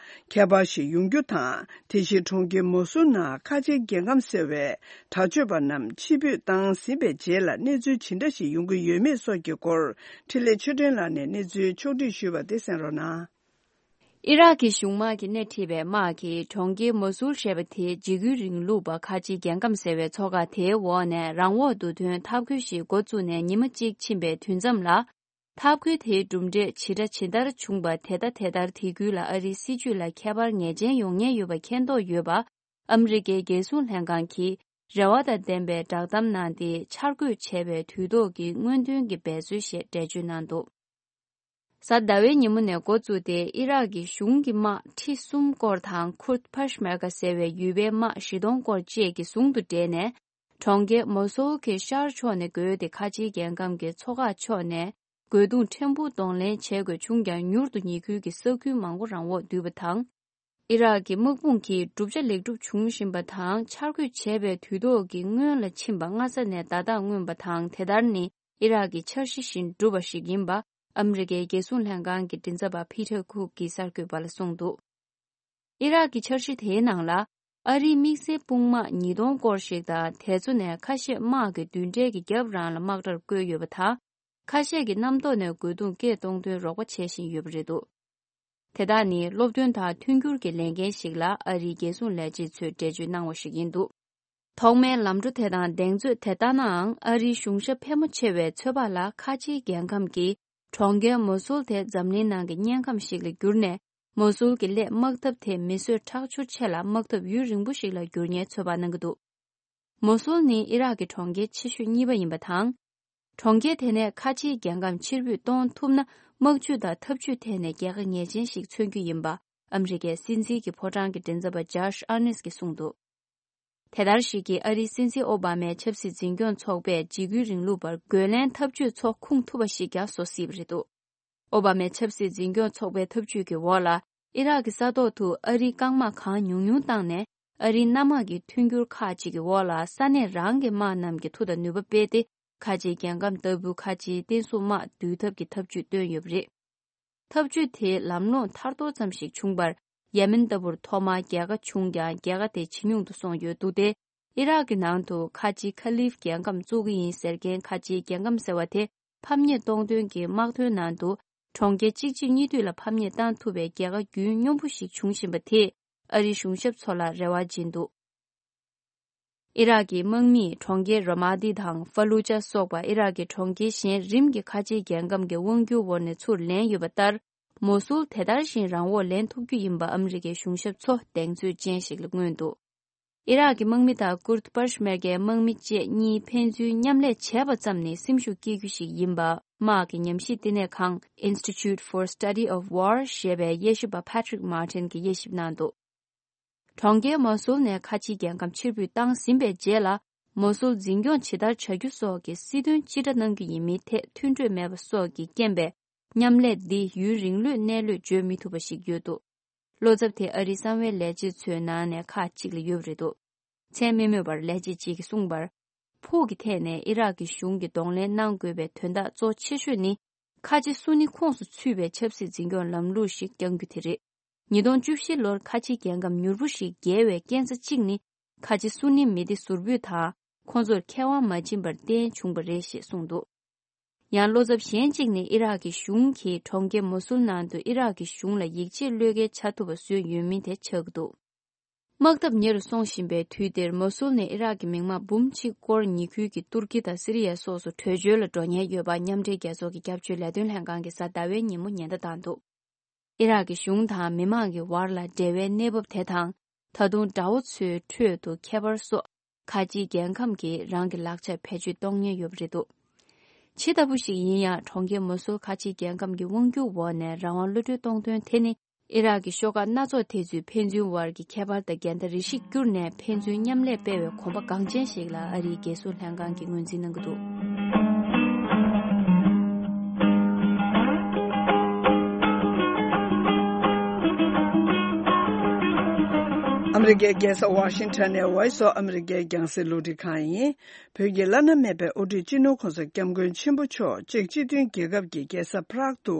ཁྱད་པར་ཞིག་ཡོང་རྒྱུ་དང་། དེ་བཞིན་གྲོང་ཁྱེར་མོ་སུལ་ནང་ཁ་ཆེའི་རྒྱལ་ཁམས་ཟེར་བའི་དྲག་སྤྱོད་པ་རྣམས་ཕྱིར་འབུད་བཏང་ཟིན་པའི་རྗེས་ལ་གནས་ཚུལ་ཇི་འདྲ་ཞིག་ཡོང་གི་ཡོད་མེད་སོགས་ཀྱི་སྐོར། འཕྲིན་ལས་ཆོས་སྒྲོན་ལགས་ནས་གནས་ཚུལ་ཕྱོགས་བསྒྲིགས་ཞུས་པ་དེ་གསན་རོགས་གནང་། ཨི་རག་གི་གཞུང་དམག་གིས་སྣེ་ཁྲིད་པའི་དམག་གིས་གྲོང་ཁྱེར་མོ་སུལ་ཞེས་པ་དེའི་འཇིགས་སྐུལ་རིང་ལུགས་པ་ཁ་ཆེའི་རྒྱལ་ཁམས་ཟེར་བའི་མཚོ་ཁ་དེའི་འོག་ནས་རང་དབང་དུ་ཐོན་འཐབ་རྒོལ་ཞིག་འགོ་བཙུགས་ནས་ཉི་མ་གཅིག་ཕྱིན་པའི་དུས་མཚམས་ལ། འཐབ་རྒོལ་དེའི་གྲུབ་འབྲས་ཇི་འདྲ་ཇི་ལྟར་བྱུང་པ། དེ་ལྟ་དེ་ལྟར་དེ་ཁུལ་ལ་ཨ་རིའི་སྲིད་བྱུས་ལ་ཁྱད་པར་ངེས་ཅན་ཡོང་ཉེན་ཡོད་པ་མཁྱེན་རྟོགས་ཡོད་པ། ཨ་མི་རི་ཀའི་རྒྱལ་སྲུང་ལྷན་ཁང་གིས་རེ་བ་དང་ལྡན་པའི་བསྒྲགས་གཏམ་གནང་སྟེ། འཆར་འགོད་བྱས་པའི་དུས་ཐོག་གི་སྔོན་ཐོན་གྱི་འབད་རྩོལ་ཞེས་འགྲེལ་བརྗོད་གནང་འདུག་གཟའ་ཟླ་བའི་ཉིན་མོ་ནས་འགོ་བཙུགས་ཏེ་ཨི་རག་གི་གཞུང་གི་དམག་ཁྲི་གསུམ་སྐོར་དང་ཁུར་ཕ་ཤ་མེར་ཀ་ཟེར་བའི་ཡུལ་པའི་དམག་བཞི་སྟོང་སྐོར་བཅས་ཀྱིས་ཟུང་དུ་འབྲེལ་ནས། གྲོང་ཁྱེར་མོ་སོལ་གྱི་ཤར་ཕྱོགས་ནས་བརྒལ་ཏེ་ཁ་ཆེའི་རྒྱལ་ཁམས་ཀྱི་མཚོ་འགག་ཕྱོགས་ནས་རྒོལ་རྡུང་ཕྲན་བུ་གདོང་ལེན་བྱེད་དགོས་བྱུང་ཀྱང་མྱུར་དུ་ཉེ་ཁུལ་གྱི་ས་ཁུལ་མང་པོ་རང་འོག་བསྡུས་པ་དང་། ཨི་རག་གི་དམག་དཔུང་གིས་གྲུབ་ཆ་ལེགས་གྲུབ་བྱུང་བཞིན་པ་དང་འཆར་འགོད་བྱས་པའི་དུས་ཐོག་གི་སྔོན་ལ་ཕྱིན་པ་སྔ་ས་ནས་ད་ཐག་མངོན་པ་དང་དེ་ལྟར་ནི་ཨི་རག་གི་འཆར་གཞི་བཞིན་འགྲུབ་པ་ཞིག་ཡིན་པ་ཨ་མི་རི་ཀའི་རྒྱལ་སྲུང་ལྷན་ཁང་གི་མགྲིན་ཚབ་པ་ཕི་ཐར་ཁུག་གིས་གསར་འགོད་པ་ལ་གསུངས་འདུག་ཨི་རག་གི་འཆར་གཞི་དེའི་ནང་ལ་ཨ་རིའི་དམིགས་བསལ་དཔུང་དམག་ཉིས་སྟོང་སྐོར་ཞིག་དང་དེ་ཚོ་ནས་ཁ་ཤས་དམག་གི་མདུན་གྲལ་གྱི་རྒྱབ་རང་ལ་དམག་གྲལ་བཀོད་ཡོད་པ་དང་། ཁ་ཤས་ཀྱིས་གནམ་ཐོག་ནས་རྒོལ་རྡུང་སྐད་གཏོང་དོན་རོགས་པ་བྱེད་བཞིན་ཡོད་པ་རེད་འདུག་དེ་དག་ནི་སློབ་སྟོན་དང་མཐུན་འགྱུར་གྱི་ལས་འགན་ཞིག་ལ་ཨ་རིའི་རྒྱལ་སྲུང་ལས་བྱེད་ཚོས་འགྲེལ་བརྗོད་གནང་བ་ཞིག་ཡིན་འདུག་ཐོག་མའི་ལམ་འགྲོ་དེ་དང་གདེང་ཚོད་དེ་ལྟ་ནའང་ཨ་རིའི་གཞུང་ཞབས་ཕལ་མོ་ཆེ་བས་ཚོད་དཔག་ལ་ཁ་ཆེའི་རྒྱལ་ཁམས་ཀྱི་གྲོང་ཁྱེར་མོ་སུལ་དེ་འཛམ་གླིང་ནང་གི་དམྱལ་ཁམས་ཤིག་ལ་གྱུར་ནས། མོ་སུལ་གྱི་སླད་དམག་འཐབ་དེ་མི་གསོད་ཁྲག་སྦྱོར་ཆེ་ལ་དམག་འཐབ་ཡུན་རིང་པོ་ཞིག་ལ་འགྱུར་ཉེན་ཚོད་དཔག་གནང་གི་འདུག་མོ་སུལ་ནི་ཨི་རག་གི་གྲོང་ཁྱེར་ཆེ་ཤོས་གཉིས་པ་ཡིན་པ་དང་། གྲོང་ཁྱེར་དེ་ནས་ཁ་ཆེའི་རྒྱལ་ཁམས་ཕྱིར་འབུད་གཏོང་ཐུབ་ན་དམག་ཇུས་དང་འཐབ་ཇུས་ཐད་ནས་རྒྱལ་ཁ་ངེས་ཅན་ཞིག་མཚོན་རྒྱུ་ཡིན་པ་ཨ་མི་རི་ཀའི་སྲིད་འཛིན་གྱི་ཕོ་བྲང་གི་མགྲིན་ཚབ་པ་ཇོ་ཤ་ཨར་ནེས་ཀྱིས་གསུངས་འདུག་དེ་ལྟར་ཞིག་གིས་ཨ་རིའི་སྲིད་འཛིན་ཨོ་བྷ་མའི་ཆབ་སྲིད་འཛིན་སྐྱོང་ཚོགས་པས་འཇིགས་སྐུལ་རིང་ལུགས་པར་རྒོལ་ལན་འཐབ་ཇུས་ཚོ་ཁུངས་ཐུབ་པ་ཞིག་ཀྱང་བཟོ་སྲིད་པ་རེད་འདུག་ཨོ་བྷ་མའི་ཆབ་སྲིད་འཛིན་སྐྱོང་ཚོགས་པའི་འཐབ་ཇུས་ཀྱི་འོག་ལ་ཨི་རག་གི་ས་ཐོག་ཏུ་ཨ་རིའི་རྐང་དམག་གང་ཉུང་ཉུང་བཏང་ནས་ཨ་རིའི་གནམ་དམག་གི་མཐུན་འགྱུར་ཁག་ཅིག་གི་འོག་ལ་ས་གནས་རང་གི་དམག་རྣམས་ཀྱི་མཐུ་དང་ནུས་པ་སྤེལ་ཏེ་ཁ་ཆེའི་རྒྱལ་ཁམས་ལྟ་བུ་ཁ་ཆེའི་བསྟན་སྲུང་དམག་བསྡུ་ཐབས་ཀྱི་འཐབ་ཇུས་བཏོན་ཡོད་པ་རེད། འཐབ་ཇུས་དེའི་ལམ་ལྷོང་ཐར་ཐོར་ཙམ་ཞིག་བྱུང་བར། ཡེ་མེན་ལྟ་བུར་ཐོག་མར་རྒྱལ་ཁ་བྱུང་ཀྱང་རྒྱལ་ཁ་དེ་ཇེ་ཉུང་དུ་སོང་ཡོད་འདུག་སྟེ། ཨི་རག་གི་ནང་དུ་ཁ་ཆེའི་ཁ་ལིབ་རྒྱལ་ཁམས་བཙུགས་ཀྱི་ཡིན་ཟེར་མཁན་ཁ་ཆེའི་རྒྱལ་ཁམས་ཟེར་བ་དེ་ཕམ་ཉེས་གཏོང་དོན་གྱི་དམག་དོན་ནང་དུ་གྲོང་ཁྱེར་གཅིག་རྗེས་གཉིས་མཐུད་ལ་ཕམ་ཉེས་བཏང་ཐུབ་པའི་རྒྱལ་ཁ་རྒྱུན་སྙོམས་པོ་ཞིག་བྱུང་བཞིན་པ་དེས་ཨ་རིའི་གཞུང་ཞབས་ཚོ་ལ་རེ་བ་སྦྱིན་འདུག་ཨི་རག་གི་དམག་མིས་གྲོང་ཁྱེར་ར་མ་ཏི་དང་ཧྥ་ལུ་ཅཱ་སོགས་པ་ཨི་རག་གི་གྲོང་ཁྱེར་གཞན་རིམ་གྱིས་ཁ་ཆེའི་རྒྱལ་ཁམས་ཀྱི་དབང་སྒྱུར་འོག་ནས་ཚུར་ལེན་ཡོད་པ་ལྟར། མོ་སུལ་དེ་ལྟར་བཞིན་རང་འོག་ལེན་ཐུབ་རྒྱུ་ཡིན་པ་ཨ་མི་རི་ཀའི་གཞུང་ཞབས་ཚོ་གདེང་ཚོད་ཅན་ཞིག་ལ་མངོན་འདུག་ཨི་རག་གི་དམག་མི་དང་ཀུར་ཏི་པར་ཤ་མེར་ཀའི་དམག་མི་བཅས་གཉིས་ཕན་ཚུན་མཉམ་ལས་བྱས་པ་ཙམ་ནས་སེམས་ཤུགས་སྐྱེ་རྒྱུ་ཞིག་ཡིན་པ་དམག་གི་ཉམས་ཞིབ་བསྟི་གནས་ཁང་Institute for Study of War ཞེས་པའི་དབྱེ་ཞིབ་པ་Patrick Martin གྱིས་དབྱེ་ཞིབ་གནང་འདུག་གྲོང་ཁྱེར་མོ་སུལ་ནས་ཁ་ཆེའི་རྒྱལ་ཁམས་ཕྱིར་འབུད་བཏང་ཟིན་པའི་རྗེས་ལ། མོ་སུལ་འཛིན་སྐྱོང་ཇི་ལྟར་བྱ་རྒྱུ་སོགས་ཀྱི་སྲིད་དོན་ཅི་འདྲ་གནང་རྒྱུ་ཡིན་མིན་ཐད་མཐུན་གྲོས་མེད་པ་སོགས་ཀྱི་རྐྱེན་པས། མཉམ་ལས་འདི་ཡུན་རིང་ལོས་གནས་ལུགས་བརྗོད་མི་ཐུབ་པ་ཞིག་ཡོད་འདུག་བློ་འཚབ་དེ་ཨ་རིའི་གསང་བའི་ལས་བྱེད་ཚོའི་ནང་ནས་ཁག་ཅིག་ལ་ཡོད་པ་རེད་འདུག་མཚན་མི་སྨོས་པར་ལས་བྱེད་ཅིག་གིས་གསུངས་པར། ཕུགས་ཀྱི་ཐད་ནས་ཨི་རག་གི་གཞུང་གིས་གདོང་ལེན་གནང་དགོས་པའི་དོན་དག་གཙོ་ཆེ་ཤོས་ནི། ཁ་ཆེ་སུ་ནི་ཁོངས་སུ་ཚུད་པའི་ཆབ་སྲིད་འཛིན་སྐྱོང་ལམ་ལུགས་ཤིག་བསྐྱང་རྒྱུ་དེ་རེད། ཉིས་སྟོང་བཅུ་བཞི་ལོར་ཁ་ཆེའི་རྒྱལ་ཁམས་མྱུར་པོ་ཞིག་རྒྱལ་བའི་རྐྱེན་རྩ་གཅིག་ནི། ཁ་ཆེ་སུ་ནི་མི་སྡེ་ཟུར་ཕུད་དང་། ཁོང་ཚོར་ཁེ་དབང་མ་སྦྱིན་པར་བརྟེན་བྱུང་བ་རེད་ཞེས་གསུངས་འདུག་ཡང་བློ་འཚབ་གཞན་གཅིག་ནི་ཨི་རག་གི་གཞུང་གིས་གྲོང་ཁྱེར་མོ་སུལ་ནང་དུ་ཨི་རག་གི་གཞུང་ལ་ཡིད་ཆེས་བློས་འགེལ་བྱ་ཐུབ་པ་བཟོས་ཡོད་མིན་དེ་ཆགས་ཀྱི་འདུག་དམག་འཐབ་ཉེ་རུ་སོང་བཞིན་པའི་དུས་འདིར་མོ་སུལ་ནས་ཨི་རག་གི་མི་དམངས་འབུམ་གཅིག་སྐོར་ཉེ་ཁུལ་གྱི་ཏུར་ཀི་དང་སི་རི་ཡ་སོགས་སུ་བྲོས་བྱོལ་ལ་འགྲོ་ཉེན་ཡོད་པ་མཉམ་འབྲེལ་རྒྱལ་ཚོགས་ཀྱི་སྐྱབས་བཅོལ་ལས་དོན་ལྷན་ཁང་གིས་གཟའ་ཟླ་བའི་ཉིན་མོ་ཉེན་བརྡ་བཏང་འདུག་ཨི་རག་གི་གཞུང་དང་མི་མང་གི་བར་ལ་འབྲེལ་བའི་གནས་བབ་དེ་དང་། ད་དུང་དགྲ་བོ་ཚོའི་ཁྲོད་དུ་ཁྱད་པར་སོགས་ཁ་ཆེའི་རྒྱལ་ཁམས་ཀྱིས་རང་གི་ལག་ཆར་བེད་སྤྱོད་གཏོང་ཉེན་ཡོད་པ་རེད་འདུག་ཇི་ལྟ་བུ་ཞིག་ཡིན་ཡང་གྲོང་ཁྱེར་མོ་སུལ་ཁ་ཆེའི་རྒྱལ་ཁམས་ཀྱི་དབང་སྒྱུར་འོག་ནས་རང་དབང་གློད་གྲོལ་གཏོང་དོན་དེ་ནི་ཨི་རག་གི་ཤོག་ཁག་སྣ་ཚོགས་དེ་ཚོའི་ཕན་ཚུན་དབར་གྱི་ཁྱད་པར་དང་འགལ་ཟླ་རེ་ཞིག་བསྐྱུར་ནས་ཕན་ཚུན་མཉམ་ལས་སྤེལ་བའི་གོམ་པ་འགངས་ཅན་ཞིག་ལ་ཨ་རིའི་རྒྱལ་སྲུང་ལྷན་ཁང་གིས་ངོས་འཛིན་གནང་གི་འདུག་ཨ་མི་རི་ཀའི་རྒྱལ་ས་ཝ་ཤིང་ཊོན་ནས་Voice of America རྒྱང་སྲིང་རླུང་འཕྲིན་ཁང་ཡིན། བོད་ཀྱི་བླ་ན་མེད་པའི་དབུ་ཁྲིད་སྤྱི་ནོར་༸གོང་ས་༸སྐྱབས་མགོན་ཆེན་པོ་མཆོག་ཅེཀ་སྤྱི་མཐུན་རྒྱལ་ཁབ་ཀྱི་རྒྱལ་ས་Prague ཏུ་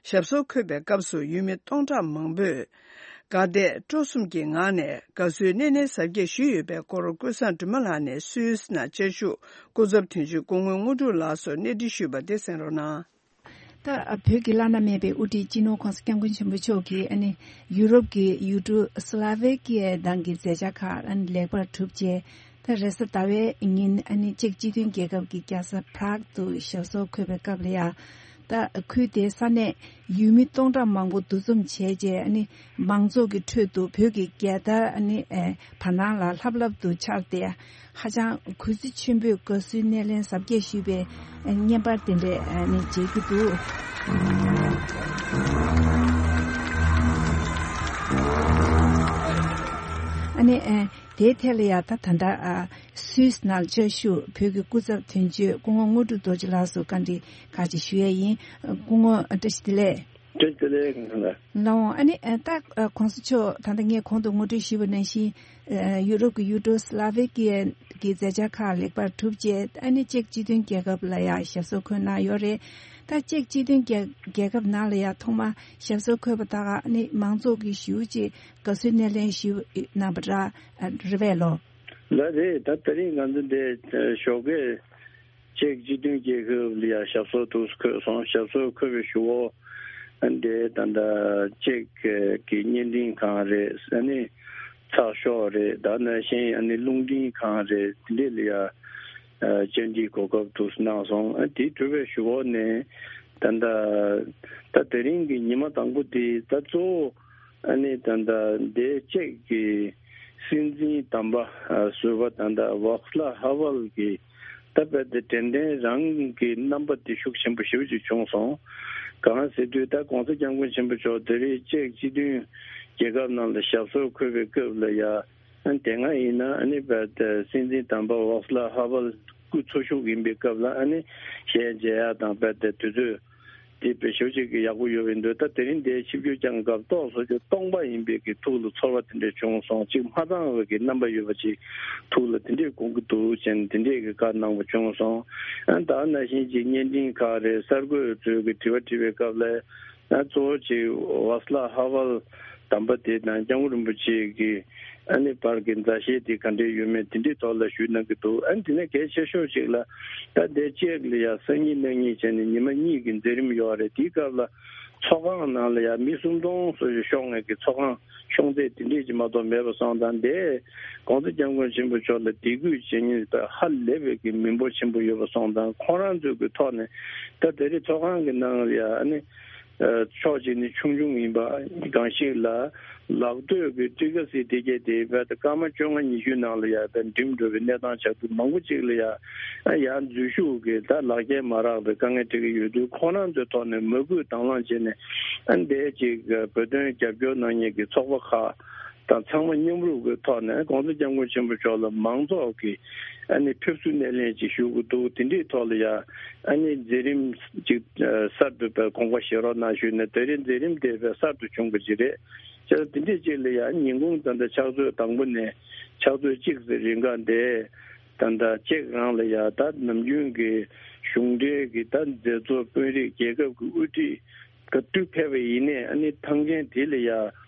ཞབས་སོར་འཁོད་པའི་སྐབས་སུ་ཡུལ་མི་སྟོང་ཕྲག་མང་པོས་དགའ་དད་སྤྲོ་གསུམ་གྱི་ངང་ནས་དགའ་བསུའི་སྣེ་ལེན་གཟབ་རྒྱས་ཞུས་ཡོད་པའི་སྐོར་ཀུན་བཟང་སྒྲོལ་མ་ལགས་ནས་སུད་སི་ནང་བཅའ་བཞུགས་སྐུ་ཚབ་དོན་གཅོད་སྐུ་ངོ་དངོས་གྲུབ་ལགས་སུ་གནས་འདྲི་ཞུས་པ་དེ་གསན་རོགས་གནང་། ད་བོད་ཀྱི་བླ་ན་མེད་པའི་དབུ་ཁྲིད་སྤྱི་ནོར་༸གོང་ས་༸སྐྱབས་མགོན་ཆེན་པོ་མཆོག་གིས་ཨ་ནི་ཡུ་རོབ་ཀྱི་ཡུལ་གྲུ་སི་ལ་ཝེ་ཀི་ཡའི་ནང་གི་མཛད་འཆར་ཁག་ཨ་ནི་ལེགས་པར་གྲུབ་རྗེས། ད་རེས་གཟའ་ཟླ་བའི་ཉིན་ཨ་ནི་ཅེཀ་སྤྱི་མཐུན་རྒྱལ་ཁབ་ཀྱི་རྒྱལ་ས་Prague ཏུ་ཞབས་སོར་འཁོད་པའི་སྐབས་ལ་ཡང་ ད་ཁུལ་དེའི་ས་གནས་ཡུལ་མི་སྟོང་ཕྲག་མང་པོ་འདུ་འཛོམས་བྱས་རྗེས་ཨ་ནི་མང་ཚོགས་ཀྱི་ཁྲོད་དུ་བོད་ཀྱི་རྒྱལ་དར་ཨ་ནི་ཨེ་བར་སྣང་ལ་ལྷབ་ལྷབ་ཏུ་འཕྱར་ཏེ། ཧ་ཅང་གུས་བརྩི་ཆེན་པོས་དགའ་བསུའི་སྣེ་ལེན་གཟབ་རྒྱས་ཞུས་པའི་བརྙན་པར་དེ་འདྲས་ནས་མཇལ་རྒྱུ་འདུག་ཨ་ནི་དེའི་ཐད་ལ་ཡང་ད་ད་ལྟ་སུད་སི་ནང་བཅའ་བཞུགས་བོད་ཀྱི་སྐུ་ཚབ་དོན་གཅོད་སྐུ་ངོ་དངོས་གྲུབ་རྡོ་རྗེ་ལགས་སུ་བཀའ་འདྲི་ཁག་ཅིག་ཞུ་ཡས་ཡིན། སྐུ་ངོ་བཀྲ་ཤིས་བདེ་ལེགས། བཀྲ་ཤིས་བདེ་ལེགས། ལགས་འོང་། ཨ་ནི་ད་གོང་ས་མཆོག་ད་ལྟ་ངས་གོང་དུ་ངོ་སྤྲོད་ཞུས་པ་ནང་བཞིན་ཡུ་རོབ་ཀྱི་ཡུལ་གྲུ་སི་ལ་ཝེ་ཀི་ཡ་གི་མཛད་འཆར་ཁག་ལེགས་པར་གྲུབ་རྗེས་ཨ་ནི་ཅེཀ་སྤྱི་མཐུན་རྒྱལ་ཁབ་ལ་ཡང་ཞབས་སོར་འཁོད་གནང་ཡོད་རེད། ད་ཅེཀ་སྤྱི་མཐུན་རྒྱལ་རྒྱལ་ཁབ་ནང་ལ་ཡང་ཐོག་མར་ཞབས་སོར་འཁོད་པ་དག་ཨ་ནི་མང་ཚོགས་ཀྱི་ཞེ་པོ་ཅིག་དགའ་བསུའི་སྣེ་ལེན་ཞུས་གནང་བ་འདྲ་རེད་པས་ལོ། ལགས་རེད། ད་དེ་རིང་ང་ཚོ་འདི་ཞོགས་ཀས་ཅེཀ་སྤྱི་མཐུན་རྒྱལ་ཁབ་ལ་ཡང་ཞབས་སོར་དུ་འཁོད་སོང་། ཞབས་སོར་འཁོད་པའི་གཞུག་གུ་འདི་ད་ལྟ་ཅེཀ་གི་བརྙན་འཕྲིན་ཁང་རེད། ཨ་ནི་ཚགས་ཤོག་རེད། ད་ནང་བཞིན་ཨ་ནི་རླུང་འཕྲིན་ཁང་རེད། དེ་འདྲས་ལ་ཡང་བཅར་འདྲིའི་གོ་སྐབས་དུ་གནང་སོང་། ཨ་དེ་གྲུབ་པའི་གཞུག་གུ་ནས་ད་ལྟ་ད་དེ་རིང་གི་ཉི་མ་དང་པོ་དེ་ད་གཙོ་བོ་ཨ་ནི་ད་ལྟ་འདས་ཅེཀ་གི་སྲིད་འཛིན་དམ་པ་ཟུར་པ་ད་ལྟ་ཝག་སི་ལ་ཧ་ཝལ་གྱི་ད་དཔེ་དེ་དྲན་རྟེན་རང་གི་རྣམ་པ་དེ་ཤུགས་ཆེན་པོ་ཞེ་པོ་ཅིག་བྱུང་སོང་། གང་ཟེར་དུས་ད་༸གོང་ས་༸སྐྱབས་མགོན་ཆེན་པོ་མཆོག་དེ་རིང་ཅེཀ་སྤྱི་མཐུན་རྒྱལ་ཁབ་ནང་ལ་ཞབས་སོར་འཁོད་པའི་སྐབས་ལ་ཡ། ཨ་དེ་སྔ་ཡིན་ན་ཨ་ནི་དཔེ་དེ་སྲིད་འཛིན་དམ་པ་ཝག་སི་ལ་ཧ་ཝལ་སྐུ་འཚོ་བཞུགས་ཡིན་པའི་སྐབས་ལ་ཨ་ནི་གཞས་མཇལ་ཡ་དང་དཔེ་དེ་དུས་ཚོད་དེ་དཔེ་ཞེ་པོ་ཅིག་གི་ཡག་པོ་ཡོད་པའི་འདུག་ད་དེ་རིང་དེ་ཆིབས་བསྒྱུར་བསྐྱངས་སྐབས་ཏོག་ཙམ་ཅིག་སྟོང་པ་ཡིན་པའི་གི་ཐུགས་ལ་ཚོར་བ་དེ་འདྲ་བྱུང་སོང་། ཅིག་མ་ཚང་བའི་གི་རྣམ་པ་ཡོད་པ་ཅིག་ཐུགས་ལ་དེ་འདྲས་དགོངས་ཀྱི་འདུག་ཅེས་དེ་འདྲས་ཀྱི་བཀའ་གནང་བ་བྱུང་སོང་། ཨ་ད་ནང་བཞིན་ཅིག་བརྙན་འཕྲིན་ཁག་རེད། གསར་འགོད་ཚོས་ཀྱི་དྲི་བ་དྲིས་པའི་སྐབས་ལ་ཨ་གཙོ་བོ་ཅིག་ཝག་སི་ལ་ཧ་ཝལ་དམ་པ་དེ་དང་སྐྱབས་མགོན་རིན་པོ་ཆེ་གི་ཨ་ནི་བར་གྱི་མཛའ་བཤེས་དེ་ག་འདྲས་ཡོད་མེད་དེ་འདྲའི་ཐོག་ལ་ཞུས་གནང་གི་འདུག་ཨ་ནི་དེ་ནས་གལ་ཆེ་ཤོས་ཅིག་ལ་ད་ལྟའི་ཅེཀ་ལ་ཡ་སང་ཉིན་གནངས་ཉིན་བྱས་ནས་ཉི་མ་གཉིས་ཀྱི་མཛད་རིམ་ཡོད་རེད། དེའི་སྐབས་ལ་ཚོགས་ཁང་ནང་ལ་ཡ་མི་སུམ་སྟོང་སོ་ཞིག་ཤོང་ངེས་ཀྱི་ཚོགས་ཁང་ཤོང་ཚད་དེ་འདྲས་ཀྱི་མ་གཏོགས་མེད་པ་སོང་ཙང་། དེ་༸གོང་ས་༸སྐྱབས་མགོན་ཆེན་པོ་མཆོག་ལ་དད་གུས་བྱེད་མཁན་ཧ་ལས་པའི་གི་མི་འབོར་ཆེན་པོ་ཡོད་པ་སོང་ཙང་། ཁོང་རང་ཚོའི་གི་ཐོག་ནས་ད་དེ་རིང་ཚོགས་ཁང་གི་ནང་ལ་ཡ་ཨ་ནི་ཕྱོགས་གཅིག་ནས་ཆུང་ཆུང་ཡིན་པ་གང་ཞིག་ལ་ལག་སྟོད་ཀྱི་ཊི་ཀ་སི་དེ་གས་དེ་བས་ད་སྐར་མ་བཅོ་ལྔ་ཉི་ཤུ་ནང་ལ་ཡ་ད་འགྲིམ་འགྲོ་བའི་གནས་སྟངས་ཆགས་འདུག་མང་པོ་ཅིག་ལ་ཡ་ཨ་ཡ་འཛུལ་ཞུགས་ཀྱི་ད་ལག་འཁྱེར་མ་རག་པའི་དཀའ་ངལ་འཕྲད་ཀྱི་ཡོད་དུས། ཁོང་རང་ཚོའི་ཐོག་ནས་མོས་གུས་དང་བླངས་བྱས་ནས་ཨ་འདས་ཅིག་བོད་དོན་རྒྱབ་སྐྱོར་གནང་མཁན་གྱི་ཚོགས་པ་ཁག་དང་ཚང་མ་མཉམ་རུབ་ཀྱི་ཐོག་ནས་༸གོང་ས་༸སྐྱབས་མགོན་ཆེན་པོ་མཆོག་ལ་མང་ཚོགས་ཀྱིས་ཨ་ནི་ཕེབས་བསུ་སྣེ་ལེན་ཅིག་ཞུ་གི་འདུག་དེ་འདྲའི་ཐོག་ལ་ཡ་ཨ་ནི་མཛད་རིམ་ཅིག་གསར་དུ་དཔེ་དགོངས་པ་བཞེས་རོགས་གནང་ཞུས་ནས་དེ་རིང་མཛད་རིམ་དེ་དཔེ་གསར་དུ་བྱུང་གི་ཅིག་རེད། བྱས་ཙང་དེ་འདྲའི་ཅིག་ལ་ཡ་ཉིན་གུང་ད་ལྟ་ཕྱག་ཚོད་དང་པོ་ནས་ཕྱག་ཚོད་གཅིག་ཙམ་རིང་ག་འདས། ད་ལྟ་ཅེཀ་རང་ལ་ཡ་ད་ནམ་རྒྱུན་གྱི་གཞུང་འབྲེལ་གྱི་ད་མཛད་གཙོ་དཔོན་རིགས་རྒྱལ་ཁབ་ཀྱི་དབུ་ཁྲིད་ག་དུས་ཕེབས་པ་ཡིན་ནའི་ཨ་ནི་ཐང་ཆེན་དེ་ལ་ཡ་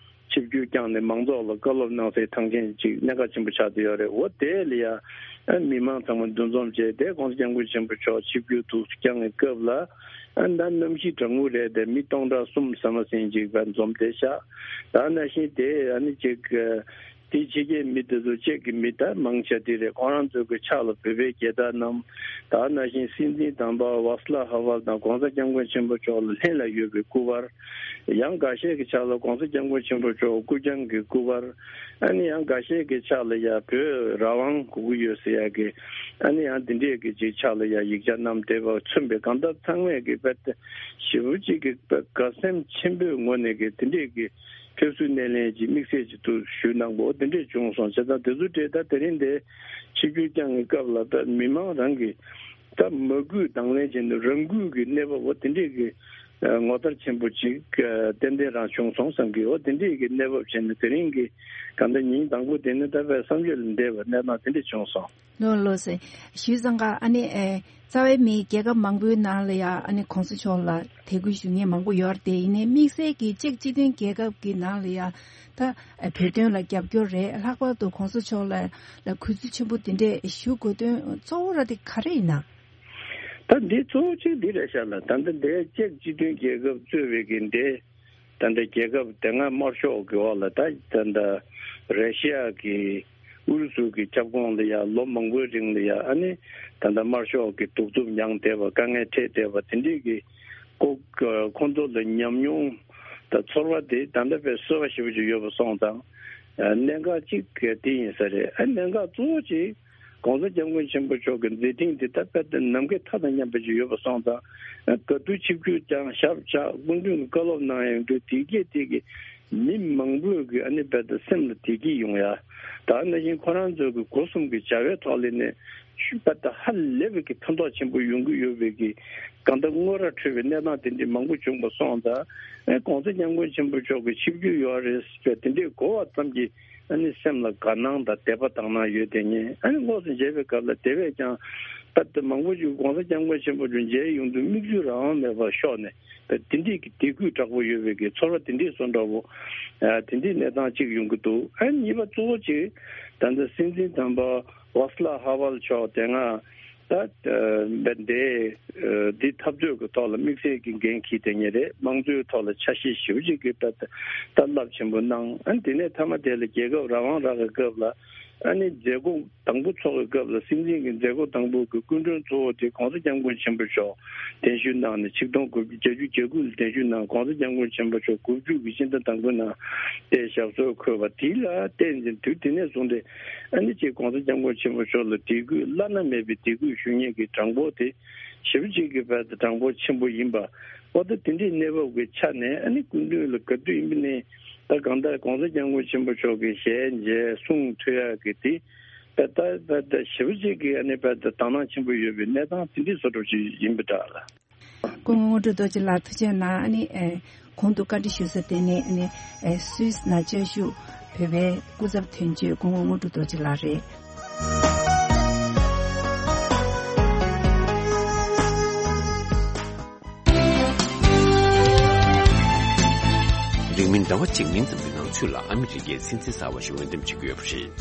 ཆིབས་བསྒྱུར་བསྐྱངས་ནས་མང་ཚོགས་ལ་བཀའ་སློབ་གནང་སའི་ཐང་ཆེན་ཅིག་གནད་འགག་ཆེན་པོ་ཆགས་བསྡད་ཡོད་རེད། འོ་དེ་ལ་ཡ་ཨ་མི་མང་ཚང་མ་འདུ་འཛོམས་བྱས་ཏེ་༸གོང་ས་༸སྐྱབས་མགོན་ཆེན་པོ་མཆོག་ཆིབས་བསྒྱུར་དུ་བསྐྱངས་པའི་སྐབས་ལ་ཨ་ད་གནམ་གཤིས་གྲང་མོ་རེད་དེ། མི་སྟོང་ཕྲག་གསུམ་ཟ་མ་ཟིན་ཅིག་བར་འཛོམས་བསྡད་ཤག་ད་ནང་བཞིན་དེ་ཨ་ནི་ཅིག་དེའི་ཕྱི་རྒྱལ་མི་དེ་ཚོ་ཅེཀ་གི་མི་ད་མང་ཆེ་དེ་རེད། ཁོང་རང་ཚོའི་གི་ཕྱག་ལ་བོད་པའི་རྒྱལ་དར་བསྣམས། ད་ནང་བཞིན་སྲིད་འཛིན་དམ་པ་ཝཱ་སི་ལ་ཧ་ཝལ་དང་༸གོང་ས་༸སྐྱབས་མགོན་ཆེན་པོ་མཆོག་ལ་ལྷན་ལ་ཡོད་པའི་སྐུ་པར། ཡང་འགའ་ཤས་ཀྱི་ཕྱག་ལ་༸གོང་ས་༸སྐྱབས་མགོན་ཆེན་པོ་མཆོག་སྐུ་རྐྱང་གི་སྐུ་པར། ཨ་ནི་ཡང་འགའ་ཤས་ཀྱི་ཕྱག་ལ་ཡ་བོད་རང་དབང་དགོས་ཀྱི་ཡོད་ཟེར་ཡ་གི་ཨ་ནི་ཡང་དེ་འདྲས་ཀྱི་ཅིག་ཕྱག་ལ་ཡ་ཡིག་ཆ་བསྣམས་བསྡད་པ་མཚོན་པའི་གང་ལྟར་ཚང་མས་ཀྱི་དཔེ་དེ་ཞེ་པོ་ཅིག་གི་དགའ་སེམས་ཆེན་པོའི་ངོས་ནས་ཀྱི་དེ་འདྲས་ཀྱི་ཕེབས་བསུ་སྣེ་ལེན་གྱི་དམིགས་བསལ་གྱི་ཐུགས་ཞུས་གནང་པོ་དེ་འདྲས་བྱུང་སོང་། བྱས་ཙང་དེ་ཚོ་གྲས་ད་དེ་རིང་འདི་ཆིབས་བསྒྱུར་བསྐྱངས་ཀྱི་སྐབས་ལ་ད་མི་མང་རང་གི་ད་མ་གུས་དང་ལེན་བྱས་ནས་རང་གུས་ཀྱི་གནས་བབ་འོ་དེ་འདྲས་ཀྱི་ངོ་མཚར་ཆེན་པོ་ཅིག་ཏན་ཏན་རང་བྱུང་སོང་བསམ་གི་འོ་དེ་འདྲས་ཀྱི་གནས་བབ་བྱས་ནས་དེ་རིང་གི་གང་ལྟར་ཉིན་དང་པོ་དེ་ནི་ད་དཔེ་བསམ་ཡུལ་ལས་འདས་པ་གནས་སྟངས་དེ་འདྲས་བྱུང་སོང་། ལགས་ལགས་སེ། ཞུས་ཙང་ཀ་ཨ་ནི་ཨེ། རྩ་བའི་མིའི་རྒྱལ་ཁབ་མང་པོའི་ནང་ལ་ཡ་ཨ་ནི་གོང་ས་མཆོག་ལ་དད་གུས་ཞུ་མཁན་མང་པོ་ཡོད་རེད་དེ། ཡིན་ནའི་དམིགས་བསལ་གྱི་ཅེཀ་སྤྱི་མཐུན་རྒྱལ་ཁབ་ཀྱི་ནང་ལ་ཡ་ད་ཨེ་བོད་དོན་ལ་རྒྱབ་སྐྱོར་རེད། ལྷག་པར་དུ་གོང་ས་མཆོག་ལ་ལ་གུས་བརྩི་ཆེན་པོ་དེ་འདྲས་ཞུ་དགོས་དོན་གཙོ་བོ་ར་དེ་ག་རེ་ཡིན་ན། ད་འདི་གཙོ་བོ་གཅིག་འདི་རེད་ཤག་ལ། ད་ལྟ་འདི་ཅེཀ་སྤྱི་མཐུན་རྒྱལ་ཁབ་གཙོས་པའི་གི་འདི་ད་ལྟ་རྒྱལ་ཁབ་དེ་སྔ་དམར་ཤོག་གི་འོག་ལ་ད་ད་ལྟ་ར་ཤི་ཡ་གི་ཨུ་རུ་སུ་གི་ཁྱབ་ཁོངས་ལ་ཡ་ལོ་མང་པོའི་རིང་ལ་ཡ་ཨ་ནི་ད་ལྟ་དམར་ཤོག་གི་གདུག་རྩུབ་མྱངས་བསྡད་པ་དཀའ་ངལ་འཕྲད་བསྡད་པ་དེ་འདྲའི་གི་ ཁོ་ཁོང་ཚོ་ལ་ཉམས་མྱོང་དང་ཚོར་བ་དེ་ད་ལྟ་བས་གསོལ་བ་ཞེ་པོ་ཅིག་ཡོད་པ་སོང་ཙང་། གནད་འགག་གཅིག་དེ་ཡིན་ས་རེད། གནད་འགག་གཙོ་བོ་གཅིག་༸གོང་ས་༸སྐྱབས་མགོན་ཆེན་པོ་མཆོག་གི་མཛད་འཕྲིན་དེ་ད་དཔེ་དེ་ནམ་མཁའི་མཐའ་དང་མཉམ་པ་ཅིག་ཡོད་པ་སོང་ཙང་། ག་དུས་ཆིབས་བསྒྱུར་ཀྱང་ཞབས་བཅགས་སྐུ་མདུན་གྱི་བཀའ་སློབ་གནང་ཡོང་དུས་དེ་གས་དེ་གས་མི་མང་པོས་ཀྱི་ཨ་ནི་དཔེ་དེ་སེམས་ལ་བདེ་སྐྱིད་ཡོང་ཡ། ད་ནང་བཞིན་ཁོ་རང་ཚོ་གི་སྒོ་གསུམ་གྱི་བྱ་བའི་ཐོག་ལས་ནས་ཤུགས་པ་དང་ཧ་ལས་པའི་གི་ཕན་ཐོགས་ཆེན་པོ་ཡོང་གི་ཡོད་པའི་གི་གང་ལྟར་དངོས་ར་འཕྲོད་པའི་གནས་སྟངས་དེ་འདྲའི་མང་པོ་བྱུང་པ་སོང་ཙང་། ཨེ་༸གོང་ས་༸སྐྱབས་མགོན་ཆེན་པོ་མཆོག་གི་ཆིབས་བསྒྱུར་ཡོད་རེད་ཟེར་དེ་འདྲའི་གོ་བ་ཙམ་གྱིས་ཨ་ནི་སེམས་ལ་དགའ་སྣང་དང་དད་པ་དག་སྣང་ཡོད་དེ་ཉིད་ཨ་ནི་དངོས་སུ་མཇལ་བའི་སྐབས་ལ་དེ་བས་ཀྱང་ད་ལྟ་མང་པོ་ཞིག་༸གོང་ས་༸སྐྱབས་མགོན་ཆེན་པོ་མཆོག་མཇལ་ཡོང་དུས་མིག་ཆུ་རང་དབང་མེད་པར་ཤོར་ནས། དེ་འདྲའི་གི་དད་གུས་དྲག་པོ་ཡོད་པའི་གི་ཚོར་བ་དེ་འདྲའི་བཟོ་འདྲ་བོ། ཨ་དེ་འདྲའི་གནས་སྟངས་གཅིག་ཡོང་གི་འདུག་ཨ་གཉིས་པ་གཙོ་བོ་གཅིག་ད་ལྟ་སྲིད་འཛིན་དམ་པ་ཝཱ་སི་ལ་ཧ་ཝལ་མཆོག་དེ་སྔ་ད་འདི་འཐབ་རྩོད་ཀྱི་ཐོག་ལ་དམིགས་བསལ་གྱི་འགན་འཁྱེར་དེ་ཉིད་རེད། དམངས་གཙོའི་ཐོག་ལ་ཆ་ཤས་ཞེ་པོ་ཅིག་གི་ད་ད་རླབས་ཆེན་པོ་གནང་། ཨ་དེ་ནས་མཐའ་མ་དེ་ལ་རྒྱལ་ཁབ་རང་དབང་རག་གི་སྐབས་ལ་ཨ་ནི་མཛད་སྒོ་དང་པོ་ཚོགས་པའི་སྐབས་ལ་སྲིད་འཛིན་གྱི་མཛད་སྒོ་དང་པོ་གི་སྐུ་མགྲོན་གཙོ་བོ་དེ་༸གོང་ས་༸སྐྱབས་མགོན་ཆེན་པོ་མཆོག་གདན་ཞུ་གནང་ནས་ཆིག་སྟོང་དགུ་བརྒྱ་བརྒྱད་ཅུ་གྱ་དགུ་ལ་གདན་ཞུ་གནང་། ༸གོང་ས་༸སྐྱབས་མགོན་ཆེན་པོ་མཆོག་དགུ་བཅུ་གི་སྤྱི་ཟླ་དང་པོའི་ནང་དེ་ཞབས་སོར་འཁོད་པ་དེ་ལ་བརྟེན་ནས་དུས་དེ་ནས་བཟུང་སྟེ་ཨ་ནི་ཅིག་༸གོང་ས་༸སྐྱབས་མགོན་ཆེན་པོ་མཆོག་ལ་དད་གུས་བླ་ན་མེད་པའི་དད་གུས་ཞུ་མཁན་གྱི་གྲངས་འབོར་དེ་ཞེ་པོ་ཅིག་གི་བར་དུ་གྲངས་འབོར་ཆེན་པོ་ཡིན་པ། འོ་ད་དེ་འདྲའི་གནས་བབ་ཀྱི་ཆ་ནས་ཨ་ནི་སྐུ་མདུན་ལ་ག་དུས་ཡིན་པ་ནས་ད་གང་ལྟར་༸གོང་ས་༸སྐྱབས་མགོན་ཆེན་པོ་མཆོག་གི་ཞལ་མཇལ་གསུང་ཐོས་ཡག་གི་དེ། ད་ད་ད་ད་ཞེ་པོ་ཅིག་གི་ཨ་ནི་དཔེ་ད་དག་སྣང་ཆེན་པོ་ཡོད་པའི་གནས་སྟངས་དེ་འདྲའི་བཟོ་འདྲ་ཅིག་ཡིན་པ་འདྲ་ལ། སྐུ་ངོ་དངོས་གྲུབ་རྡོ་རྗེ་ལགས་ཐུགས་རྗེ་གནང་། ཨ་ནི་ཨེ་གོང་དུ་བཀའ་འདྲི་ཞུ་ས་དེ་ནི་ཨ་ནི་ཨེ་སུད་སི་ནང་བཅའ་བཞུགས་བོད་པའི་སྐུ་ཚབ་དོན་གཅོད་སྐུ་ངོ་དངོས་གྲུབ་རྡོ་རྗེ་ལགས་རེད། རིང་མིན་ཟླ་བ་གཅིག་མིན་ཙམ་གྱི་ནང་ཚུད་ལ་ཨ་མི་རི་ཀའི་སྲིད་འཛིན་གསར་པ་ཞིག་འོས་འདེམས་བྱེད་ཀྱི་ཡོད་པ་རེད།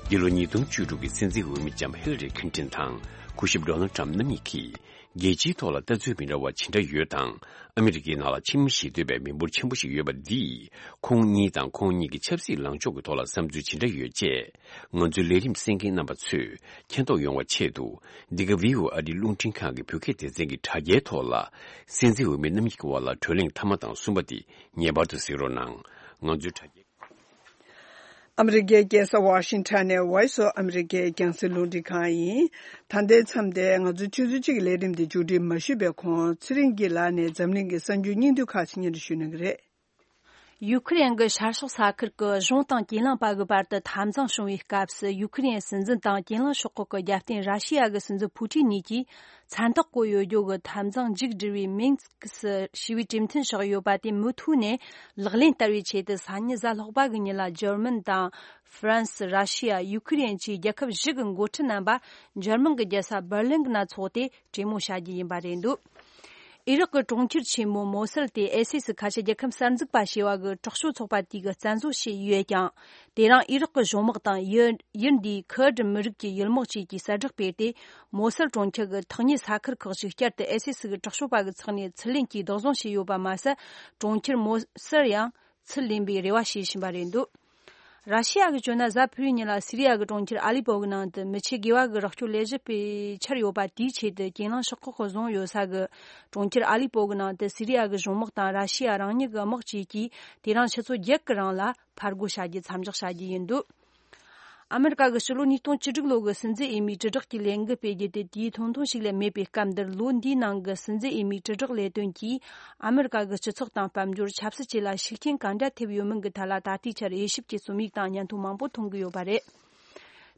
འདི་ལོ་ཉིས་སྟོང་བཅུ་དྲུག་གི་སྲིད་འཛིན་འོས་མི་ལྕམ་ཧི་ལ་རི་ཁིན་ཏིན་དང་སྐུ་ཞབས་ཌོ་ནལ་ཊམ་རྣམ་གཉིས་ཀྱིས་རྒྱལ་སྤྱིའི་ཐོག་ལ་ལྟ་ཚུལ་མི་འདྲ་བ་ཇི་འདྲ་ཡོད་དང་། ཨ་མི་རི་ཀའི་ནང་ལ་ཕྱི་མི་ཞི་འདོད་པའི་མི་འབོར་ཆེན་པོ་ཞིག་ཡོད་པ་འདིས་ཁོང་གཉིས་དང་ཁོང་གཉིས་ཀྱི་ཆབ་སྲིད་ལངས་ཕྱོགས་ཀྱི་ཐོག་ལ་བསམ་ཚུལ་ཇི་འདྲ་ཡོད་ཅེས། ང་ཚོའི་ལས་རིམ་གསན་མཁན་རྣམ་པ་ཚོས་མཁྱེན་རྟོགས་ཡོང་བ་ཆེད་དུ། འདི་ག་བྷི་ཨོ་ཨེ་ཨ་རིའི་རླུང་འཕྲིན་ཁང་གི་བོད་སྐད་སྡེ་ཚན་གྱི་དྲ་རྒྱའི་ཐོག་ལ། སྲིད་འཛིན་འོས་མི་རྣམ་གཉིས་ཀྱི་དབར་ལ་བགྲོ་གླེང་མཐའ་མ་དང་གསུམ་པ་དེ་ངེས་པར་དུ་གཟིགས་རོགས་གནང་། ང་ཚོའི་དྲ་རྒྱའི། ཨ་མི་རི་ཀའི་རྒྱལ་ས་ཝ་ཤིང་ཊོན་ནས་Voice of America རྒྱང་སྲིང་རླུང་འཕྲིན་ཁང་ཡིན། ད་ལྟའི་མཚམས་དེ་ང་ཚོའི་ཆུ་ཚོད་གཅིག་གི་ལས་རིམ་དེ་མཇུག་སྒྲིལ་མ་ཞུས་པའི་གོང་ཚེ་རིང་སྐྱིད་ལགས་ནས་འཛམ་གླིང་གི་གསར་འགྱུར་སྙིང་བསྡུས་ཁག་ཅིག་སྙན་སྒྲོན་ཞུ་གནང་གི་རེད། ཡུ་ཁུ་རེན་གྱི་ཤར་ཕྱོགས་ས་ཁུལ་གྱི་གཞུང་དང་གྱེན་ལངས་པ་གི་བར་དུ་འཐབ་འཛིང་བྱུང་བའི་སྐབས་སུ། ཡུ་ཁུ་རེན་སྲིད་འཛིན་དང་གྱེན་ལངས་ཤོག་ཁག་གི་རྒྱབ་རྟེན་ར་ཤི་ཡ་གི་སྲིད་འཛིན་ཕུ་ཀྲིན་གཉིས་ཀྱིས་མཚན་རྟགས་བཀོད་ཡོད་རྒྱུ་གི་འཐབ་འཛིང་མཇུག་སྒྲིལ་བའི་མིན་སི་ཀི་ཞི་བའི་གྲོས་མཐུན་བཞག་ཡོད་པ་དེ་མུ་མཐུད་ནས་ལག་ལེན་བསྟར་བའི་ཆེད་དུ། སང་ཉིན་གཟའ་ལྷག་པ་གི་ཉིན་ལ་འཇར་མན་དང་ཧྥ་རན་སི། ར་ཤི་ཡ། ཡུ་ཁུ་རེན་བཅས་རྒྱལ་ཁབ་བཞི་གི་འགོ་ཁྲིད་རྣམ་པ་འཇར་མན་གྱི་རྒྱལ་ས་འབར་ལིན་ནང་འཚོགས་ཏེ་གྲོས་མོལ་བྱ་རྒྱུ་ཡིན་པ་རེད་འདུག་ཨི་རག་གི་གྲོང་ཁྱེར་ཆེན་མོ་མོ་སལ་དེ་ཨའི་སི་སི་ཁ་ཆེ་རྒྱལ་ཁབ་གསར་འཛུགས་པ་ཞེས་པ་གི་དྲག་སྤྱོད་ཚོགས་པ་དེ་གིས་བཙན་བཟུང་བྱས་ཡོད་ཀྱང་། དེ་རིང་ཨི་རག་གི་གཞུང་དམག་དང་ཡུལ་ཡུལ་འདིའི་ཁུར་ཌི་མི་རིགས་ཀྱི་ཡུལ་དམག་བཅས་ཀྱིས་གསལ་བསྒྲགས་སྤེལ་ཏེ། མོ་སལ་གྲོང་ཁྱེར་གྱི་ཐག་ཉེ་ས་ཁུལ་ཁག་ཅིག་བསྐྱར་དུ་ཨའི་སི་སི་གི་དྲག་སྤྱོད་པ་གི་ཚོགས་ནས་ཚུར་ལེན་གྱིས་བདག་བཟུང་བྱས་ཡོད་པ་མ་ཟད། གྲོང་ཁྱེར་མོ་སལ་ཡང་ཚུར་ལེན་པའི་རེ་བ་བྱེད་བཞིན་པ་རེད་འདུག་ར་ཤི་ཡ་གིས་བརྗོད་ན། གཟའ་ཕུར་བུའི་ཉིན་ལ་སི་རི་ཡ་གི་གྲོང་ཁྱེར་ཨ་ལི་པོ་གི་ནང་དུ་མི་ཆེ་དགེ་བ་གི་རོགས་སྐྱོར་ལས་གཞི་སྤེལ་འཆར་ཡོད་པ་དེའི་ཆེད་དུ། གྱེན་ལངས་ཤོག་ཁག་གིས་བཟུང་ཡོད་ས་གི་གྲོང་ཁྱེར་ཨ་ལི་པོ་གི་ནང་དུ་སི་རི་ཡ་གི་གཞུང་དམག་དང་ར་ཤི་ཡ་རང་ཉིད་ཀྱི་དམག་བཅས་ཀྱིས་དེ་རིང་ཆུ་ཚོད་བརྒྱད་ཀྱི་རིང་ལ་ཕར་རྒོལ་བྱ་རྒྱུ་མཚམས་འཇོག་བྱ་རྒྱུ་ཡིན་འདུག་ཨ་མི་རི་ཀ་གིས་སྤྱི་ལོ་ཉིས་སྟོང་བཅུ་དྲུག་ལོ་གི་སྲིད་འཛིན་འོས་མིའི་དྲིལ་བསྒྲགས་ཀྱི་ལས་འགུལ་སྤེལ་རྒྱུ་དེ་དུས་ཐུང་ཐུང་ཞིག་ལས་མེད་པའི་སྐབས་འདིར། ལོ་འདིའི་ནང་གི་སྲིད་འཛིན་འོས་མིའི་དྲིལ་བསྒྲགས་ལས་དོན་གྱིས་ཨ་མི་རི་ཀ་གི་སྤྱི་ཚོགས་དང་དཔལ་འབྱོར། ཆབ་སྲིད་བཅས་ལ་ཤུགས་རྐྱེན་ག་འདྲ་ཐེབས་ཡོད་མིན་གྱི་ཐད་ལ་ད་ལྟའི་ཆར་དབྱེ་ཞིབ་ཀྱི་རྩོམ་ཡིག་དང་བརྙན་ཐུང་མང་པོ་མཐོང་གི་ཡོད་པ་རེད།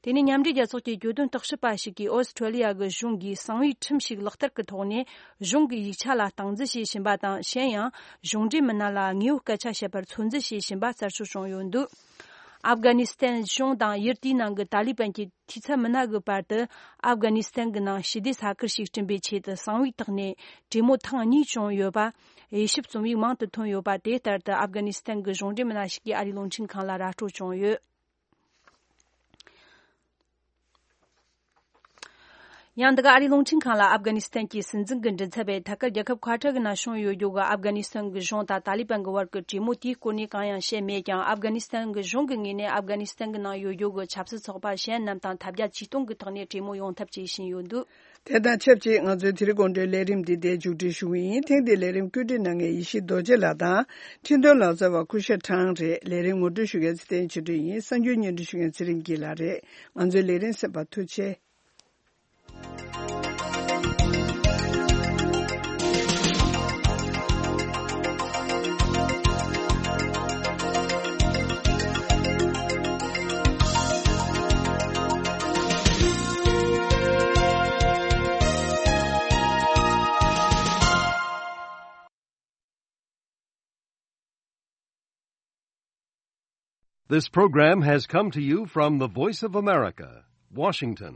དེ་ནས་མཉམ་འབྲེལ་རྒྱལ་ཚོགས་ཀྱི་གྱོད་དོན་བརྟག་ཞིབ་པ་ཞིག་གིས་ཨོ་སི་ཁྲུ་ལི་ཡ་གི་གཞུང་གིས་གསང་བའི་ཁྲིམས་ཤིག་ལག་བསྟར་གྱི་ཐོག་ནས་གཞུང་གི་ཡིག་ཆ་ལ་སྟངས་འཛིན་བྱེད་བཞིན་པ་དང་། གཞན་ཡང་གཞུང་འབྲེལ་མི་སྣ་ལ་དངོས་པོའི་སྐད་ཆ་བཤད་པར་ཚོད་འཛིན་བྱེད་བཞིན་པ་གསལ་བཤད་བྱུང་ཡོད་འདུག་ཨབ་གྷ་ནི་སི་ཐན་གཞུང་དང་ཡུལ་དེའི་ནང་གི་ཏཱ་ལི་བན་གྱི་འཐུས་ཚབ་མི་སྣ་གི་བར་དུ། ཨབ་གྷ་ནི་སི་ཐན་གྱི་ནང་ཞི་བདེ་ས་ཁུལ་ཞིག་བསྐྲུན་པའི་ཆེད་དུ་གསང་བའི་ཐོག་ནས་གྲོས་མོལ་ཐེངས་གཉིས་བྱུང་ཡོད་པ། དབྱེ་ཞིབ་རྩོམ་ཡིག་མང་དུ་ཐོན་ཡོད་པ། དེ་ལྟར་དུ་ཨབ་གྷ་ནི་སི་ཐན་གྱི་གཞུང་འབྲེལ་མི་སྣ་ཞིག་གིས་ཨ་རིའི་རླུང་འཕྲིན་ཁང་ལ་ར་སྤྲོད་བྱུང་ཡོད། ཡང་འདི་ག་ཨ་རིའི་རླུང་འཕྲིན་ཁང་ལ་ཨབ་གྷ་ནི་སི་ཐན་གྱི་སྲིད་འཛིན་གྱི་མགྲིན་ཚབ་པས་ཐད་ཀར་རྒྱལ་ཁབ་ཁ་བྲལ་གྱི་ནང་བྱུང་ཡོད་རྒྱུ་གི་ཨབ་གྷ་ནི་སི་ཐན་གྱི་གཞུང་དང་ཏཱ་ལི་བན་གྱི་བར་གྱི་གྲོས་མོལ་དེའི་སྐོར་ནས་གང་ཡང་བཤད་མེད་ཀྱང་། ཨབ་གྷ་ནི་སི་ཐན་གྱི་གཞུང་གི་ངོས་ནས་ཨབ་གྷ་ནི་སི་ཐན་གྱི་ནང་ཡོད་རྒྱུ་གི་ཆབ་སྲིད་ཚོགས་པ་གཞན་རྣམས་དང་ཐབས་བརྒྱ་ཇུས་སྟོང་གི་ཐོག་ནས་གྲོས་མོལ་ཡོང་ཐབས་བྱེད་བཞིན་ཡོད་འདུག། དེ་དང་ཆབས་ཅིག་ང་ཚོའི་དེ་རིང་དགོང་དྲོའི་ལས་རིམ་འདི་འདིར་མཇུག་སྒྲིལ་ཞུ་གི་ཡིན། ཐེངས་འདིའི་ལས་རིམ་བཀོད་སྒྲིག་གནང་མཁན་ཡེ་ཤེས་རྡོ་རྗེ་ལགས་དང་། འཕྲིན་གཏོང་ལག་རྩལ་བ་སྐུ་ཞབས་ཁྲང་རེད། ལས་རིམ་ངོ་སྤྲོད་ཞུ་མཁན་ཚེ་བརྟན་ཆོས་སྒྲོན་ཡིན། གསར་འགྱུར་སྙན་སྒྲོན་ཞུ་མཁན་ཚེ་རིང་སྐྱིད་ལགས་རེད། ང་ཚོའི་ལས་རིམ་གསན་པར་ཐུགས་རྗེ་ཆེ། This program has come to you from the Voice of America, Washington.